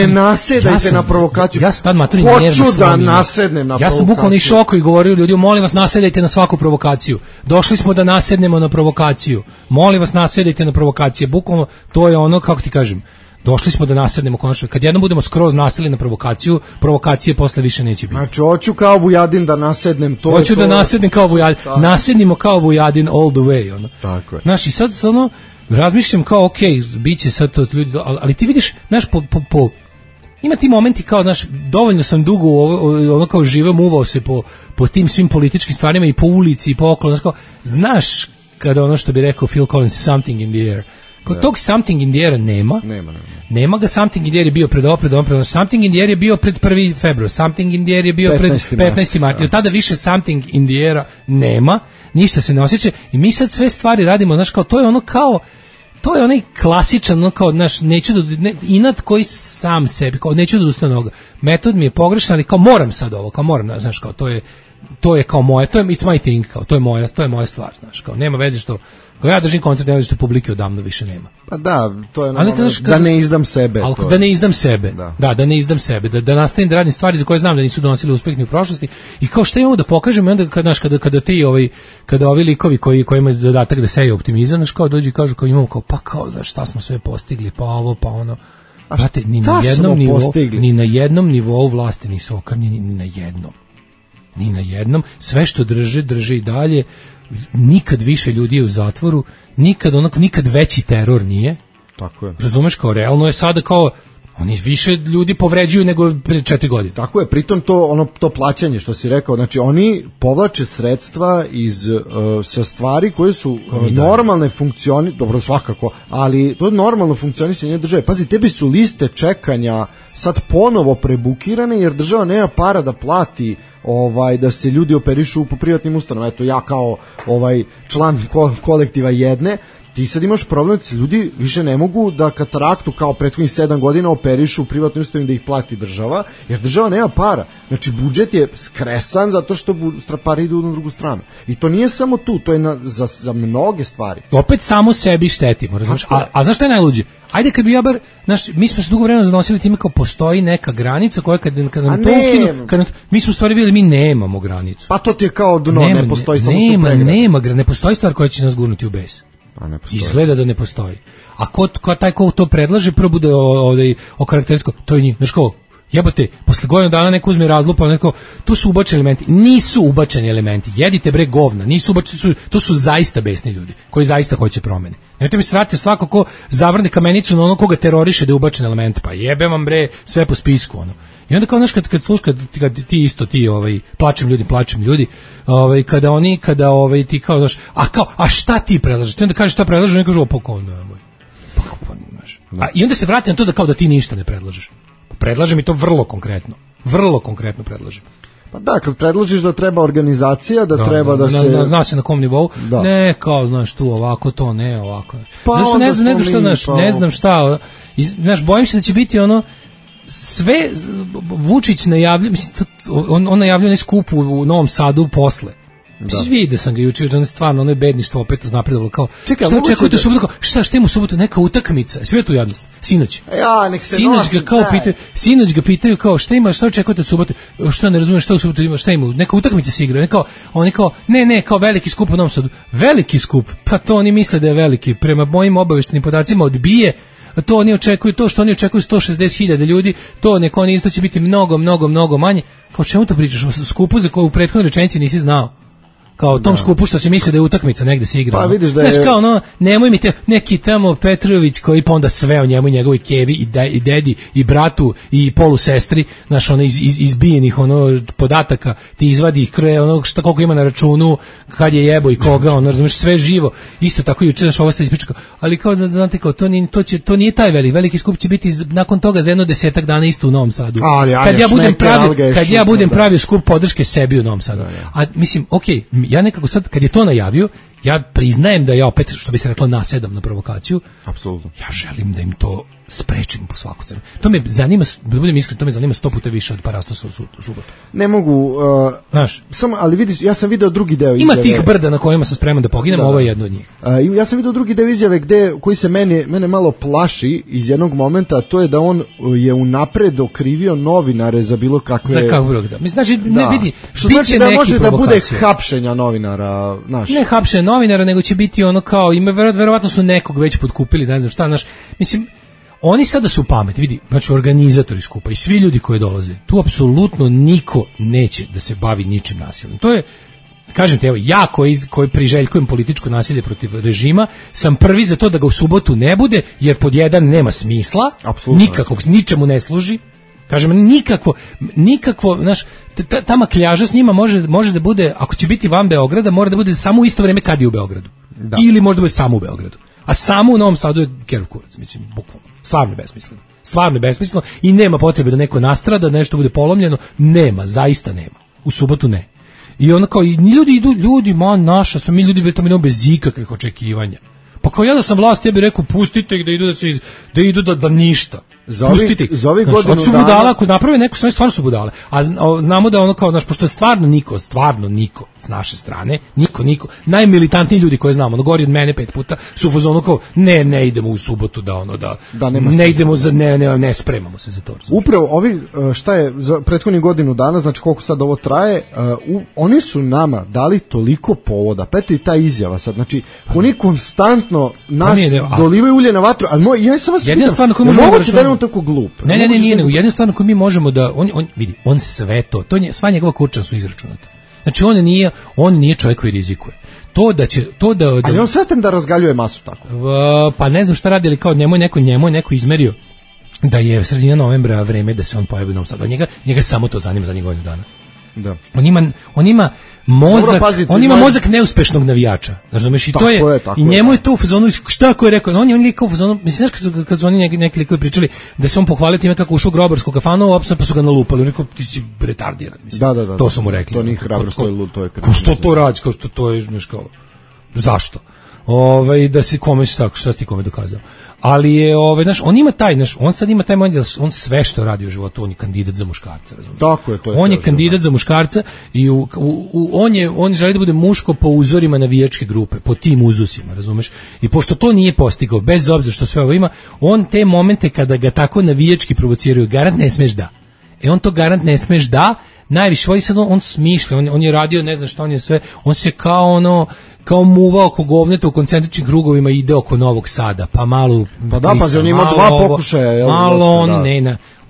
nasedajte na provokaciju. Hoću da nasednem na provokaciju. Ja sam bukvalno išao oko i govorio ljudi, molim vas nasedajte na svaku provokaciju. Došli smo da nasednemo na provokaciju. Molim vas nasedajte na provokacije. Bukvalno to je ono, kako ti kažem, došli smo da nasednemo konačno. Kad jednom budemo skroz nasedili na provokaciju, provokacije posle više neće biti. Znači, hoću kao Vujadin da nasednem. Hoću da nasednem kao Vujadin. Nasednimo kao Vujadin all the way. Ono. Tako je. Znaš, i sad razmišljam kao, bit će sad to ljudi, ali ti vidiš, znaš, ima ti momenti kao, znaš, dovoljno sam dugo ono kao živeo, muvao se po tim svim političkim stvarima i po ulici i po okolo, znaš kada ono što bi rekao Phil Collins, something in the air. Kod tog something in the air nema ga. Something in the air je bio pred something in the air je bio pred 1. februar, something in the air je bio pred 15. marta. Od tada više something in the air nema, ništa se ne osjeća i mi sad sve stvari radimo, znaš, kao to je ono kao, to je onaj klasičan, ono kao, znaš, inat koji sam sebi, kao neću da ustane noga. Metod mi je pogrešan, ali kao moram sad ovo, kao moram, znaš, kao to je kao moje, it's my thing, kao to je moja stvar, znaš, kao nema veze što, kao ja držim koncert, nema veze što publike odavno više nema. Pa da, to je da ne izdam sebe. Ali da ne izdam sebe, da ne izdam sebe, da nastavim da radim stvari za koje znam da nisu donosili uspeh ni u prošlosti i kao šta imamo da pokažemo i onda, znaš, kada ovi likovi koji imaju zadatak da seju optimizam, znaš, kao dođu i kažu kao imamo kao, pa kao, znaš, šta smo sve postigli, pa ovo, pa ono. Brate, ni na jednom nivou vlasti nisu okrnjeni, ni na jednom, sve što drže i dalje, nikad više ljudi je u zatvoru, nikad veći teror nije. Tako je. Razumeš, kao realno je sada kao Oni više ljudi povređuju nego pre 4 godine. Tako je, pritom to plaćanje što si rekao, znači oni povlače sredstva iz sa stvari koje su normalne dobro svakako, ali to je normalno funkcionisanje države. Pazi, tebi su liste čekanja sad ponovo prebukirane jer država nema para da plati da se ljudi operišu po privatnim ustanovama. Eto, ja kao član kolektiva jedne, ti sad imaš problem da ljudi više ne mogu da kataraktu kao prethodnih 7 godina operišu u privatnoj ustanovi da ih plati država, jer država nema para. Znači, budžet je skresan zato što pare idu na drugu stranu. I to nije samo tu, to je za mnoge stvari. Opet samo sebi štetimo, razumiješ? A znaš šta je najluđe? Ajde kad bi ja bar, mi smo se dugo vremena zanosili time kao postoji neka granica koja kad nam to ukinu, mi smo stvari vidjeli, mi nemamo granicu. Pa to ti je kao dno, ne postoji samo supregrad. Ne postoji stvar koja će nas gurnuti u bes. Izgleda da ne postoji. A taj ko to predlaže, prvo bude okarakterističko, to je njih. Znaš kao, jebote, posle godinu dana neko uzme razlupa, neko, tu su ubačeni elementi. Nisu ubačeni elementi. Jedite bre govna. Nisu ubačeni, to su zaista besni ljudi koji zaista hoće promene. Nemojte mi se vratiti svako ko zavrne kamenicu na ono koga teroriše da je ubačen element. Pa jebe vam bre sve po spisku ono. I onda kao znaš kad slušaš kad ti plačem ljudi, kada ti kao znaš, a šta ti predlažeš? Ti onda kažeš šta predlažeš, oni kažu i onda se vrati na to da ti ništa ne predlažeš. Predlažem i to vrlo konkretno predlažem. Pa da, kad predložiš da treba organizacija, treba da se... Zna se na kom nivou, ne kao, znaš, tu ovako, to ne, ovako. Pa zašto ne znam šta, znaš, bojim se da će biti ono, sve Vučić najavlja, mislim, on najavlja onaj skup u Novom Sadu posle. Mislim, vidio sam ga juče, on je stvarno, ono je bedništvo opet uznapredovalo, kao, šta očekujete u subotu, šta ima u subotu, neka utakmica, sve tu jadnost, sinoć. Sinoć ga pitaju kao, šta očekujete u subotu, šta ne razumiješ, šta u subotu ima, šta ima, neka utakmica se igra, on je kao, ne, kao veliki skup u Novom Sadu, veliki skup, pa to oni misle da je veliki, prema mojim obaveštenim podacima odbije, to oni očekuju, to što oni očekuju 160.000 ljudi, to neko oni isto će biti mnogo manje. Kao čemu to pričaš, o skupu za koju u prethodnoj rečenici nisi znao? Kao tom skupu što se misli da je utakmica negde se igra. Pa vidiš da je... Znaš kao nemoj mi neki tamo Petrović koji pa onda sve o njemu i njegovoj kevi i dedi i bratu i polusestri, znaš izbijenih podataka, ti izvadi ih šta koliko ima na računu, kad je jebo i koga, razumiješ, sve živo. Isto tako juče, znaš, ovo se ispriča kao, ali kao da znate kao, to nije taj veliki skup će biti nakon toga za jedno 10 dana isto u Novom Sadu. Kad ja budem pravio skup podrške sebi u Novom Sadu. A mislim, okej, ja nekako sad, kad je to najavio, ja priznajem da ja opet, što bi se reklo, nasedam na provokaciju. Apsolutno. Ja želim da im to sprečim po svaku cenu. To me zanima, da budem iskren, to me zanima 100 puta više od Parastosa u subotu. Ne mogu, samo, ali vidiš, ja sam video drugi deo izjave. Ima tih brda na kojima sam spreman da poginem, ovo je jedno od njih. Ja sam video drugi deo izjave koji se mene malo plaši iz jednog momenta, a to je da on je unapred okrivio novinare za bilo kakve... Za kakve da. Znači, ne vidi, što znači da može da bude hapšenja novinara, znaš. Ne hapšenja novinara, nego će biti ono kao, verovatno su nekog već potkupili, ne znam šta, znaš, mislim, oni sada su pamet, vidi, znači organizatori skupa i svi ljudi koji dolaze, tu apsolutno niko neće da se bavi ničim nasilnim. To je, kažem te, evo, ja koji priželjkujem političko nasilje protiv režima, sam prvi za to da ga u subotu ne bude, jer pod jedan nema smisla, nikakvog, ničemu ne služi. Kažem, nikakvo, znaš, ta makljaža s njima može da bude, ako će biti van Beograda, mora da bude samo u isto vrijeme kad je u Beogradu. Da. Ili možda bude samo u Beogradu. A samo u Novom Sadu je kerov kurac, mislim, bukvalno. Stvarno je besmisleno i nema potrebe da neko nastrada, da nešto bude polomljeno. Nema, zaista nema. U subotu ne. I ono kao, ljudi, naša su mi ljudi, to mi nemamo bez ikakvih očekivanja. Pa kao ja da sam vlast, ja bih rekao, pustite ih da idu da ništa. Pustite ih. Za ovih godinu dana... budala, ako naprave neko, stvarno su budale. A znamo da ono kao, znaš, pošto je stvarno niko s naše strane, niko, najmilitantniji ljudi koje znamo, gori od mene 5 puta, su u fazonu kao, ne idemo u subotu ne idemo ne spremamo se za to. Upravo ovi, šta je, za prethodnih godinu dana, znači koliko sad ovo traje, oni su nama dali toliko povoda, pa eto i ta izjava sad, znači, oni konstantno nas dolivaju ulje na vatru, ali ja sam vas pitam, tako glup. Ne, nije, jednu stvar koju mi možemo da on sve to sva njegova kurča su izračunata. Znači on nije čovjek koji rizikuje. Ali on svestan da razgaljuje masu tako. Pa ne znam šta radi, ali kao njemu je neko izmerio da je sredina novembra vreme da se on pojavi u Novom Sadu. Njega samo to zanima za godinu dana. Da. On ima mozak, Dobro, pazite, on ima mozak neuspešnog navijača. Razumeš, i to je, i njemu je to u fazonu, šta ako je rekao, on je kao u fazonu, mislim, kad su oni neki likovi pričali da se on pohvalio time kako ušao u grobarsku kafanu, pa su ga nalupali, on rekao, ti si retardiran, mislim. Da. To su mu rekli. To nije hrabrost, to je lud, to je ko što to radi, kao što to je, znaš, kao, zašto? Da se kome se tako, šta si ti kome dokazao? Ali je, znaš, on ima taj, znaš, on sad ima taj moment da on sve što radi u životu, on je kandidat za muškarca, razumiješ? Tako je, to je. On je kandidat za muškarca i on želi da bude muško po uzorima navijačke grupe, po tim uzusima, razumeš? I pošto to nije postigao, bez obzira što sve ovo ima, on te momente kada ga tako navijački provociraju, garant ne smeš da. On to garant ne smeš da, najviše voli sad on smišlja, on je radio, ne znam šta, on je sve, on se kao muva oko govneta u koncentričnim krugovima ide oko Novog Sada, pa malo... Pa da, pa on ima 2 pokušaja. Malo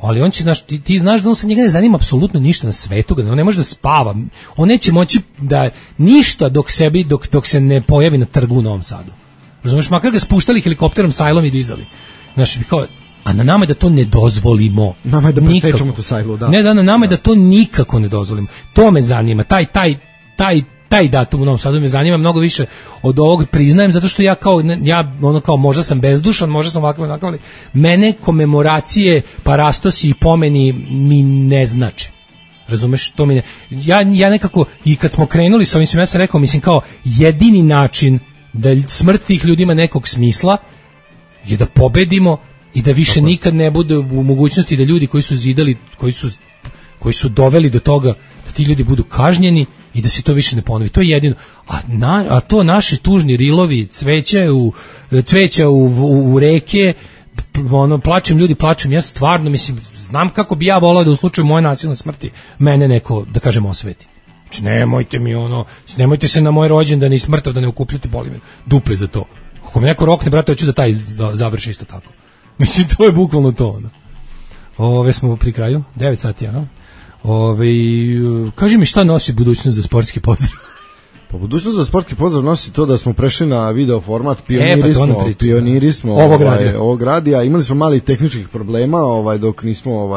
ali on će, ti znaš da on se njega ne zanima apsolutno ništa na svetu, on ne može da spava, on neće moći da ništa dok se ne pojavi na trgu u Novom Sadu. Razumeš, makar ga spuštali helikopterom, sajlom i dizali. Znaš, kao, a na nama je da to ne dozvolimo. Nama je da presečemo tu sajlu, da. Ne, na nama je da to nikako ne dozvolimo. To me zanima, taj datum u Novom Sadu me zanima mnogo više od ovog, priznajem, zato što ja možda sam bezdušan, možda sam ovakav, ali mene komemoracije, parastosi i pomeni mi ne znače. Razumeš, to mi ne... Ja nekako, i kad smo krenuli sa ovim, ja sam rekao, mislim, kao jedini način da smrt tih ljudi ima nekog smisla je da pobedimo i da više nikad ne bude u mogućnosti da ljudi koji su zidali, koji su doveli do toga da ti ljudi budu kažnjeni i da se to više ne ponovi. To je jedino. A to naši tužni rilovi, cveća u reke, plačem ljudi, plačem. Ja stvarno, mislim, znam kako bi ja volao da u slučaju moje nasilne smrti mene neko, da kažem, osveti. Znači, nemojte se na moj rođendan i smrtav da ne okupljate, boli me dupe za to. Ako me neko rokne, brate, hoću da taj završi isto tako. Mislim, to je bukvalno to. Ove smo pri kraju, 9 sati, ano. Kaži mi šta nosi budućnost za sportski pozdrav? Pa budućnost za sportski pozdrav nosi to da smo prešli na video format, pioniri smo ovog radija. Imali smo mali tehničkih problema, dok nismo,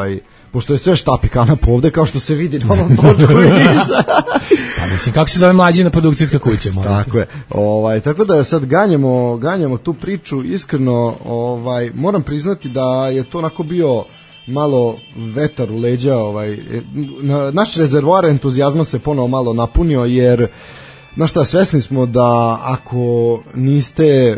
pošto je sve štapikana povde, kao što se vidi na ovom točku iza. Pa mislim, kako se zove mlađina produkcijska kuća? Tako je. Tako da sad ganjamo tu priču, iskreno, moram priznati da je to onako bio malo vetar u leđa, naš rezervoar entuzijazma se ponovo malo napunio, jer znaš šta, svesni smo da ako niste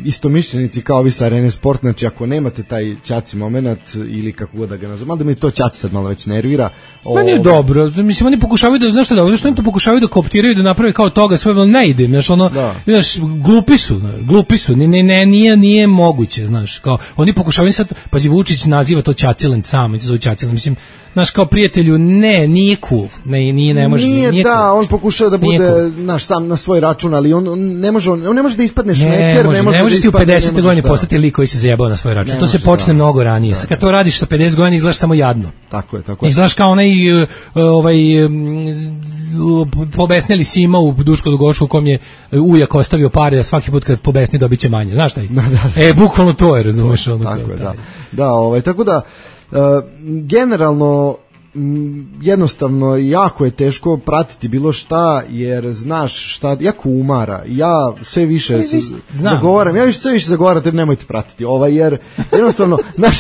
istomišljenici kao vi sa Arene Sport, znači ako nemate taj ćaci moment ili kako god da ga nazvam, ali da mi to ćaci sad malo već nervira. Meni je dobro, mislim, oni pokušavaju da, znaš oni to pokušavaju da kooptiraju, da naprave kao toga sve, ne ide, znaš, glupi su, nije moguće, znaš, kao, oni pokušavaju sad, pazi, Vučić naziva to ćaciland sam, zove ćaciland, mislim, znaš, kao prijatelju, nije cool, ne može, nije da, cool. On pokušava da bude, naš, sam na svoj račun, ali on ne može da ispadne šmeker, ne možeš ti u 50. godini postati lik koji se zajebao na svoj račun. To se počne mnogo ranije. Sad kad to radiš sa 50 godina izgledaš samo jadno. Tako je. Izgledaš kao onaj pobesneli Sima u Duško Dugošku u kom je ujak ostavio pare da svaki put kad pobesni dobit će manje. Znaš taj? Bukvalno to je, razumeš? Tako je, da. Tako da, generalno, jednostavno jako je teško pratiti bilo šta, jer znaš šta jako umara. Ja sve više zagovaram, te nemojte pratiti jer jednostavno znaš,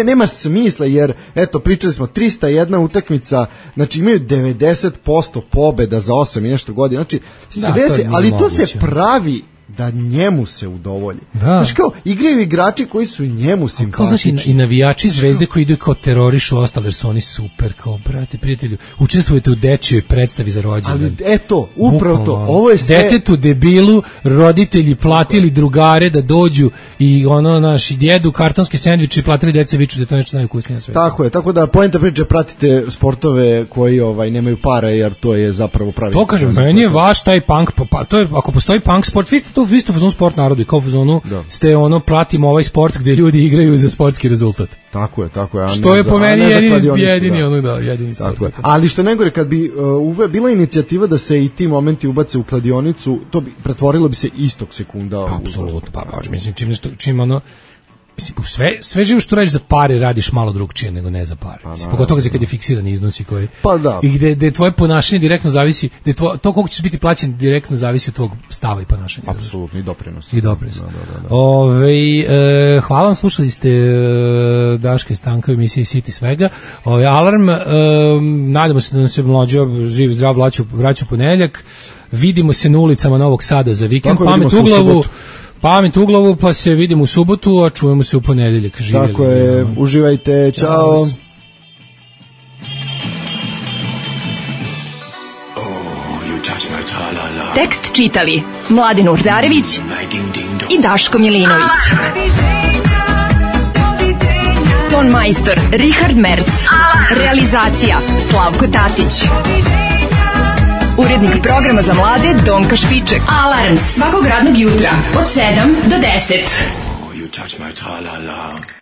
nema smisla, jer eto, pričali smo 301 utakmica, znači imaju 90% pobeda za 8 i nešto godina, znači sve se, ali to se pravi da njemu se udovolji. Znaš, kao, igraju igrači koji su njemu simpatični. Znaš, i navijači Zvezde koji idu kao terorišu ostale, jer su oni super, kao, brate, prijatelju, učestvujete u dečijoj predstavi za rođendan. Ali eto, upravo to, ovo je sve... Detetu, debilu, roditelji platili drugare da dođu i naši jedu kartonske sendviče i platili dece viču da je to nešto najukusnije na svetu. Tako je, tako da poenta priče, pratite sportove koji nemaju para, jer to je zapravo pravi. To kažem, meni je vaš taj punk, pa to je, ako postoji punk sport, vi ste u fazonu sport narodu i kao u fazonu ste pratimo ovaj sport gdje ljudi igraju za sportski rezultat. Tako je. Što je po meni jedini sport. Tako je. Ali što negore, kad bi bila inicijativa da se i ti momenti ubace u kladionicu, to bi pretvorilo bi se istog sekunda. Apsolutno, mislim, mislim, sve živo što radiš za pare radiš malo drugčije nego ne za pare. Mislim, pogotovo kad je fiksiran iznosi koji... Pa da. I gde tvoje ponašanje direktno zavisi, to koliko ćeš biti plaćen direktno zavisi od tvog stava i ponašanja. Apsolutno, i doprinos. Hvala vam, slušali ste Daška i Stanka u emisiji City svega. Alarm, nadamo se da nam se mlađo živ, zdrav vraća u ponedeljak. Vidimo se na ulicama Novog Sada za vikend. Pamet u glavu, pa se vidimo u subotu, a čujemo se u ponedeljak. Živjeli. Tako je, uživajte, čao. Tekst čitali Mladen Urdarević i Daško Milinović. Ton majstor Richard Merc. Realizacija Slavko Tatić. Urednik programa za mlade Donka Špiček. Alarms svakog radnog jutra od 7 do 10.